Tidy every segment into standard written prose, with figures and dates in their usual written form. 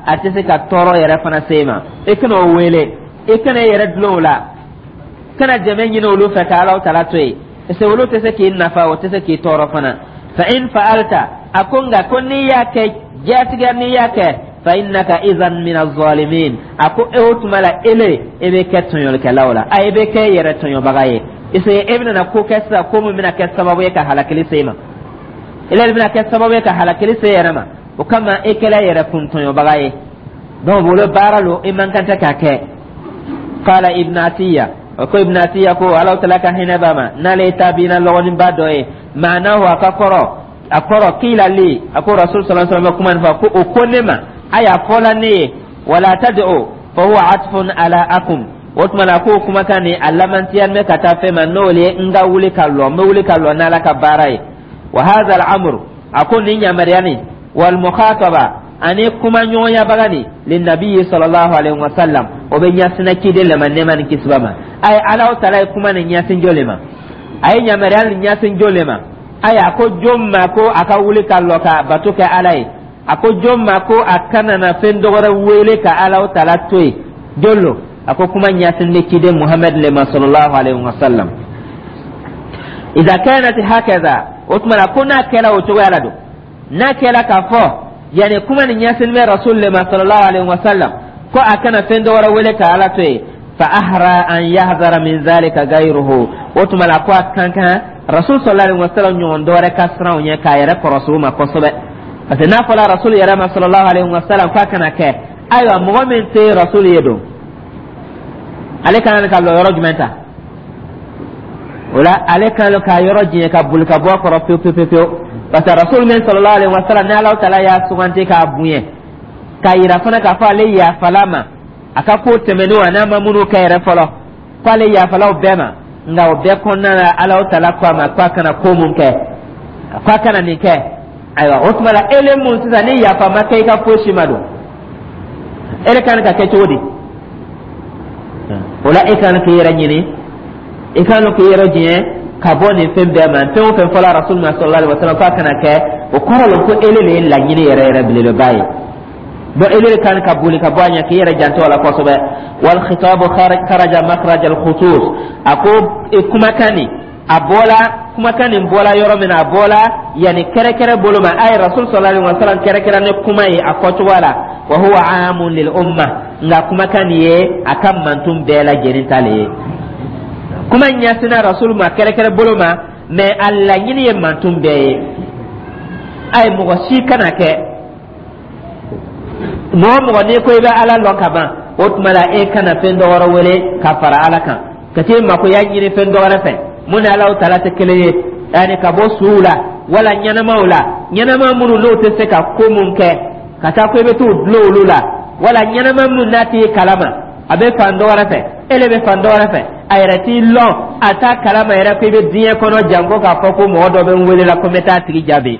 A tɛ se ka tɔɔrɔ yɛrɛ fana se i ma. I kana o wele, i kana i yɛrɛ dulon o la, kana dɛmɛ ɲini olu fɛ ka Alahu Taala to yen, parce que olu tɛ se k'i nafa, o tɛ se k'i tɔɔrɔ fana. Fa in fa'alta, a ko nka ko n'i y'a kɛ jatigɛ, n'i y'a kɛ, fa innaka izan min az-zalimin. A ko e o tuma la, ele e bɛ kɛ tɔɲɔlikɛlaw la, a e bɛ kɛ yɛrɛ tɔɲɔbaga ye, parce que e bɛna ko kɛ sisan, ko min bɛna kɛ sababu ye ka halakili se i ma. Ele bɛna kɛ sababu ye ka halakili se yɛrɛ ma. O kama e kɛla yɛrɛ kun tɔɲɔbaga ye. Donc bolo baara lo, i man kan tɛ k'a kɛ. Qala Ibn Atiya, o ko Ibn Atiya ko, Alahu Taala ka hinɛ b'a ma, n'ale ye tabiina lɔgɔninba dɔ ye, maanahu, a ka kɔrɔ, a kɔrɔ, qila li, a ko Rasul sallallahu alaihi wasallam bɛ kuma nin fɔ ko o ko ne ma, ayi, a fɔla ne ye, wala tad'u fa huwa atfun ala akum. O tuma na k'o kumakan nin, a lamantiya bɛ ka taa fɛn ma, n'o ye n ka wuli ka lɔ, n bɛ wuli ka lɔ n'Ala ka baara ye. Wa hadha al-amru, a ko nin yamaruya nin, wal mukhataba, ani kuma ɲɔgɔnyabaga nin, linnabiyi sallallahu alaihi wasallam, o bɛ ɲɛsinna ciden le ma, nɛɛma ni kisi b'a ma. A ye Alahu Taala ye kuma nin ɲɛsin jɔn le ma? A ye yamaruya nin ɲɛsin jɔn le ma? Ayi, a ko jɔn ma ko a ka wuli ka lɔ ka bato kɛ Ala ye? A ko jɔn ma ko a kana na fɛn dɔwɛrɛ wele ka Alahu Taala to yen? Jɔn lo? A ko kuma ɲɛsin bɛ ciden Muhamɛd le ma sallallahu alaihi wasallam. Idha kanat hakaza, o tuma na ko n'a kɛra o cogoya la don, n'a kɛra k'a fɔ yani kuma nin ɲɛsin bɛ Rasul le ma sallallahu alaihi wasallam, ko a kana fɛn dɔwɛrɛ wele ka Ala to yen, fa ahra an yahzara min zalika gayruhu. O tuma la ko a kan kan Rasul sallallahu alaihi wasallam ɲɔgɔn dɔwɛrɛ ka siran o ɲɛ k'a yɛrɛ kɔrɔsi o ma kosɛbɛ, parce que n'a fɔra Rasul yɛrɛ ma sallallahu alaihi wasallam k'a kana kɛ, ayiwa, mɔgɔ min tɛ Rasul ye don, ale kan ka lɔ yɔrɔ jumɛn ta o la? Ale kan ka yɔrɔ jɛn ka boli ka bɔ a kɔrɔ pewu pewu pewu, parce que Rasul min sallallahu alaihi wasallam, ni Alahu Taala y'a suganti k'a bonya, k'a yira fana k'a fɔ ale yafala ma a ka ko tɛmɛnenw, a n'a ma minnu kɛ yɛrɛ fɔlɔ, k'ale yafala o bɛɛ ma. Nka o bɛɛ kɔnɔna la, Alahu Taala ko a ma k'a kana ko mun kɛ, k'a kana nin kɛ. Ayiwa, o tuma la ele mun sisan ni yafa ma kɛ i ka fosi ma don, ele kan ka kɛ cogo di o la? E kan k'i yɛrɛ ɲini, i kan k'i yɛrɛ diɲɛ ka bɔ nin fɛn bɛɛ ma. Fɛn o fɛn fɔla Rasul ma sallallahu alaihi wasallam k'a kana kɛ, o kɔrɔ la ko ele de ye laɲini yɛrɛ yɛrɛ belebeleba ye. Donc ele de kan ka boli ka bɔ a ɲɛ k'i yɛrɛ janto a la kosɛbɛ. Wal khitabu kharaja makhraj al khusus. A ko kumakan nin, a bɔla, kumakan nin bɔla yɔrɔ min na, a bɔla yanni kɛrɛkɛrɛ bolo ma. A ye Rasul sallallahu alaihi wasallam kɛrɛkɛrɛ ni kuma ye a fɔcogo la. Wa huwa amun lil umma, nka kumakan nin ye a ka mantun bɛɛ lajɛlen ta le ye. Kuma ɲɛsinna Rasul ma kɛrɛkɛrɛ bolo ma, mais a laɲini ye mantun bɛɛ ye. A ye mɔgɔ si kana kɛ, mɔgɔ mɔgɔ n'i ko i bɛ Ala lɔn ka ban, o tuma la e kana fɛn dɔ wɛrɛ wele ka fara Ala kan, ka t'i makoya ɲini fɛn dɔ wɛrɛ fɛ mun ni Alahu Taala tɛ kelen ye, yanni ka bɔ suw la wala ɲɛnamaw la, ɲɛnama minnu n'o tɛ se ka ko mun kɛ, ka taa ko i bɛ t'o dulon olu la, wala ɲɛnama mun n'a t'i kalama, a bɛ fan dɔ wɛrɛ fɛ, e le bɛ fan dɔ wɛrɛ fɛ, a yɛrɛ t'i lɔn, a t'a kalama yɛrɛ ko i bɛ diɲɛ kɔnɔ, janko k'a fɔ ko mɔgɔ dɔ bɛ n wele la ko n bɛ taa tigi jaabi.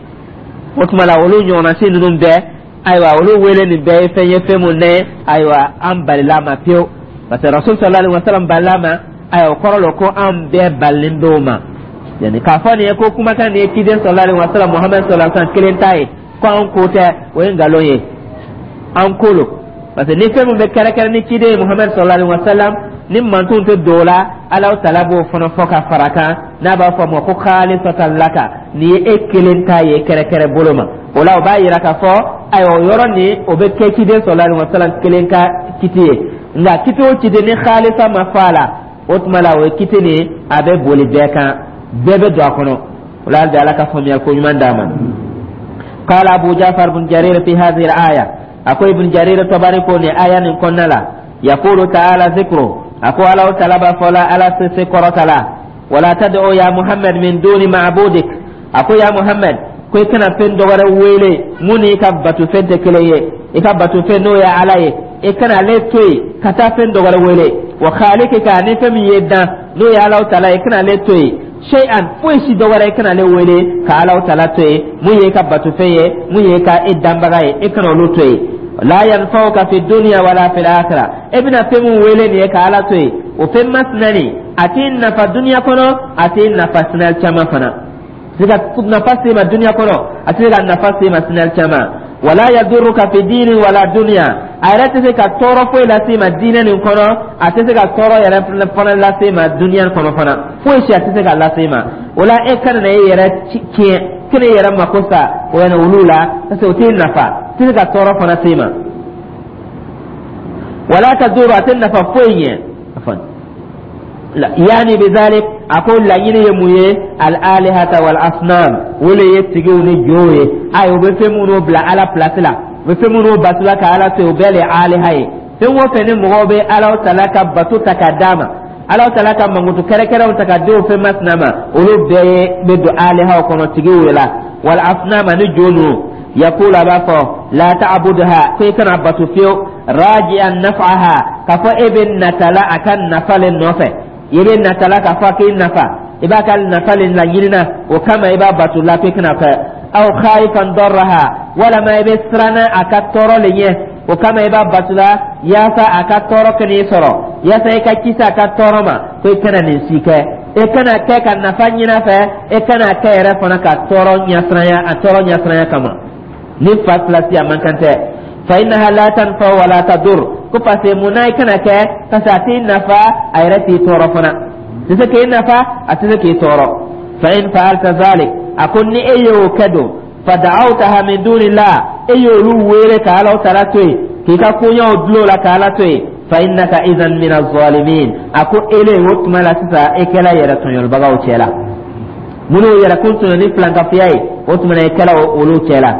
O tuma la olu ɲɔgɔnna si ninnu bɛɛ, ayiwa, olu wele nin bɛɛ ye fɛn ye, fɛn mun ne, ayiwa, an balila ma pewu, parce que Rasul sallallahu alaihi wasallam balila ma. Ayiwa, o kɔrɔ la ko an bɛɛ balilen b'o ma. Yani k'a fɔ nin ye ko kumakan nin ye ciden sallallahu alaihi wasallam, Muhammed sallallahu alaihi wasallam kelen ta ye, ko an ko tɛ, o ye nkalon ye. An ko lo, parce que ni fɛn min bɛ kɛrɛkɛrɛ ni ciden ye Muhammed sallallahu alaihi wasallam, ni mantonw tɛ don o la, Alahu Taala b'o fana fɔ ka fara kan, n'a b'a fɔ a ma ko khalisatan laka, nin ye e kelen ta ye kɛrɛkɛrɛ bolo ma. O la o b'a yira k'a fɔ, ayiwa, o yɔrɔ nin, o bɛ kɛ ciden sallallahu alaihi wasallam kelen ka kiti ye. Nka kiti o kiti ni khalisa ma fɔ a la, o tuma la o ye kiti nin, a bɛ boli bɛɛ kan, bɛɛ bɛ don a kɔnɔ. O la hali bi, Ala ka faamuyali ko ɲuman d'a ma. قال أبو جعفر بن جرير في هذه الآية، أكو ابن جرير الطبري كوني آية كنا لا، يقول تعالى ذكره، أكو الله تعالى فلا على سكرة ولا تدعو يا محمد من دون معبودك. أكو يا محمد ko i kana fɛn dɔ wɛrɛ wele mun ni i ka batofɛn tɛ kelen ye, i ka batofɛn n'o ye Ala ye, i kana ale to yen ka taa fɛn dɔ wɛrɛ wele. Wa khalikika, ni fɛn min ye dan, n'o ye Alahu Taala ye, i kana ale to yen. Shay'an, foyi si dɔ wɛrɛ, i kana ale wele ka Alahu Taala to yen, mun ye i ka batofɛn ye, mun ye i ka e danbaga ye, i kana olu to yen. La yanfa'uka fi dunya wala fil akhirah. E bɛna fɛn mun wele nin ye ka Ala to yen, o fɛn masina nin, a t'i nafa duniya kɔnɔ, a t'i nafa sinali caman fana se ka nafa se ma duniya kɔnɔ, a tɛ se ka nafa se ma sinali caman. Wala yadurruka fi dini wala dunya, a yɛrɛ tɛ se ka tɔɔrɔ foyi lase i ma diinɛ nin kɔnɔ, a tɛ se ka tɔɔrɔ yɛrɛ fana lase i ma dunya kɔnɔ fana, foyi si a tɛ se ka lase i ma. O la, e kana na e yɛrɛ tiɲɛ, kana e yɛrɛ mako sa o yɛrɛ olu la, parce que o t'i nafa, tɛ se ka tɔɔrɔ fana se i ma. Wala tadurru, a tɛ nafa foyi ɲɛ. Yani bizalik, a ko laɲini ye mun ye? Al alihata wal asnam, o le ye tigiw ni jow ye. Ayi, u bɛ fɛn minnu bila Ala place la, u bɛ fɛn minnu bato la ka Ala to yen, o bɛɛ le ye aliha ye. Fɛn o fɛn ni mɔgɔw bɛ Ala tala ka bato ta ka d'a ma, Ala tala ka mankutu kɛrɛkɛrɛnw ta ka di o fɛn masina ma, olu bɛɛ ye bɛ don alihaw kɔnɔ, tigiw la, wal asnam ani jo ninnu. Yakulu, a b'a fɔ, la ta'budha, ko i kana bato fiyewu, raji'an naf'aha, k'a fɔ e bɛ natala a ka nafa le nɔfɛ, i bɛ natala k'a fɔ k'i nafa, i b'a ka nafa le laɲinina, o kama i b'a bato la, k'i kana kɛ. Aw khaifan darraha, walama i bɛ siranna a ka tɔɔrɔ le ɲɛ, o kama i b'a bato la, yaasa a ka tɔɔrɔ kana i sɔrɔ, yaasa i ka kisi a ka tɔɔrɔ ma, ko i kana nin si kɛ. E kana kɛ ka nafa ɲini a fɛ, e kana kɛ yɛrɛ fana ka tɔɔrɔ ɲɛsiranya, a tɔɔrɔ ɲɛsiranya kama. Ni fa filasi a man kan tɛ. Fa innaha la tanfa wala tadur, ko parce que mun na i kana kɛ? Parce que a t'i nafa, a yɛrɛ t'i tɔɔrɔ fana, tɛ se k'i nafa, a tɛ se k'i tɔɔrɔ. Fa in fa'alta zalik, a ko ni e y'o kɛ don, fa da'awtaha min dunillah, e y'olu wele ka Ala tala to yen, k'i ka koɲɛw dulon o la ka Ala to yen, fa innaka idhan min az-zalimin, a ko ele o tuma la sisan, e kɛla yɛrɛ tɔɲɔlibagaw cɛ la, minnu yɛrɛ kun tɔɲɔ ni filankafoya ye, o tuma na e kɛla olu cɛ la.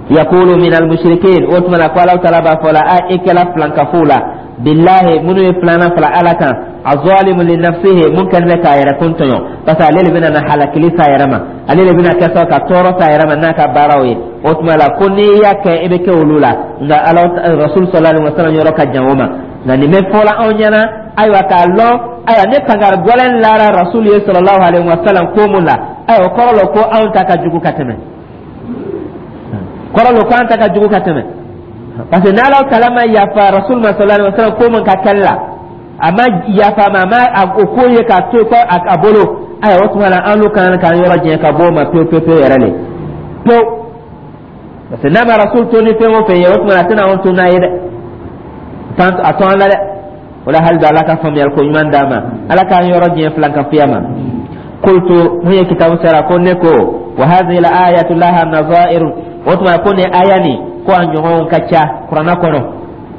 Yakulu min al-mushrikin, o tuma na ko Ala taala b'a fɔ la a e kɛla filankafow la, billahi, minnu ye filanan fara Ala kan, azalimu li nafsihi, mun kɛlen bɛ k'a yɛrɛ kun tɔɲɔ, parce que ale de bɛna na halakili s'a yɛrɛ ma, ale de bɛna kɛ sababu ka tɔɔrɔ s'a yɛrɛ ma n'a ka baaraw ye. O tuma la ko n'i y'a kɛ, e bɛ kɛ olu la. Nka Ala Rasul sallallahu alaihi wasallam yɔrɔ ka jan o ma. Nka nin bɛ fɔla anw ɲɛna, ayiwa, k'a lɔn, ayiwa, ne kankari gɛlɛn lara Rasul ye sallallahu alaihi wasallam ko mun la, ayiwa, o kɔrɔ la ko anw ta ka jugu ka tɛmɛ, kɔrɔ lo ko an ta ka jugu ka tɛmɛ, parce que n'Ala tala ma yafa Rasul ma sallallahu alaihi wasallam ko mun ka kɛli la, a ma yafa ma, a ma o ko ye k'a to ko a bolo, ayiwa, o tuma la an n'u kan k'an yɔrɔ janya ka bɔ o ma pewu pewu pewu yɛrɛ le pewu, parce que n'a ma Rasul to ni fɛn o fɛn ye, o tuma la a tɛna anw to n'a ye dɛ, a to an la dɛ. O la, hali bi Ala ka faamuyali ko ɲuman d'an ma, Ala k'an yɔrɔ diɲɛ filankafoya ma. Qultu, mun ye kitabu sara ko ne ko, wa hadhihi al-ayatu laha nazair, o tuma ko nin aya nin, ko a ɲɔgɔnw ka ca Kuranna kɔnɔ,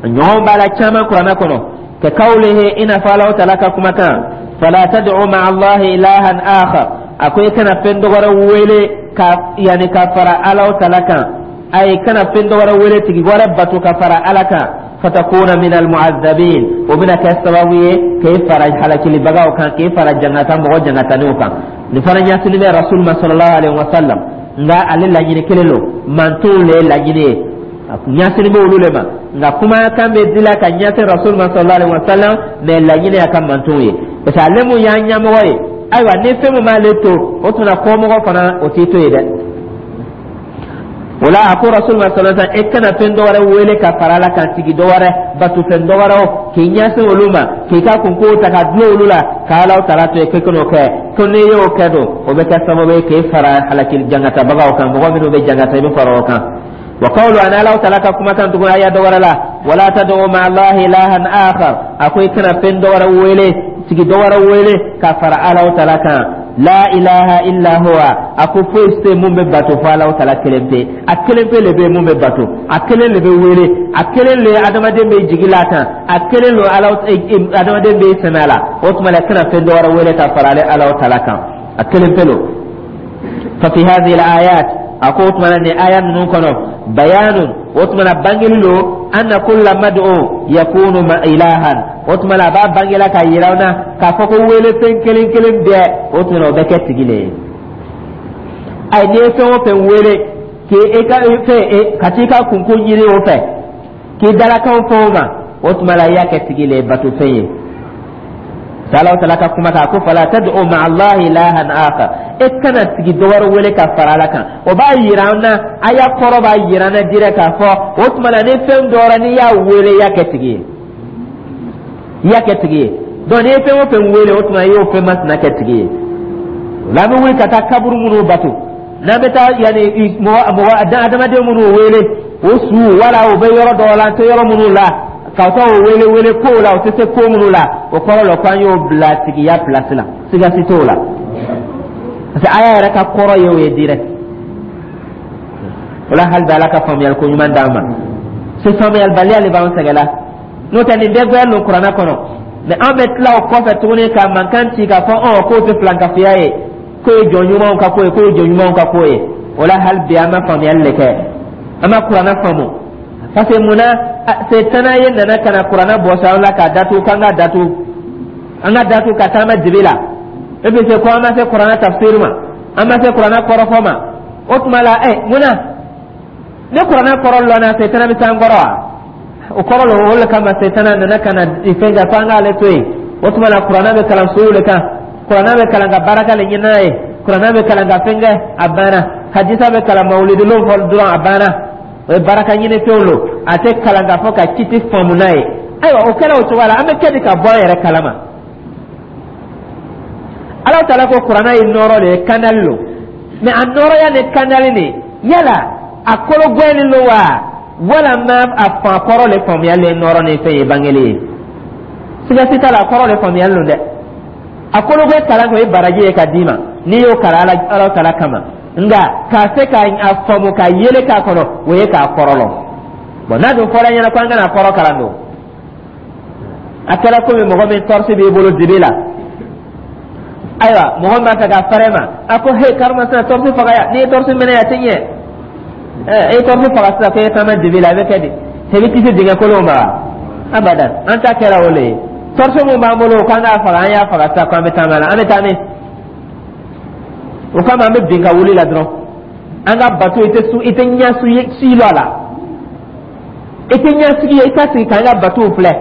a ɲɔgɔn b'a la caman Kuranna kɔnɔ. Ka kawlihi, i n'a fɔ Alahu taala ka kumakan, fala tad'u ma'a Allahi ilahan akhar, a ko i kana fɛn dɔ wɛrɛ wele ka yani ka fara Alahu taala kan, ayi, kana fɛn dɔ wɛrɛ wele, tigi wɛrɛ bato ka fara Ala kan, fatakuna min almu'azzabin, o bɛna kɛ sababu ye k'e fara halakilibagaw kan, k'e fara jangata mɔgɔ jangataniw kan. Nin fana ɲɛsinnen bɛ Rasul ma sallallahu alaihi wa sallam, nka ale laɲini kelen lo, mantonw le ye laɲini ye, ɲɛsinnen bɛ olu le ma. Nka kumakan bɛ dila ka ɲɛsin Rasul ma sallallahu alaihi wa sallam, mais laɲini y'a ka mantonw ye, parce que ale mun y'an ɲɛmɔgɔ ye, ayiwa, ni fɛn min m'ale to, o tuma kɔmɔgɔ fana o t'i to yen dɛ. O la, a ko Rasul ma sallallahu alaihi wasallam, e kana fɛn dɔ wɛrɛ wele ka fara Ala kan, tigi dɔ wɛrɛ, bato fɛn dɔ wɛrɛw, k'i ɲɛsin olu ma, k'i ka kunko ta ka dulon olu la, ka Ala taala to yen, k'e kan'o kɛ. Ko n'i y'o kɛ don, o bɛ kɛ sababu ye k'e fara halakili jangatabagaw kan, mɔgɔ minnu bɛ jangata, i bɛ fara o kan. Wa qawlu, an Ala taala ka kumakan tugun aya dɔ wɛrɛ la, wala tad'u ma'a Allahi ilahan akhar, a ko i kana fɛn dɔ wɛrɛ wele, tigi dɔ wɛrɛ wele ka fara Ala taala kan. La ilaha illa huwa, a ko foyi tɛ mun bɛ bato fo Ala taala kelen pe. A kelen pe le bɛ mun bɛ bato, a kelen le bɛ wele, a kelen le adamaden bɛ jigi la kan, a kelen le Ala adamaden bɛ sɛmɛ a la. O tuma la, kana fɛn dɔ wɛrɛ wele ka fara ale Ala taala kan, a kelen pe lo. Fa fi hadhihi al-ayat, a ko o tuma na nin aya ninnu kɔnɔ, bayanun, o tuma na bangeli lo, anna kulla mad'u yakunu ma ilahan, o tuma na a b'a bangela ka yira na k'a fɔ ko wele fɛn kelen kelen bɛɛ, o tuma na o bɛ kɛ tigi le ye. Ayi, n'i ye fɛn o fɛn wele k'i ka fɛn ka t'i ka kunko ɲini o fɛ, k'i dalakanw fɔ o ma, o tuma la i y'a kɛ tigi le ye, bato fɛn ye. Ala taala ka kuma kan ko fala tad'u ma'a Allahi ilahan akhar, e kana tigi dɔ wɛrɛ wele ka fara Ala kan. O b'a yira an na, aya kɔrɔ b'a yira an na direct k'a fɔ o tuma na ni fɛn dɔ wɛrɛ n'i y'a wele, i y'a kɛ tigi ye, i y'a kɛ tigi ye. Donc n'i ye fɛn o fɛn wele, o tuma i y'o fɛn masina kɛ tigi ye. O la, an bɛ wuli ka taa kaburu minnu bato. N'an bɛ taa yanni mɔgɔ mɔgɔ adamaden minnu wele o su wala o bɛ yɔrɔ dɔw la, an tɛ yɔrɔ minnu la, ka taa o wele wele kow la, o tɛ se ko minnu la, o kɔrɔ la ko an y'o bila tigiya pilasi la, siga si t'o la, parce que aya yɛrɛ ka kɔrɔ ye o ye direct. O la, hali bi Ala ka faamuyali ko ɲuman d'an ma. Se faamuyalibaliya de b'an sɛgɛn la, n'o tɛ nin bɛɛ gbɛɛ lo Kuranɛ kɔnɔ. Mɛ an bɛ tila o kɔfɛ tuguni ka mankan ci k'a fɔ k'o tɛ filankafoya ye, k'o ye jɔn ɲumanw ka ko ye, k'o ye jɔn ɲumanw ka ko ye. O la, hali bi an ma faamuyali de kɛ, an ma Kuranɛ faamu, parce que munna? Setana ye nana ka na Kuranɛ bɔsi an la k'a datugu, k'an ka datugu, an ka datugu ka taama dibi la. E bɛ se ko an ma se Kuranɛ tafsir ma, an ma se Kuranɛ kɔrɔfɔ ma. O tuma la, munna ni Kuranɛ kɔrɔ lɔnna, setana bɛ se an kɔrɔ wa? O kɔrɔ lo. O le kama setana nana ka na fɛn kɛ ko an k'ale to yen. O tuma la, Kuranɛ bɛ kalan sow le kan, Kuranɛ bɛ kalan ka baraka le ɲini n'a ye, Kuranɛ bɛ kalan ka fɛn kɛ, a banna. Hadisa bɛ kalan mawulidulon fɔ dɔrɔn, a banna. O ye baraka ɲini fɛnw lo, a tɛ kalan k'a fɔ ka kiti faamu n'a ye. Ayiwa, o kɛra o cogoya la, an bɛ kɛ di ka bɔ an yɛrɛ kalama? Ala taala ko Kuranɛ ye nɔɔrɔ de ye, kandali lo. Mɛ a nɔɔrɔya ni kandali nin, yala a kolo gɛni lo wa, walama a fa kɔrɔ le faamuyali ye nɔɔrɔ ni fɛn ye bangeli ye? Siga si t'a la, a kɔrɔ le faamuyali lo dɛ. A kolo bɛ kalan kɛ, o ye baraji ye ka d'i ma n'i y'o kalan Ala taala kama. Nka k'a se ka a faamu ka yele k'a kɔnɔ, o ye k'a kɔrɔ lɔn. Bɔn, n'a dun fɔra ɲɛna ko an kana kɔrɔ kalan don, a kɛra komi mɔgɔ min tɔrɔsi b'i bolo dibi la. Ayiwa, mɔgɔ min b'a fɛ ka fɛrɛ ma, a ko: "He, karimasina, tɔrɔsi faga yan. N'i ye tɔrɔsi minɛ yan, a tɛ ɲɛ. Ɛ, e ye tɔrɔsi faga sisan ko e ye taama dibi la, a bɛ kɛ di? E bɛ kisi dingɛ kolon ma wa?" Abadan, an ta kɛra o le ye. Tɔrɔsi mun b'an bolo k'an k'a faga, an y'a faga sisan ko an bɛ taama la, an bɛ taa min? O kama an bɛ bin ka wuli la dɔrɔn. An ka bato, i tɛ su, i tɛ ɲɛ su si lɔ a la, i tɛ ɲɛ sigi ye. I ka sigi k'an ka batow filɛ.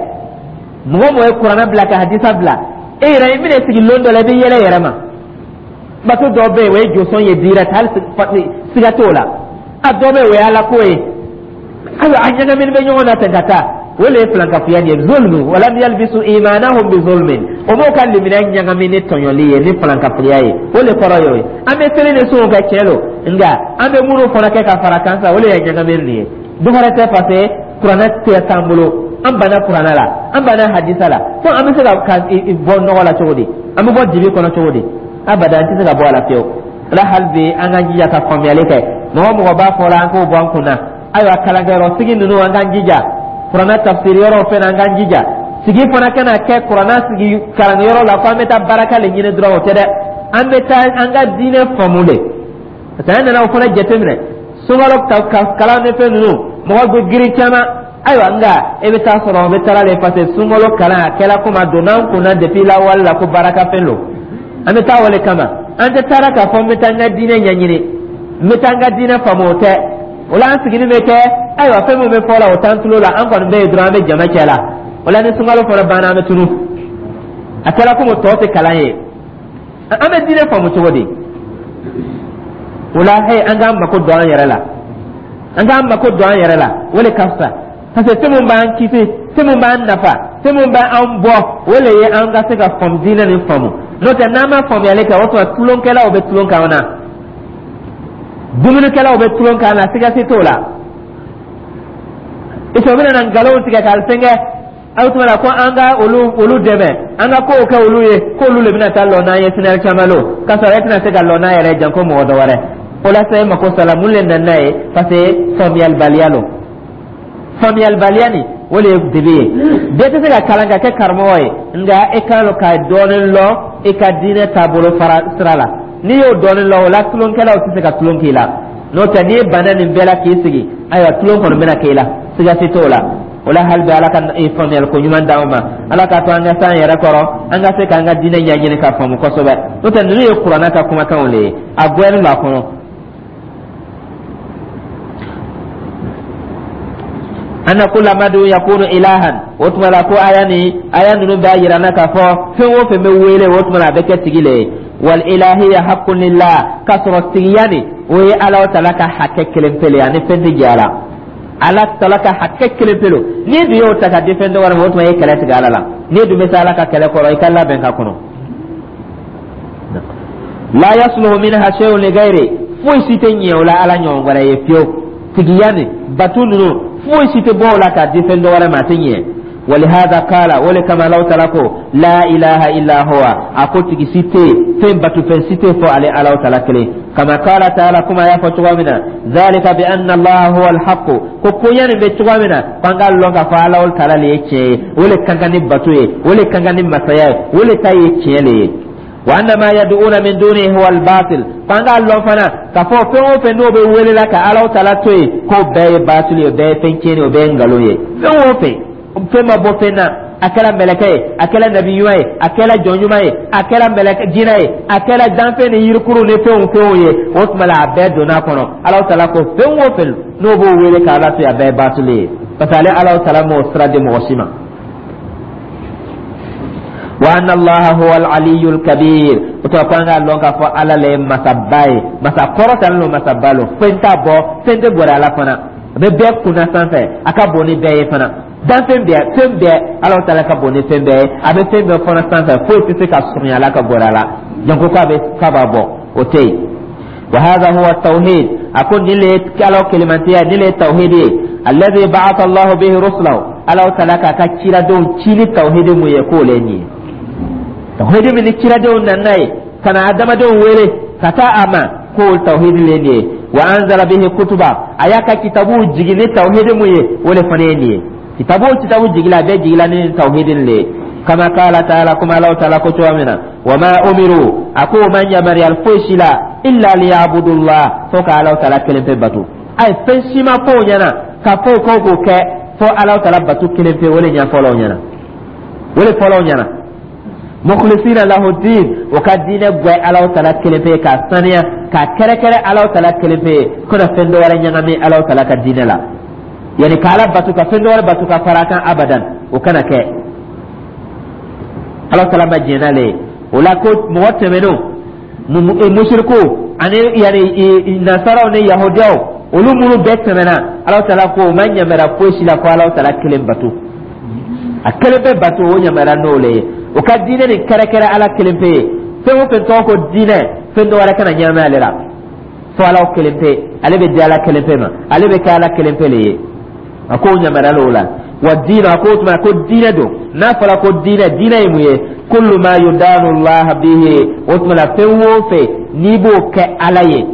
Mɔgɔ mɔgɔ ye Kuranɛ bila ka hadisa bila, e yɛrɛ i bɛna sigi lon dɔ la, i bɛ yɛlɛ yɛrɛ ma. Bato dɔw bɛ yen, o ye josɔn ye direct, hali siga t'o la. A dɔ bɛ yen, o ye Ala ko ye. Ayiwa, a ɲagamini bɛ ɲɔgɔn na ten ka taa. O le ye filankafoya nin ye, zulmu. Walam yalbisu imanahum bi zulmin. O m'o ka limaniya ɲagami ni tɔɲɔli ye, ni filankafoya ye. O le kɔrɔ ye o ye. An bɛ seli ni sunw kɛ, tiɲɛ don, nka an bɛ minnu fana kɛ ka fara kan sa, o le ye ɲagamini nin ye. Dɔ wɛrɛ tɛ, parce que Kuranɛ tɛ t'an bolo. An banna Kuranɛ la, an banna hadisa la. Fo an bɛ se ka bɔ nɔgɔ la cogo di? An bɛ bɔ dibi kɔnɔ cogo di? Abada, an tɛ se ka bɔ a la fiyewu. O la, hali bi an k'an jija ka faamuyali kɛ. Mɔgɔ mɔgɔ b'a fɔ la, an k'o bɔ an kun na. Ayiwa, kalankɛyɔrɔ sigi ninnu, an k'an jija. Kuranɛ tafsiri yɔrɔw fɛnɛ, an k'an jija. Sigi fana kana kɛ Kuranɛ sigi kalankɛyɔrɔ la ko an bɛ taa baraka le ɲini dɔrɔn, o tɛ dɛ. An bɛ taa an ka diinɛ faamu de, parce que an nana o fana jateminɛ. Sunkalo kalan ni fɛn ninnu, mɔgɔ bɛ girin caman. Ayiwa, nka e bɛ taa sɔrɔ o bɛ taara le, parce que sunkalo kalan a kɛra komi a donna an kunna depuis lawale la ko baraka fɛn don, an bɛ taa o le kama. An tɛ taara k'a fɔ n bɛ taa n ka diinɛ ɲɛɲini, n bɛ taa n ka diinɛ faamu, o tɛ. O la, an sigili bɛ kɛ. Ayiwa, fɛn min bɛ fɔ la, o t'an tulo la. An kɔni bɛ yen dɔrɔn, an bɛ jama cɛ la. O la, ni sunkalo fana banna, an bɛ tunu. A kɛra komi tɔ tɛ kalan ye. An bɛ diinɛ faamu cogo di? O la, he, an k'an mako don an yɛrɛ la, an k'an mako don an yɛrɛ la, o de ka fisa, parce que fɛn min b'an kisi, fɛn min b'an nafa, fɛn min b'an bɔ, o le ye an ka se ka faamu, diinɛ nin faamu. N'o tɛ, n'an ma faamuyali kɛ, o tuma tulonkɛlaw bɛ tulon k'an na, dumunikɛlaw bɛ tulon k'an na, siga si t'o la. O bɛna na nkalonw tigɛ k'a fɛnkɛ. Aw tuma la ko an ka olu dɛmɛ, an ka kow kɛ olu ye, k'olu de bɛna taa lɔ n'an ye sinɛri caman lo, k'a sɔrɔ e tɛna se ka lɔ n'a yɛrɛ ye janko mɔgɔ dɔ wɛrɛ. O la sa, e mako sala. Mun le nana n'a ye? Parce que faamuyalibaliya lo. Faamuyalibaliya nin, o de ye dibi ye. Bɛɛ tɛ se ka kalan ka kɛ karamɔgɔ ye, nka e kan ka dɔɔnin lɔn i ka diinɛ taabolo fara sira la. N'i y'o dɔɔnin lɔn, o la tulonkɛlaw tɛ se ka tulon k'i la. N'o tɛ, n'i banna nin bɛɛ la k'i sigi, ayiwa, tulon kɔni bɛna k'i la, siga si t'o la. O la, hali bi Ala ka faamuyali ko ɲuman d'anw ma. Ala k'a to an ka s'an yɛrɛ kɔrɔ, an ka se k'an ka diinɛ ɲɛɲini ka faamu kosɛbɛ. N'o tɛ, ninnu ye Kuranɛ ka kumakanw de ye, a gbɛnnen don a kɔnɔ. Anna kulla madu yakunu ilahan. O tuma la ko aya ni aya ninnu b'a yira na k'a fɔ fɛn o fɛn bɛ wele, o tuma la a bɛ kɛ tigi le ye. Wal ilahiya haqqun lillah, k'a sɔrɔ tigiya nin, o ye Ala taala ka hakɛ kelen pe le ye, ani fɛn tɛ jɛ a la. Ala taala ka hakɛ kelen pe lo. N'i dun y'o ta ka di fɛn dɔ wɛrɛ ma, o tuma i ye kɛlɛ tigɛ Ala la. N'i dun bɛ se Ala ka kɛlɛ kɔrɔ, i ka labɛn ka kɔnɔ. La yasluhu minha shay'un li ghayri. Foyi si tɛ ɲɛ o la Ala ɲɔgɔn wɛrɛ ye fiyewu. Tigiya nin, bato ninnu, foyi si tɛ bɔ o la k'a di fɛn dɔ wɛrɛ ma, a tɛ ɲɛ. ولهذا قال, o le kama Alahu Taala ko: لا إله إلا هو, a ko tigi si tɛ yen, fɛn batu fɛn si tɛ fɔ ale Alahu Taala kelen. كما قال تعالى, kuma y'a fɔ cogoya min na: ذلك بأن الله هو الحق, ko koɲɛ nin bɛ cogoya min na, k'an k'a lɔn k'a fɔ Alahu Taala le ye tiɲɛ ye, o le kan ka ni bato ye, o le kan ka ni masaya ye, o le ta ye tiɲɛ le ye. وأن ما يدعون من دونه هو الباطل, k'an k'a lɔn fana k'a fɔ fɛn o fɛn n'o bɛ wele la ka Alahu Taala to yen, k'o bɛɛ ye baatili ye, o bɛɛ ye fɛn tiɲɛni ye, o bɛɛ ye nkalon ye. Fɛn o fɛn, fɛn ma bɔ fɛn na, a kɛra mɛlɛkɛ ye, a kɛra nabi ɲuman ye, a kɛra jɔn ɲuman ye, a kɛra mɛlɛkɛ jinɛ ye, a kɛra danfɛn ni yirikuru ni fɛnw fɛnw ye, o tuma la a bɛɛ donna a kɔnɔ. Alahu Taala ko fɛn o fɛn n'o b'o wele k'Ala to yen, a bɛɛ ye baatili ye, parce que ale Alahu Taala m'o sira di mɔgɔ si ma. وأن الله هو العلي الكبير, o tuma ko an k'a lɔn k'a fɔ Ala le ye masaba ye, masa kɔrɔtalen lo, masaba lo, fɛn t'a bɔ, fɛn tɛ gɛrɛ Ala fana. A bɛ bɛɛ kunna sanfɛ, a ka bon ni bɛɛ ye fana. Danfɛn bɛɛ, fɛn bɛɛ, Ala taala ka bon ni fɛn bɛɛ ye, a bɛ fɛn bɛɛ fana sanfɛ. Foyi tɛ se ka surunya Ala ka gɛrɛ a la, janko k'a bɛ k'a b'a bɔ, o tɛ yen. وهذا هو التوحيد, a ko nin le Ala kelimantiya, nin le tawhid ye. الذي بعث الله به رسله, Ala taala k'a ka ciradenw ci ni tawhid mun ye, k'o le nin ye tawhid min ni ciradenw nana ye ka na adamadenw wele ka taa a ma, k'o tawhid le nin ye. وأنزل به كتبه, a y'a ka kitabuw jigin ni tawhid mun ye, o le fana ye nin ye. Kitabu o kitabu jigila, a bɛɛ jigila ni tawhid le ye. كما قال تعالى, kuma Alahu Taala ko cogoya min na: وما أمروا, a ko o ma yamaruyali foyi si la, إلا ليعبدوا الله, fo ka Alahu Taala kelen pe bato. Ayi, fɛn si ma fɔ o ɲɛna k'a fɔ o k'o kɛ fo Alahu Taala bato kelen pe. O le ɲɛfɔla o ɲɛna, o le fɔla o ɲɛna. مخلصين له الدين, o ka diinɛ gwɛ Alahu Taala kelen pe, k'a saniya, k'a kɛrɛkɛrɛ Alahu Taala kelen pe, kana fɛn dɔ wɛrɛ ɲagami Alahu Taala ka diinɛ la, yani ka Ala bato ka fɛn dɔ wɛrɛ bato ka fara a kan, abadan, o kana kɛ. Ala taala ma jɛn n'ale ye o la. Ko mɔgɔ tɛmɛnenw, musiriku ani yani nasaraw ni yahudiyaw, olu minnu bɛɛ tɛmɛna, Ala taala ko o ma ɲamɛra foyi si la fo Ala taala kelen bato, a kelen bɛ bato, o ɲamɛra n'o le ye. O ka diinɛ nin kɛrɛkɛrɛ Ala kelen pe ye. Fɛn o fɛn tɔgɔ ko diinɛ, fɛn dɔ wɛrɛ kana ɲagami ale la fo Ala kelen pe. Ale bɛ di Ala kelen pe ma, ale bɛ kɛ Ala kelen pe le ye. A ko ɲamɛra l'o la. والدين, a ko tuma ko diinɛ don. N'a fɔra ko diinɛ, diinɛ ye mun ye? كل ما يدان الله به, o tuma la fɛn o fɛn n'i b'o kɛ Ala ye,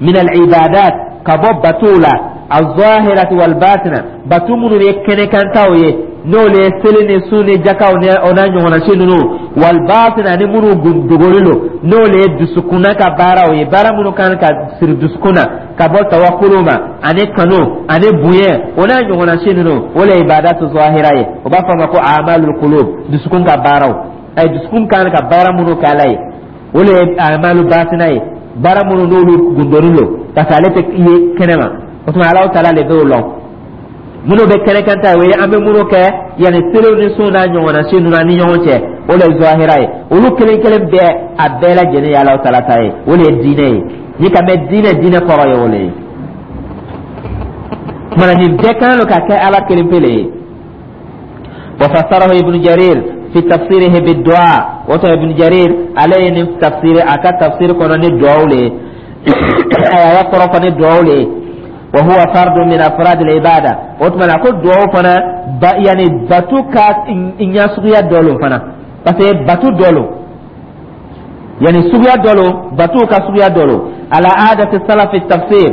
من العبادات, ka bɔ batow la, الظاهرة والباطنة, bato minnu ye kɛnɛkantaw ye, n'olu ye seli ni sun ni jakaw ni o n'a ɲɔgɔnna si ninnu, والباطنة, ani minnu dogolen don, n'olu ye dusukunna ka baaraw ye, baara minnu kan ka siri dusukun na, ka bɔ tawakulu ma ani kanu ani bonya, o n'a ɲɔgɔnna si ninnu, o le ye عبادات ظاهرة ye. O b'a fɔ a ma ko أعمال القلوب, dusukun ka baaraw. Ayi, dusukun kan ka baara minnu kɛ Ala ye, o le ye أعمال باطنة ye, baara minnu n'olu gundonin don, parce que ale tɛ ye kɛnɛ ma. O tuma Alahu Taala le b'o lɔn. Minnu bɛ kɛnɛkan ta ye, o ye an bɛ minnu kɛ, yanni seliw ni sun n'a ɲɔgɔnna si ninnu ani ɲɔgɔn cɛ, o le ye ظاهرة ye. Olu kelen kelen bɛɛ, a bɛɛ lajɛlen ye Alahu Taala ta ye, o le ye diinɛ ye. Ni ka mɛn diinɛ, diinɛ kɔrɔ ye o le ye. Kumana nin bɛɛ kan ka kɛ Ala kelen pe le ye. وفسره ابن جرير في تفسيره بالدعاء, woto Ibn Jarir ale ye nin tafsir, a ka tafsir kɔnɔ ni duwawu le ye, a y'a kɔrɔ fɔ ni duwawu le ye. وهو فرد من أفراد العبادة, o tuma na ko duwawu fana ba, yani batu ka ɲɛ suguya dɔ lo fana, parce que batu dɔ lo, yani suguya dɔ lo, batu ka suguya dɔ lo. على عادة السلف في التفسير,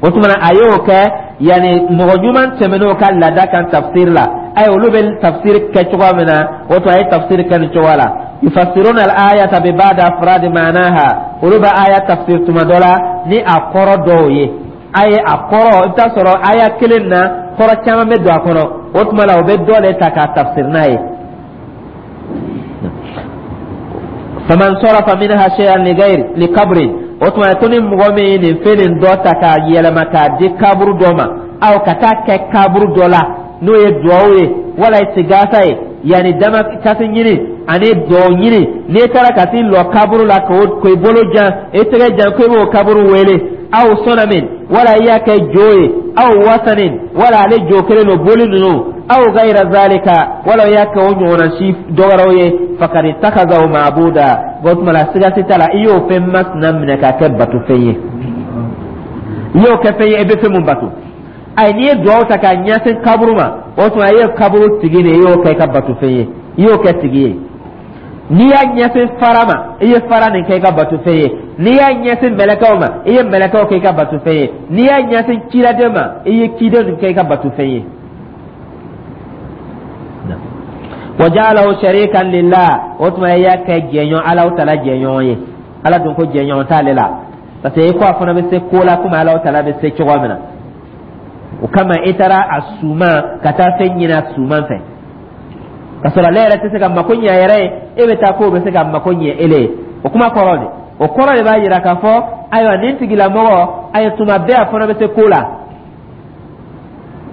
o tuma na a y'o kɛ yani mɔgɔ ɲuman tɛmɛn'o ka laada kan tafsir la. Ayi, olu bɛ tafsir kɛ cogoya min na, o tuma a ye tafsir kɛ nin cogoya la: يفسرون الآية ببعض أفراد معناها, olu bɛ aya tafsir tuma dɔ la ni a kɔrɔ dɔw ye. A ye a kɔrɔ, i bɛ taa sɔrɔ aya kelen na, kɔrɔ caman bɛ don a kɔnɔ. O tuma la o bɛ dɔ de ta k'a tafsir n'a ye. فمن صرف منها شيئا لغير لقبر, o tuma ko ni mɔgɔ min ye nin fɛn nin dɔ ta k'a yɛlɛma k'a di kaburu dɔ ma, aw ka taa kɛ kaburu dɔ la, n'o ye duwawu ye wala istigasa ye, yanni dama kasi ɲini ani duwawu ɲini, n'i taara ka t'i lɔ kaburu la k'o k'i bolo jan, i tɛgɛ jan, ko i b'o kaburu wele, أو صنم, wala i y'a kɛ jo ye, أو وثن, wala ale jo kelen don, boli ninnu. Aw gayra zalika, wala i y'a kɛ o ɲɔgɔnna si dɔ wɛrɛw ye, fakad ittakhadhahu ma'buda. O tuma la, siga si t'a la, i y'o fɛn masina minɛ k'a kɛ batofɛn ye, i y'o kɛ fɛn ye e bɛ fɛn mun bato. Ayi, n'i ye duwawu ta k'a ɲɛsin kaburu ma, o tuma i ye kaburu tigi de, i y'o kɛ i ka batofɛn ye, i y'o kɛ tigi ye. N'i y'a ɲɛsin fara ma, i ye fara nin kɛ i ka batofɛn ye. N'i y'a ɲɛsin mɛlɛkɛw ma, i ye mɛlɛkɛw kɛ i ka batofɛn ye. N'i y'a ɲɛsin ciladen ma, i ye ciden nin kɛ i ka batofɛn ye. Wa ja'alahu sharikan lillah, o tuma i y'a kɛ jɛɲɔgɔn, Alahu taala jɛɲɔgɔn ye. Ala dun ko jɛɲɔgɔn t'ale la, parce que i ko a fana bɛ se ko la komi Alahu taala bɛ se cogo min na. O kama i taara a suma ka taa fɛn ɲini a suman fɛ, ka sɔrɔ ale yɛrɛ tɛ se ka mako ɲɛ a yɛrɛ ye, e bɛ taa k'o bɛ se ka mako ɲɛ ele ye. O kuma kɔrɔ de, o kɔrɔ de b'a jira k'a fɔ ayiwa, nin tigilamɔgɔ, ayi, tuma bɛɛ a fana bɛ se ko la,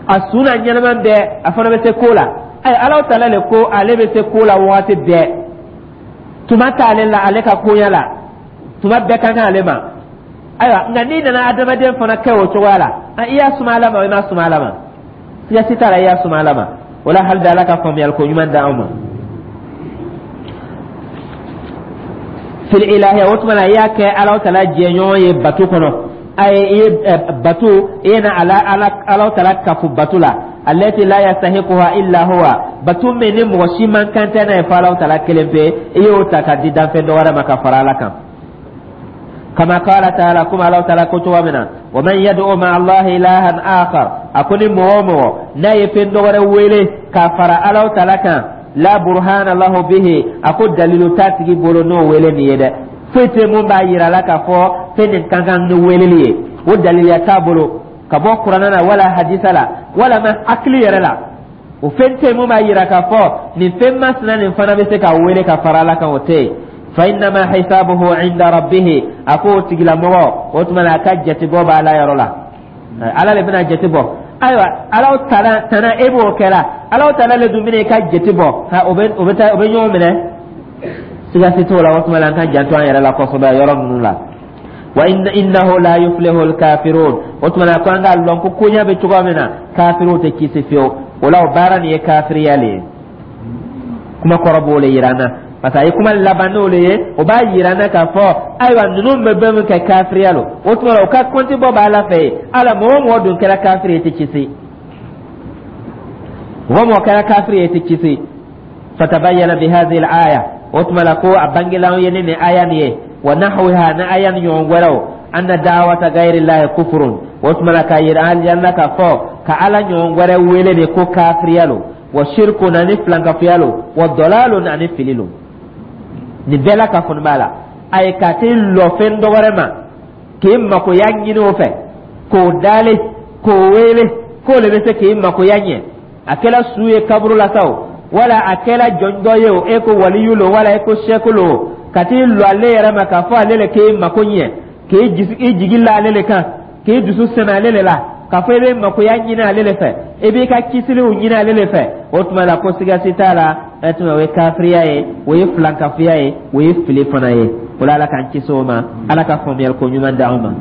a su n'a ɲɛnama bɛɛ a fana bɛ se ko la. Ayi, Alahu taala le ko ale bɛ se ko la waati bɛɛ, tuma t'ale la, ale ka koɲa la tuma bɛɛ ka kan ale ma. Ayiwa, nka n'i nana adamaden fana kɛ o cogoya la, i y'a suma Ala ma, i m'a suma Ala ma, siga si t'a la, i y'a suma Ala ma. O la, hali bi Ala ka faamuyali ko ɲuman d'anw ma. Fil ilahiya, o tuma na i y'a kɛ Alahu taala jɛɲɔgɔn ye bato kɔnɔ. Ayi, i ye bato, i ye na ala ala Alahu taala kafo bato la, allati la yastahiquha illa huwa, bato min ni mɔgɔ si man kan tɛ n'a ye fo Alahu taala kelen pe, i y'o ta ka di danfɛn dɔ wɛrɛ ma ka fara Ala kan. Kama qala ta'ala, kuma Alahu taala ko cogo min na, wa man yad'u ma'a Allahi ilahan akhar, a ko ni mɔgɔ o mɔgɔ n'a ye fɛn dɔ wɛrɛ wele ka fara Alahu taala kan, la burhana lahu bihi, a ko dalilu t'a tigi bolo n'o wele nin ye dɛ, foyi tɛ mun b'a yira la k'a fɔ fɛn nin ka kan ni weleli ye, o daliluya t'a bolo ka bɔ kuranɛ na wala hadisa la wala ma hakili yɛrɛ la, o fɛn tɛ mun b'a yira k'a fɔ nin fɛn masina nin fana bɛ se ka wele ka fara Ala kan, o tɛ yen. Fa innama hisabuhu inda rabbihi, a ko o tigilamɔgɔ, o tuma na a ka jatebɔ b'a la yɔrɔ la, Ala le bɛna jate bɔ. Ayiwa, Ala taala tana e b'o kɛla, Ala taala le dun bɛna i ka jate bɔ, ha, o bɛ taa, o bɛ ɲɔgɔn minɛ, siga si t'o la. O tuma la, an ka janto an yɛrɛ la kosɛbɛ yɔrɔ ninnu la. Wa innahu la yuflihu alkafirun, o tuma na ko an k'a lɔn ko koɲa bɛ cogoya min na, kafiriw tɛ kisi fiyewu. O la, o baara nin ye kafiriya le ye. Kuma kɔrɔ b'o le yira an na, parce que a ye kuma laban n'o le ye, o b'a yira an na k'a fɔ ayiwa, ninnu bɛ bɛn min kɛ, kafiriya lo. O tuma la, o ka kɔnti bɔ b'Ala fɛ yen. Ala, mɔgɔ o mɔgɔ dun kɛra kafiri ye, i tɛ kisi. Mɔgɔ o mɔgɔ kɛra kafiri ye, i tɛ kisi. Fatabayyana bi hadhihi al-aya, o tuma la ko a bangela anw ye ni nin aya nin ye, wa nahwiha, ni aya nin ɲɔgɔn wɛrɛw, anna da'wata ghayri llahi kufrun, o tuma la k'a yira an na k'a fɔ ka Ala ɲɔgɔn wɛrɛ wele de ko kafiriya lo, wa shirkun, ani filankafoya lo, wa dalalun, ani fili lo. Nin bɛɛ la ka fɔni b'a la, a ye ka t'i lɔ fɛn dɔ wɛrɛ ma k'i makoya ɲini o fɛ, k'o dale, k'o wele k'o le bɛ se k'i makoya ɲɛ, a kɛla su ye kaburu la sa o, wala a kɛla jɔn dɔ ye o, e ko waliyu lo wala e ko sɛku lo, ka t'i lɔ ale yɛrɛ ma k'a fɔ ale le k'e mako ɲɛ, k'i jigi la ale le kan, k'i dusu sɛmɛ ale le la, k'a fɔ i bɛ makoya ɲini ale le fɛ, i b'i ka kisiliw ɲini ale le fɛ, o tuma la ko siga si t'a la, ɛ tuma o ye kafiriya ye, o ye filankafoya ye, o ye fili fana ye. O la, Ala k'an kisi o ma, Ala ka faamuyali ko ɲuman d'anw ma.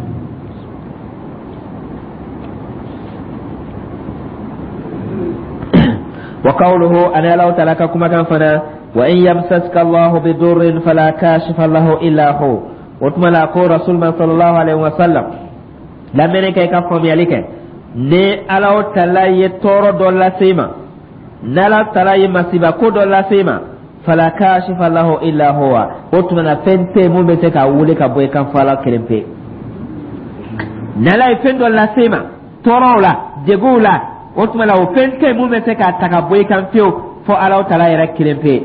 Wa qawluhu, ani Alahu taala ka kumakan fana, wa in yamsaska Allahu bidurrin fala kashifa lahu illa hu. O tuma la ko rasul ma sallallahu alaihi wa sallam, lamɛnni kɛ, i ka faamuyali kɛ, ni Alahu taala ye tɔɔrɔ dɔ lase i ma, n'Ala taala ye masiba ko dɔ lase i ma, fala kashifa lahu illa huwa, o tuma na fɛn tɛ mun bɛ se k'a wuli ka bɔ i kan fo Ala kelen pe. N'Ala ye fɛn dɔ lase i ma, tɔɔrɔw la, degunw la, o tuma la o fɛn tɛ mun bɛ se k'a ta ka bɔ i kan fiyewu fo Ala taala yɛrɛ kelen pe.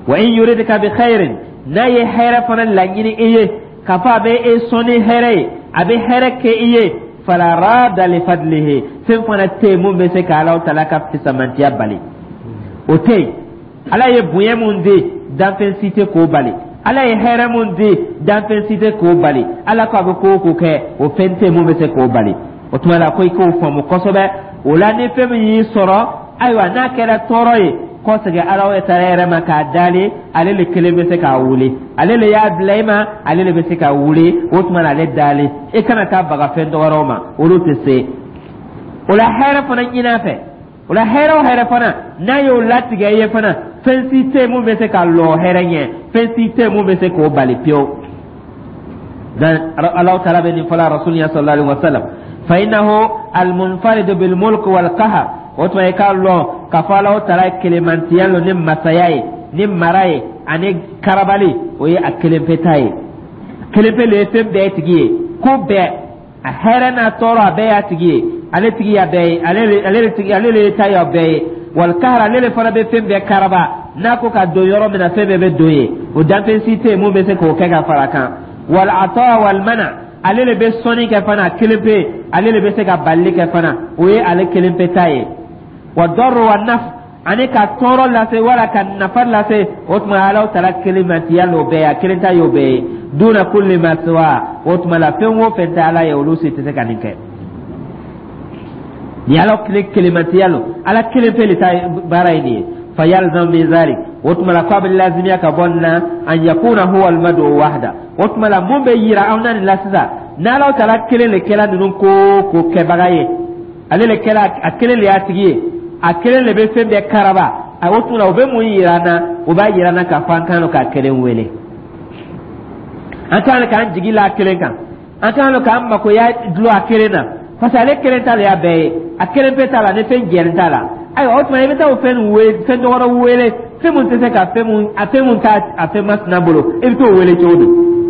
Wa in yuridka bi khairin, n'a ye hɛrɛ fana laɲini i ye, k'a fɔ a bɛ e sɔn ni hɛrɛ ye, a bɛ hɛrɛ kɛ i ye, fala rada li fadlihi, fɛn fana tɛ yen mun bɛ se ka Ala taala ka fisamantiya bali, o tɛ yen. Ala ye bonya mun di, danfɛn si tɛ k'o bali. Ala ye hɛrɛ mun di, danfɛn si tɛ k'o bali. Ala ko a bɛ ko o ko kɛ, o fɛn tɛ mun bɛ se k'o bali. O tuma la ko i k'o faamu kosɛbɛ. O la, ni fɛn min y'i sɔrɔ, ayiwa, n'a kɛra tɔɔrɔ ye, kɔsegin Ala taala yɛrɛ ma k'a dali, ale le kelen bɛ se k'a wuli, ale le y'a bila i ma, ale le bɛ se k'a wuli. O tuma na ale dali, i kana taa baga fɛn dɔ wɛrɛw ma, olu tɛ se. O la, hɛrɛ fana ɲin'a fɛ. O la, hɛrɛ o hɛrɛ fana n'a y'o latigɛ i ye fana, fɛn si tɛ yen mun bɛ se ka lɔ hɛrɛ ɲɛ, fɛn si tɛ yen mun bɛ se k'o bali pewu. Dan Alahu Taala bɛ nin fɔla Rasul ɲɛ sallallahu alaihi wa sallam. Fa innahu almunfaridu bil mulk wal qahar. O tuma, i k'a lɔn k'a fɔ Alahu Taala kelemantiya lo ni masaya ye, ni mara ye ani karabali. O ye a kelen pe ta ye, kelen pe le ye fɛn bɛɛ tigi ye, ko bɛɛ, a hɛrɛ n'a tɔɔrɔ, a bɛɛ y'a tigi ye. Ale tigi y'a bɛɛ ye, ale le tigi, ale le ta y'a bɛɛ ye. Wal kahar, ale le fana bɛ fɛn bɛɛ karaba. N'a ko ka don yɔrɔ min na, fɛn bɛɛ bɛ don yen. O danfɛn si tɛ yen mun bɛ se k'o kɛ ka fara a kan. Wal ata wal mana, ale le bɛ sɔnni kɛ fana kelen pe, ale le bɛ se ka balili kɛ fana. O ye ale kelen pe ta ye. Wa dɔrɔ wa naf, ani ka tɔɔrɔ lase wala ka nafa lase, o tuma Alahu Taala kelemantiya l'o bɛɛ ye, a kelen ta y'o bɛɛ ye. Duna kulli ma siwa, o tuma la, fɛn o fɛn tɛ Ala ye, olu si tɛ se ka nin kɛ. Ni Ala kelen kelemantiya lo, Ala kelen pe le ta baara ye nin ye. Fa yalzam min zalik, o tuma la, k'a bɛ lazimiya ka bɔ nin na, an yakuna huwa almadu wahda. O tuma la, mun bɛ yira anw na nin la sisan? N'Ala Taala kelen le kɛla ninnu ko ko kɛbaga ye, ale le kɛla, a kelen le y'a tigi ye, a kelen le bɛ fɛn bɛɛ karaba a, o tuma la, o bɛ mun yira an na? O b'a yira an na k'a fɔ an kan k'a kelen wele, an kan k'an jigi la a kelen kan, an kan k'an makoya dulon a kelen na, parce que ale kelen ta le y'a bɛɛ ye, a kelen pe t'a la ni fɛn jɛlen t'a la. Ayiwa, o tuma i bɛ taa o fɛn wele, fɛn dɔ wɛrɛ wele, fɛn mun tɛ se ka fɛn mun, a fɛn mun t'a a fɛn masina bolo, i bɛ t'o wele cogo di?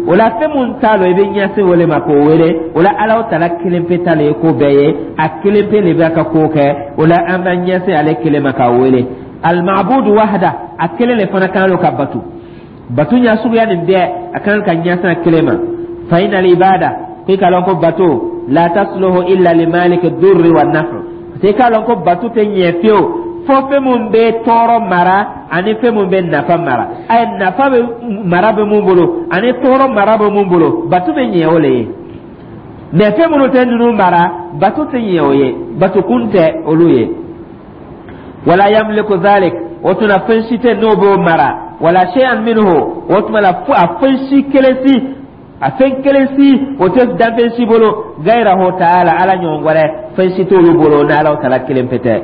O la, fɛn mun t'a la, i bɛ ɲɛsin o le ma k'o wele. O la, Ala Taala kelen pe ta le ye ko bɛɛ ye, a kelen pe le bɛ ka ko kɛ. O la, an bɛ ɲɛsin ale kelen ma k'a wele. Alimabudu wahada, a kelen le fana kan ka batu. Batu ɲɛ suguya nin bɛɛ, a kan ka ɲɛsin a kelen ma. Fa inal ibada, k'i k'a lɔn ko bato la tasluhu illa limaliki durri wa nafu, parce que i k'a lɔn ko bato tɛ ɲɛ fiyewu fo fɛn mun bɛ tɔɔrɔ mara ani fɛn mun bɛ nafa mara. A ye nafa bɛ mara bɛ mun bolo ani tɔɔrɔ mara bɛ mun bolo, bato bɛ ɲɛ o le ye. Mɛ fɛn minnu tɛ ninnu mara, bato tɛ ɲɛ o ye, bato kun tɛ olu ye. Wala yamliku zalik, o tuma fɛn si tɛ n'o b'o mara. Wala shay'an minhu, o tuma la, fo a fɛn si kelen si, a fɛn kelen si o tɛ danfɛn si bolo. Gayrahu ta'ala, Ala ɲɔgɔn wɛrɛ fɛn si t'olu bolo n'Ala Taala kelen pe tɛ.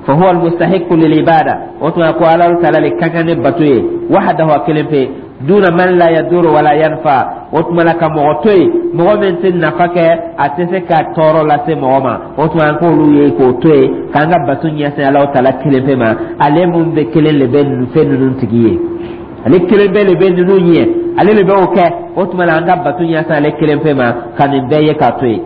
Fa huwa almustahiqu lil ibada, o tuma ko Ala Taala le ka kan ni bato ye, wahdahu, a kelen pe, duna man la yaduru wala yanfa. O tuma la, ka mɔgɔ to yen, mɔgɔ min tɛ nafa kɛ, a tɛ se ka tɔɔrɔ lase mɔgɔ ma, o tuma an k'olu ye k'o to yen, k'an ka bato ɲɛsin Ala Taala kelen pe ma. Ale mun bɛ kelen le bɛ fɛn ninnu tigi ye, ale kelen bɛɛ le bɛ ninnu ɲɛ, ale le bɛ o kɛ. O tuma la, an ka bato ɲɛsin ale kelen pe ma, ka nin bɛɛ ye k'a to yen.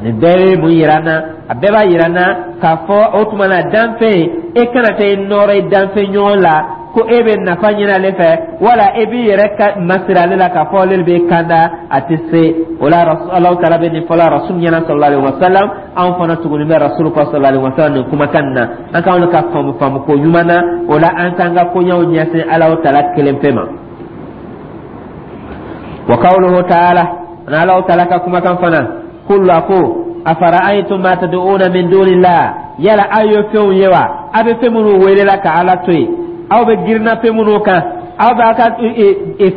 Nin bɛɛ bɛ mun yira an na? A bɛɛ b'a yira an na k'a fɔ o tuma na, danfɛn, e kana taa i nɔrɔ i danfɛn ɲɔgɔn la ko e bɛ nafa ɲini ale fɛ, wala e b'i yɛrɛ ka masiri ale la k'a fɔ ale bɛ kanda. A tɛ se o la. Alahu Taala bɛ nin fɔla Rasul ɲɛna sallallahu alaihi wa sallam. Anw fana tuguni bɛ Rasul kɔ sallallahu alaihi wa sallam nin kumakan na. An k'anw ka faamu faamu ko ɲuman na. O la, an k'an ka koɲɛw ɲɛsin Alahu Taala kelen pe ma. Wa qawluhu ta'ala, ani Alahu Taala ka kumakan fana, kul, a ko: afara'aytum ma tad'una min dunillah, yala aw ye fɛnw ye wa, aw bɛ fɛn minnu welela ka Ala to yen, aw bɛ girinna fɛn minnu kan, aw b'a ka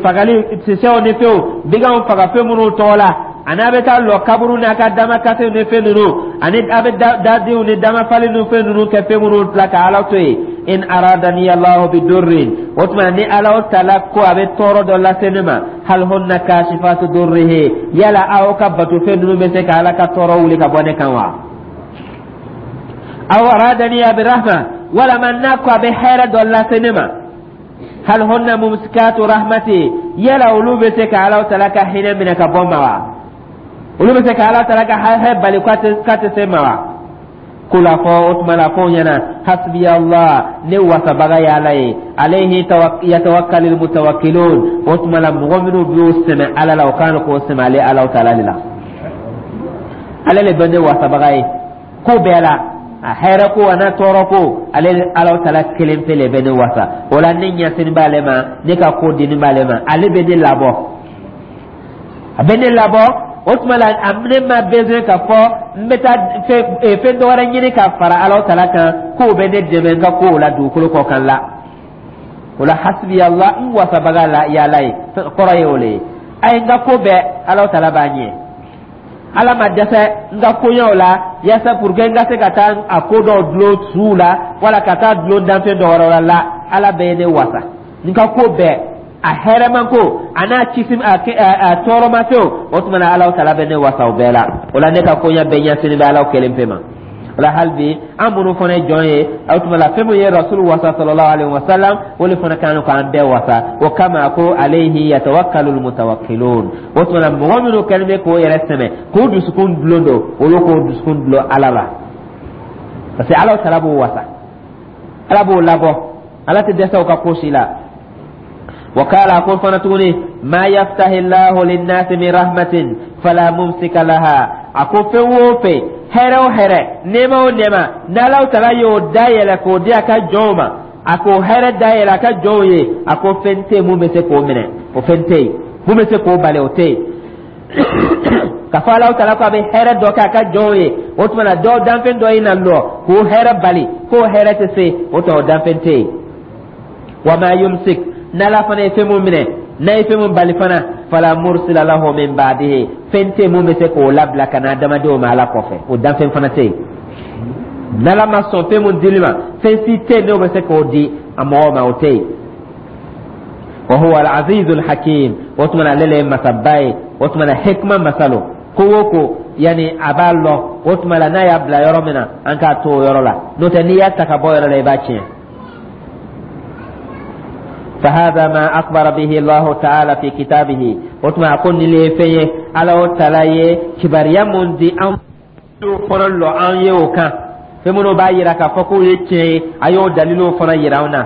fagali sisɛw ni fɛnw, biganw faga fɛn minnu tɔgɔ la, ani a bɛ taa lɔ kaburu n'a ka damakasew ni fɛn ninnu, ani a bɛ dadenw ni damafali ni fɛn ninnu kɛ fɛn minnu la ka Ala to yen. In aradani Allahu bi durrin, o tuma ni Ala Taala ko a bɛ tɔɔrɔ dɔ lase ne ma, hal hunna kashifatu durrihi, yala aw ka bato fɛn ninnu bɛ se ka Ala ka tɔɔrɔ wuli ka bɔ ne kan wa? Aw aradani bi rahma, walama n'a ko a bɛ hɛrɛ dɔ lase ne ma, hal hunna mumsikatu rahmati, yala olu bɛ se ka Ala Taala ka hinɛ minɛ ka bɔ ma wa? Olu bɛ se ka Ala Taala ka hɛrɛ bali k'a tɛ se ma wa? Kul, a fɔ o tuma la ko ɲɛna: hasbi Allah, ne wasabaga ye Ala ye, alayhi yatawakkalul mutawakkilun. O tuma la, mɔgɔ minnu b'o sɛmɛ Ala la, o kan k'o sɛmɛ ale Ala Taala de la. Ale le bɛ ne wasabaga ye ko bɛɛ la, a hɛrɛ ko a n'a tɔɔrɔ ko, ale Ala Taala kelen pe le bɛ ne wasa. O la, ne ɲɛsini b'ale ma, ne ka ko dini b'ale ma, ale bɛ ne labɔ, a bɛ ne labɔ. O tuma la, a ne ma besoin ka fɔ n bɛ taa fɛn dɔ wɛrɛ ɲini ka fara Ala Taala kan k'o bɛ ne dɛmɛ n ka kow la dugukolo kɔ kan la. O la, hasbi Allah, n wasabaga la y'Ala ye, kɔrɔ ye o le ye. A ye n ka ko bɛɛ, Ala Taala b'a ɲɛ. Ala ma dɛsɛ n ka koɲɛw la. yaasa pour que n ka se ka taa a ko dɔw dulon suw la wala ka taa dulon danfɛn dɔ wɛrɛ la. La, Ala bɛ ne wasa n ka ko bɛɛ, a hɛrɛman ko a n'a kisi, a tɔɔrɔma fɛnw. O tuma na, Ala taala bɛ ne wasa o bɛɛ la. O la, ne ka koɲɛ bɛɛ ɲɛsinnen bɛ Ala kelen pe ma. O la, hali bi, an minnu fana ye jɔn ye, o tuma la, fɛn min ye Rasulu wasa, sallallahu alaihi wa sallam, o de fana kan k'an bɛɛ wasa. O kama ko alayhi yatawakkalul mutawakkilun. O tuma la, mɔgɔ minnu kɛlen bɛ k'o yɛrɛ sɛmɛ, k'o dusukun dulon don, olu k'o dusukun dulon Ala la, parce que Ala taala b'o wasa, Ala b'o labɔ, Ala tɛ dɛsɛ o ka ko si la. وقال أقول فنتوني ما يفتح الله للناس من رحمة فلا ممسك لها. A ko fɛn o fɛn, hɛrɛ o hɛrɛ, nɛɛma o nɛɛma, n'Alaw tala y'o dayɛlɛ k'o di a ka jɔnw ma, a k'o hɛrɛ dayɛlɛ a ka jɔnw ye, a ko fɛn tɛ yen mun bɛ se k'o minɛ, o fɛn tɛ yen mun bɛ se k'o bali, o tɛ yen. Ka fɔ Alaw tala ko a bɛ hɛrɛ dɔ kɛ a ka jɔnw ye, o tuma na, dɔw danfɛn dɔ ye na lɔ k'o hɛrɛ bali, k'o hɛrɛ tɛ se, o tuma o danfɛn tɛ yen. Wa ma yumsik, n'Ala fana ye fɛn mun minɛ, n'a ye fɛn mun bali fana, fala mursila lahu min ba'dihi, fɛn tɛ mun bɛ se k'o labila ka na adamadenw ma Ala kɔfɛ, o danfɛn fana tɛ yen. N'Ala ma sɔn fɛn mun dili ma, fɛn si tɛ yen n'o bɛ se k'o di a mɔgɔw ma, o tɛ yen. Wa huwa al-azizu al-hakim. O tuma na, ale le ye masaba ye. O tuma na, hikma masa lo. Ko o ko, yani a b'a lɔn. O tuma la, n'a y'a bila yɔrɔ min na, an k'a to o yɔrɔ la, n'o tɛ, n'i y'a ta ka bɔ yɔrɔ la, i b'a tiɲɛ. فهذا ما أخبر به الله تعالى في كتابه. O tuma, a ko nin le ye fɛn ye Ala taala ye kibaruya mun di an fana lɔ an ye o kan, fɛn minnu b'a yira k'a fɔ k'o ye tiɲɛ ye, a y'o daliluw fana yira an na.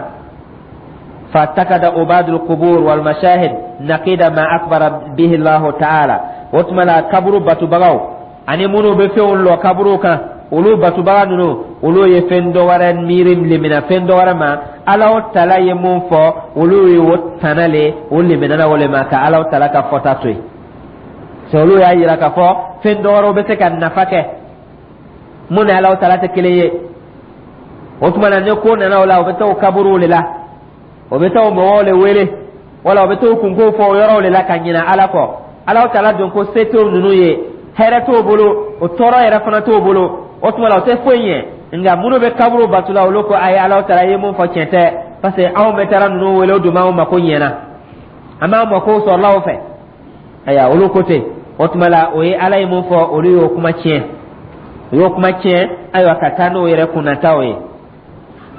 فاعتقد عباد القبور والمشاهد نقيض ما أخبر به الله تعالى. O tuma la, kaburu batubagaw ani minnu bɛ fɛnw lɔ kaburu kan, olu batubaga ninnu, olu ye fɛn dɔ wɛrɛ miiri limina fɛn dɔ wɛrɛ ma. Ala tala ye mun fɔ, olu ye o tana le, o liminana o le ma ka Ala tala ka fɔta to yen. C'est olu y'a yira k'a fɔ fɛn dɔ wɛrɛw bɛ se ka nafa kɛ mun ni Ala tala tɛ kelen ye. O tuma na, ni ko nana o la, o bɛ taa o kaburuw de la, o bɛ taa o mɔgɔw le wele, wala o bɛ t'o kunko fɔ o yɔrɔw de la ka ɲinɛ Ala kɔ. Ala tala dun ko se t'o ninnu ye, hɛrɛ t'o bolo, o tɔɔrɔ yɛrɛ fana t'o bolo. O tuma la, o tɛ foyi ɲɛ. Nka minnu bɛ kaburu bato la, olu ko ayi, Ala taala ye mun fɔ, tiɲɛ tɛ, parce que anw bɛ taara ninnu wele, o dun b'anw mako ɲɛna, an b'an mako sɔrɔla o fɛ. Ayiwa, olu ko ten. O tuma la, o ye Ala ye mun fɔ, olu y'o kuma tiɲɛ, o y'o kuma tiɲɛ. Ayiwa, ka taa n'o yɛrɛ kunnataw ye.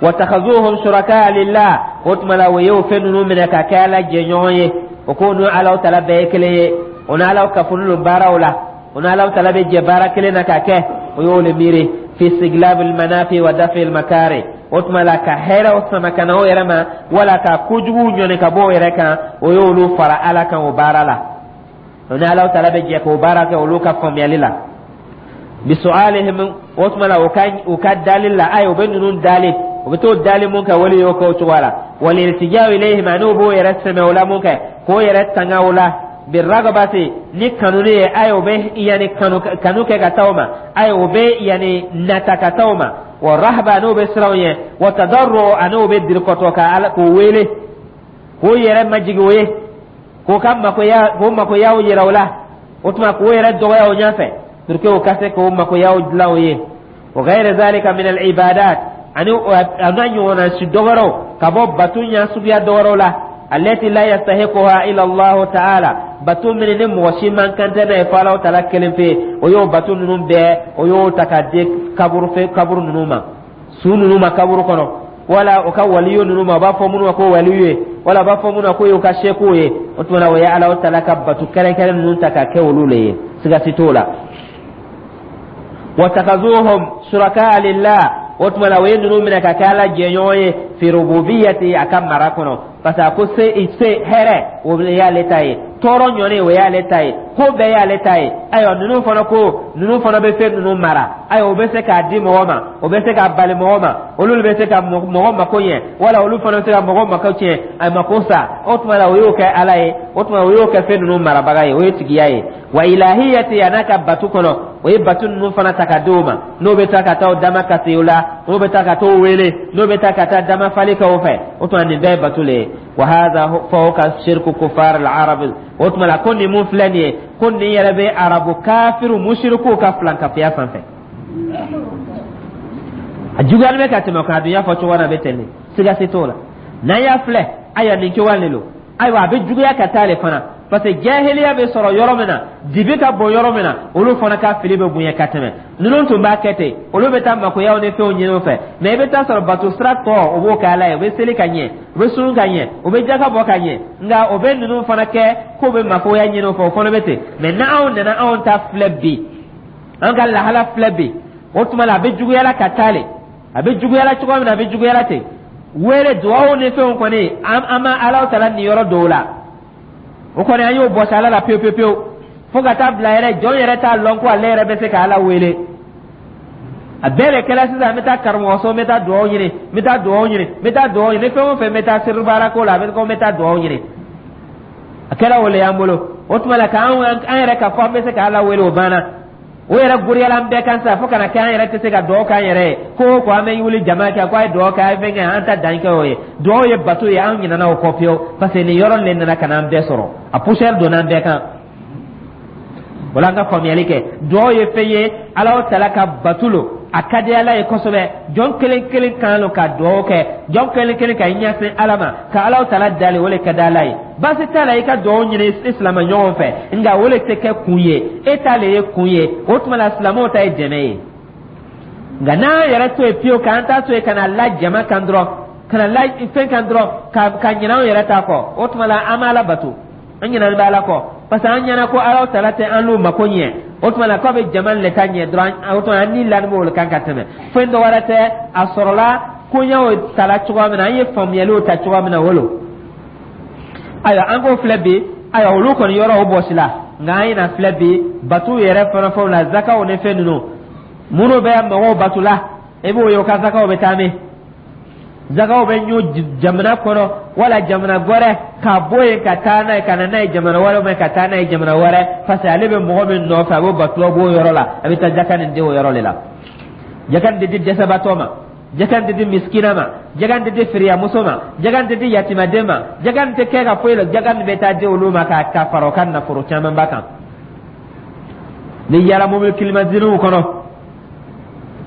Watakhazuhum shuraka lillah. O tuma la, o y'o fɛn ninnu minɛ ka kɛ Ala jɛɲɔgɔn ye. O ko n'o Ala tala bɛɛ ye kelen ye, o n'Ala kafolen don baaraw la, o n'Ala tala bɛ jɛ baara kelen na ka kɛ, o y'o le miiri. Fi istijlabil manafi wa dafil makari. O tuma la, ka hɛrɛw sama ka na o yɛrɛ ma, wala ka kojuguw ɲɔni ka bɔ o yɛrɛ kan, o y'olu fara Ala kan o baara la. O ni Ala tala bɛ jɛ k'o baara kɛ olu ka faamuyali la. Bisualihim. O tuma la, u ka dali la, ayi, u bɛ ninnu dali, u bɛ t'o dali mun kɛ, wali y'o kɛ o cogoya la. Waliltijau ilayhim, ani u b'o yɛrɛ sɛmɛ o la mun kɛ, k'o yɛrɛ tanga o la. Biragabati, ni kanuni ye, ayi, o bɛ yani kanu kanu kɛ ka taa o ma, ayi, o bɛ yani nata ka taa o ma. Wa rahaba, n'o bɛ siran o ɲɛ. Wa tadarru, ani o bɛ dirikɔtɔ ka Ala k'o wele, k'o yɛrɛ majigi o ye, k'o ka makoya, k'o makoyaw yira o la. O tuma, k'o yɛrɛ dɔgɔya o ɲɛfɛ pour que o ka se k'o makoyaw dilan o ye. Wa ghayra zalika min al ibadat, ani a n'a ɲɔgɔnna si dɔwɛrɛw ka bɔ bato ɲɛ suguya dɔwɛrɛw la. Allati la yastahiquha illa Allah ta'ala, bato min ni mɔgɔ si man kan tɛ n'a ye fo Ala ta'ala kelen pe, o y'o bato ninnu bɛɛ, o y'o ta ka di kaburu fɛ, kaburu ninnu ma, su ninnu ma kaburu kɔnɔ, wala o ka waliyu ninnu ma, o b'a fɔ minnu ma ko waliyu ye, wala o b'a fɔ minnu ma ko y'o ka sekuw ye. O tuma na, o ye Ala ta'ala ka bato kɛrɛnkɛrɛn ninnu ta ka kɛ olu le ye, siga si t'o la. Watakazuhum shuraka lillah. O tuma la, o ye ninnu minɛ ka kɛ Ala jɛɲɔgɔn ye fi rububiyati, a ka mara kɔnɔ, parce que a ko se hɛrɛ, o y'ale ta ye, tɔɔrɔ ɲɔni, o y'ale ta ye, ko bɛɛ y'ale ta ye. Ayiwa, ninnu fana ko ninnu fana bɛ fɛn ninnu mara. Ayiwa, o bɛ se k'a di mɔgɔ ma, o bɛ se k'a bali mɔgɔ ma, olu bɛ se ka mɔgɔ mako ɲɛ, wala olu fana bɛ se ka mɔgɔ mako tiɲɛ, a mako sa. O tuma la, o y'o kɛ Ala ye. O tuma, o y'o kɛ fɛn ninnu marabaga ye, o ye tigiya ye. Wa ilahiyati, a n'a ka batu kɔnɔ, o ye batu ninnu fana ta ka di o ma, n'o bɛ taa ka taa o dama kasi o la, n'o bɛ taa ka t'o wele, n'o bɛ taa ka taa dama fali kɛ o fɛ. O tuma, nin bɛɛ ye batu le ye. Wa hadha fawqa shirku kufar al arab. O tuma la, ko nin mun filɛ nin ye, ko nin yɛrɛ bɛ Arabu kafiru musirikuw ka filankafiya sanfɛ. A juguyalen bɛ ka tɛmɛ o kan. A dun y'a fɔ cogo min na, a bɛ ten de, siga si t'o la. N'an y'a filɛ, ayiwa, nin cogoya de don. Ayiwa, a bɛ juguya ka taa le fana, parce que jahiliya bɛ sɔrɔ yɔrɔ min na, dibi ka bon yɔrɔ min na, olu fana ka fili bɛ bonya ka tɛmɛ. Ninnu tun b'a kɛ ten, olu bɛ taa makoyaw ni fɛnw ɲini o fɛ. Mais i bɛ taa sɔrɔ bato sira tɔ, o b'o kɛ Ala ye, u bɛ seli ka ɲɛ, u bɛ sun ka ɲɛ, u bɛ jaka bɔ ka ɲɛ, nka o bɛ ninnu fana kɛ k'o bɛ makoya ɲini o fɛ, o fana bɛ ten. Mais n'anw nana anw ta filɛ bi, an ka lahala filɛ bi, o tuma la a bɛ juguyala ka taa le. A bɛ juguyala cogo min na, a bɛ juguyala ten. Wele duwawu ni fɛnw kɔni, an ma Ala tala niyɔrɔ dɔw la, o kɔni an y'o bɔsi Ala la pewu pewu pewu, fo ka taa bila yɛrɛ jɔn yɛrɛ t'a lɔn ko ale yɛrɛ bɛ se ka Ala wele. A bɛɛ de kɛra sisan, n bɛ taa karamɔgɔ so, n bɛ taa duwawu ɲini, n bɛ taa duwawu ɲini, n bɛ taa duwawu ɲini, fɛn o fɛn, n bɛ taa siribaara ko la, a bɛ ko n bɛ taa duwawu ɲini. A kɛra o le y'an bolo. O tuma la, k'an an yɛrɛ ka fɔ an bɛ se ka Ala wele, o banna. O yɛrɛ goriyala an bɛɛ kan sisan, fo kana kɛ an yɛrɛ tɛ se ka dugawu k'an yɛrɛ ye. Ko o ko, an bɛ wuli jama kɛ ko a ye dugawu kɛ, a ye fɛn kɛ, an ta dan kɛ o ye. Dugawu ye bato ye, an ɲinɛna o kɔ pewu, parce que nin yɔrɔ de nana ka na an bɛɛ sɔrɔ, a poussière donna an bɛɛ kan. Wala an ka faamuyali kɛ, dugawu ye fɛn ye, Ala tala ka bato lo, a ka di Ala ye kosɛbɛ. Jɔn kelen kelen kan lo ka dugawu kɛ, jɔn kelen kelen ka ɲɛsin Ala ma ka Ala tala dali, o le ka di Ala ye. Baasi t'a la i ka dugawu ɲini i silamɛ ɲɔgɔn fɛ, nka o le tɛ kɛ kun ye, e ta le ye kun ye. O tuma la, silamɛw ta ye dɛmɛ ye. Nka n'an yɛrɛ to yen pewu, k'an ta to yen ka na la jama kan dɔrɔn, ka na la fɛn kan dɔrɔn, ka ɲinɛ anw yɛrɛ ta kɔ, o tuma la an b'Ala bato, an ɲinɛnen bɛ Ala kɔ, parce que an ɲɛna ko Ala tala tɛ an n'u mako ɲɛ. O tuma la k'a bɛ jama le ta ɲɛ dɔrɔn, o tuma an ni lani b'o kan ka tɛmɛ. Fɛn dɔ wɛrɛ tɛ, a sɔrɔla koɲɛw tala cogoya min na, an ye faamuyaliw ta cogoya min na, o lo. Ayiwa, an k'o filɛ bi. Ayiwa, olu kɔni yɔrɔ o bɔsi la, nka an yɛrɛ filɛ bi batu yɛrɛ fana fɛnw la, zakaw ni fɛn ninnu minnu bɛ mɔgɔw batu la, i b'o ye, o ka zakaw bɛ taa min? Zakaw bɛ ɲɔ jamana kɔnɔ wala jamana wɛrɛ, ka bɔ yen ka taa n'a ye, ka na n'a ye jamana wɛrɛ, mɛ ka taa n'a ye jamana wɛrɛ, parce que ale bɛ mɔgɔ min nɔfɛ, a b'o batula b'o yɔrɔ la, a bɛ taa jaka nin di o yɔrɔ de la. Jaka nin tɛ di dɛsɛbaatɔ ma, jaka nin tɛ di misikina ma, jaka nin tɛ di firiyamuso ma, jaka nin tɛ di yatimaden ma, jaka nin tɛ kɛ ka foyi la. Jaka nin bɛ taa di olu ma ka fara o ka nafolo camanba kan. Ni yala mobili climatisé kɔnɔ,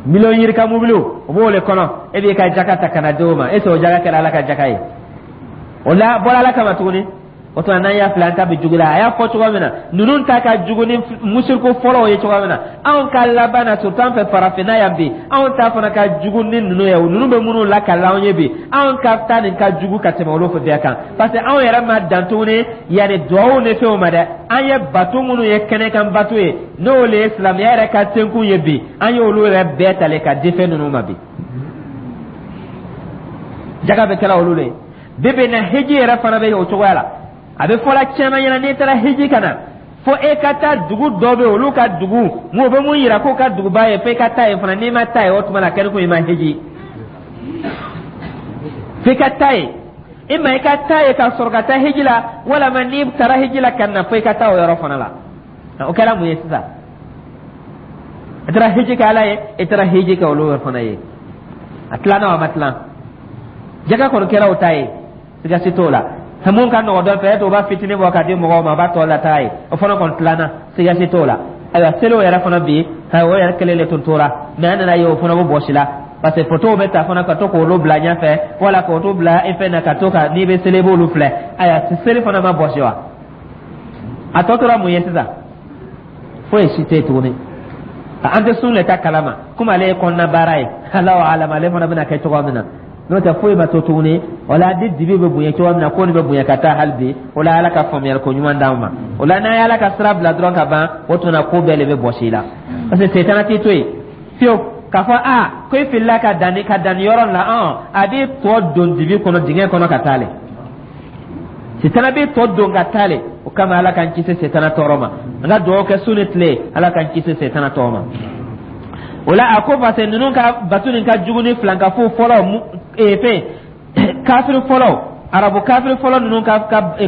miliyɔn yirika mobiliw, o b'o le kɔnɔ, e b'i ka jaka ta ka na di o ma. Est ce que o jaka kɛra Ala ka jaka ye? O la bɔra Ala kama tuguni. O tuma, n'an y'a filɛ, an ta bɛ jugu la. A y'a fɔ cogo min na, ninnu ta ka jugu ni musiriku fɔlɔw ye cogo min na, anw ka laban na, surtout an fɛ farafinna yan bi, anw ta fana ka jugu ni ninnu ye. Ninnu bɛ minnu lakali anw ye bi, anw ka ta nin ka jugu ka tɛmɛ olu bɛɛ kan, parce que anw yɛrɛ ma dan tuguni yanni duwawu ni fɛnw ma dɛ. An ye bato minnu ye kɛnɛkan bato ye, n'o le ye silamɛya yɛrɛ ka tenkun ye bi, an y'olu yɛrɛ bɛɛ tale ka di fɛn ninnu ma bi. Jaga bɛ kɛla olu le ye bi bi na. Hiji yɛrɛ fana bɛ o cogoya la. A bɛ fɔla caman ɲɛna, n'i taara hiji ka na, fo e ka taa dugu dɔ bɛ yen, olu ka dugu mun bɛ mun yira k'o ka duguba ye, fo i ka taa yen fana. N'i ma taa yen, o tuma na kɛli ko i ma hiji, fo i ka taa yen. I ma i ka taa yen ka sɔrɔ ka taa hiji la, walama n'i taara hiji la ka na, fo i ka taa o yɔrɔ fana la. O kɛra mun ye sisan? I taara hiji kɛ Ala ye, i taara hiji kɛ olu fana ye. A tilanna wa ma tilan? Jaga kɔni kɛra o ta ye, siga si t'o la. Mun ka nɔgɔ dɔ fɛ, e o b'a fitinin bɔ ka di mɔgɔw ma, a b'a tɔ lataa ye, o fana kɔni tilanna, siga si t'o la. Ayiwa, seliw yɛrɛ fana bi, o yɛrɛ kelen de tun tora, mais an nana ye o fana bɛ bɔsi la, parce que photo bɛ ta fana ka to k'olu bila ɲɛfɛ, wala k'o to bila i fɛn na, ka to ka n'i bɛ seli, i b'olu filɛ. Ayiwa, seli fana ma bɔsi wa? A tɔ tora mun ye sisan? Foyi si tɛ yen tuguni. An tɛ sun le ta kalama, komi ale ye kɔnɔna baara ye, Alahu alam, ale fana bɛna kɛ cogoya min na. N'o tɛ, foyi ma to tuguni. O la, ni dibi bɛ bonya cogoya min na, ko nin bɛ bonya ka taa hali bi. O la, Ala ka faamuyali ko ɲuman d'anw ma. O la, n'an ye Ala ka sira bila dɔrɔn ka ban, o tuma ko bɛɛ de bɛ bɔsi i la, parce que setana t'i to yen fiyewu k'a fɔ a ko i filila ka danni yɔrɔ la. A b'i tɔ don dibi kɔnɔ, dingɛ kɔnɔ ka taa le. Setana b'i tɔ don ka taa le. O kama, Ala k'an kisi setana tɔɔrɔ ma. An ka dugawu kɛ su ni tile, Ala k'an kisi setana tɔɔrɔ ma. O la, a ko parce que ninnu ka bato nin ka jugu ni filankafo fɔlɔ fɛn kafiri fɔlɔ, arabu kafiri fɔlɔ ninnu ka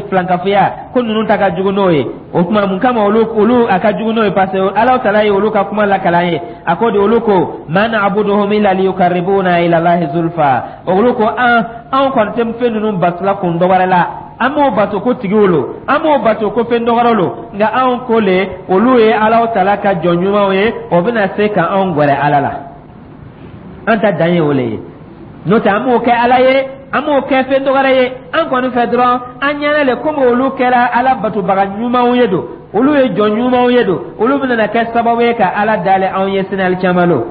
filankafoya, ko ninnu ta ka jugu n'o ye. O tuma, mun kama olu a ka jugu n'o ye? Parce que Ala tala ye olu ka kuma lakala ye. A ko de, olu ko: ma na'buduhum illa liyukarribuna ila Allahi zulfa. Olu ko an anw kɔni tɛ fɛn ninnu batula kun dɔ wɛrɛ la. An m'o bato ko tigiw lo, an m'o bato ko fɛn dɔgɔrɔ lo, nka anw ko le olu ye Alahu Taala ka jɔn ɲumanw ye, o bɛna se ka anw gɛrɛ Ala la. An ta dan ye o le ye. N'o tɛ, an m'o kɛ Ala ye, an m'o kɛ fɛn dɔgɔrɛ ye. An kɔni fɛ dɔrɔn, an ɲɛna le komi olu kɛra Ala batobaga ɲumanw ye don, olu ye jɔn ɲumanw ye don, olu bɛna kɛ sababu ye ka Ala dale anw ye sini alikiyama lo.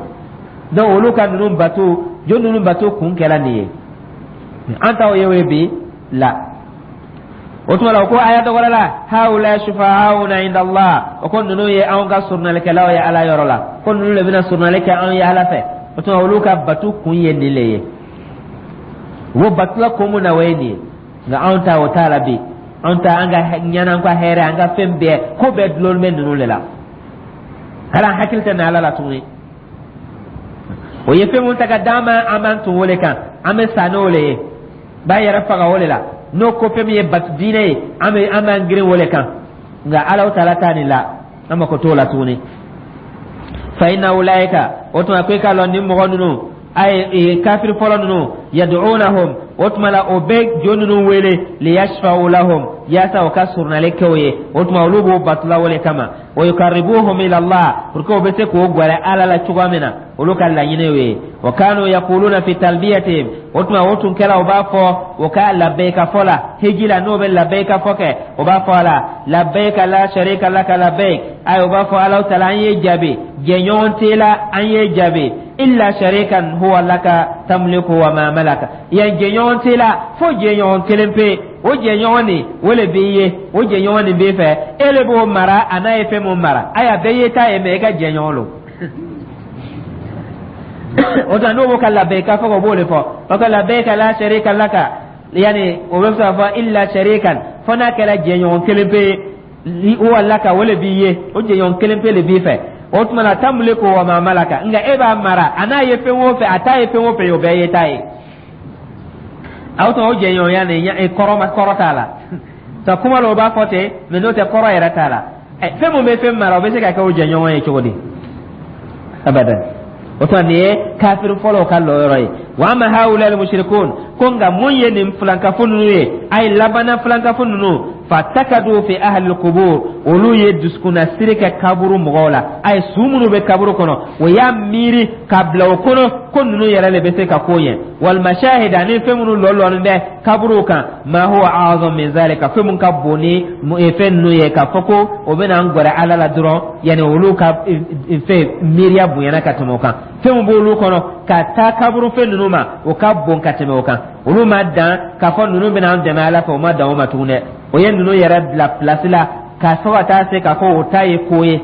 Donc olu ka ninnu bato, jo ninnu bato kun kɛra nin ye. An t'aw ye o ye bi la. O tuma la, o ko aya dɔ wɛrɛ la: haula shufa'auna inda Allah. O ko ninnu ye anw ka surunnalikɛlaw ye Ala yɔrɔ la, ko ninnu de bɛna surunnali kɛ anw ye Ala fɛ. O tuma, olu ka batu kun ye nin le ye. U b'o batula kun mun na, o ye nin ye. Nka anw ta, o t'a la bi. Anw ta, an ka ɲɛna, an ka hɛrɛ, an ka fɛn bɛɛ, ko bɛɛ dulon bɛ ninnu de la. Hali an hakili tɛ na Ala la tuguni. O ye fɛn mun ta ka d'an ma, an b'an tun o le kan, an bɛ sa n'o le ye, b'a yɛrɛ faga o de la. N'o ko fɛn min ye batu diinɛ ye, an bɛ an b'an girin o le kan. Nka Alahu Taala ta nin la, an mako t'o la tuguni. Fa inna ulaika, o tuma ko i k'a lɔn nin mɔgɔ ninnu, ay kafiri fɔlɔ ninnu, yad'unahum, o tuma la o bɛ jo ninnu wele, liyashfa'u lahum, yaasa o ka surunali kɛ o ye. O tuma olu b'o batula o le kama, wa yukarribuhum ila Allah, pour que o bɛ se k'o gwɛrɛ Ala la cogoya min na, olu ka laɲini y'o ye. Wa kanu yaquluna fi talbiyatihim, o tuma o tun kɛra o b'a fɔ o ka labɛyika fɔ la hiji la, n'o bɛ labɛyika fɔ kɛ, o b'a fɔ a la: labɛyika la sharika laka labɛyik. Ayi, o b'a fɔ: Alahu Taala, an ye jaabi, jɛɲɔgɔn t'e la, an ye jaabi, illa sharikan huwa laka tamliku wa ma malaka. Yan jɛɲɔgɔn t'e la fo jɛɲɔgɔn kelen pe, o jɛɲɔgɔn nin o le b'i ye, o jɛɲɔgɔn nin b'i fɛ, e le b'o mara, a n'a ye fɛn mun mara. Ayi, a bɛɛ ye ta ye, mɛ e ka jɛɲɔgɔn lo. O tuma n'o b'o ka labɛyika fɔ, o b'o de fɔ, o ka labɛyika la sharika laka, yani o bɛ se k'a fɔ illa sharikan, fo n'a kɛra jɛɲɔgɔn kelen pe ye, huwa laka, o le b'i ye, o jɛɲɔgɔn kelen pe le b'i fɛ. O tuma na tamliku wa ma malaka, nka e b'a mara, a n'a ye fɛn o fɛn, a t'a ye fɛn o fɛn ye, o bɛɛ ye ta ye. Aw tuma o jɛɲɔgɔnya nin kɔrɔ ma, kɔrɔ t'a la ta kuma la, o b'a fɔ ten, mɛ n'o tɛ, kɔrɔ yɛrɛ t'a la. Fɛn mun bɛ fɛn mara, o bɛ se ka kɛ o jɛɲɔgɔn ye cogo di? Abadan. O tuma nin ye kafiri fɔlɔw ka lɔyɔrɔ ye. Wa ama haula al-mushrikun, ko nka mun ye nin filankafo ninnu ye, a ye labanna filankafo ninnu, fatakadu fi ahli al-qubur, olu ye dusukunnasiri kɛ kaburu mɔgɔw la. A ye su minnu bɛ kaburu kɔnɔ, o y'a miiri ka bila o kɔnɔ ko ninnu yɛrɛ de bɛ se ka ko ɲɛ, wal mashahid, ani fɛn minnu lɔlɔnin bɛ kaburuw kan, ma huwa a'zam min zalika, fɛn mun ka bon ni fɛn ninnu ye, k'a fɔ ko o bɛna an gɛrɛ Ala la dɔrɔn. Yanni olu ka fɛn miiriya bonyana ka tɛmɛ o kan. Fɛn min b'olu kɔnɔ ka taa kaburu fɛn ninnu ma, o ka bon ka tɛmɛ o kan. Olu ma dan k'a fɔ ninnu bɛna an dɛmɛ Ala fɛ, o ma dan o ma tugun dɛ. O ye ninnu yɛrɛ bila pilasi la ka fɔ ka taa se k'a fɔ o ta ye ko ye.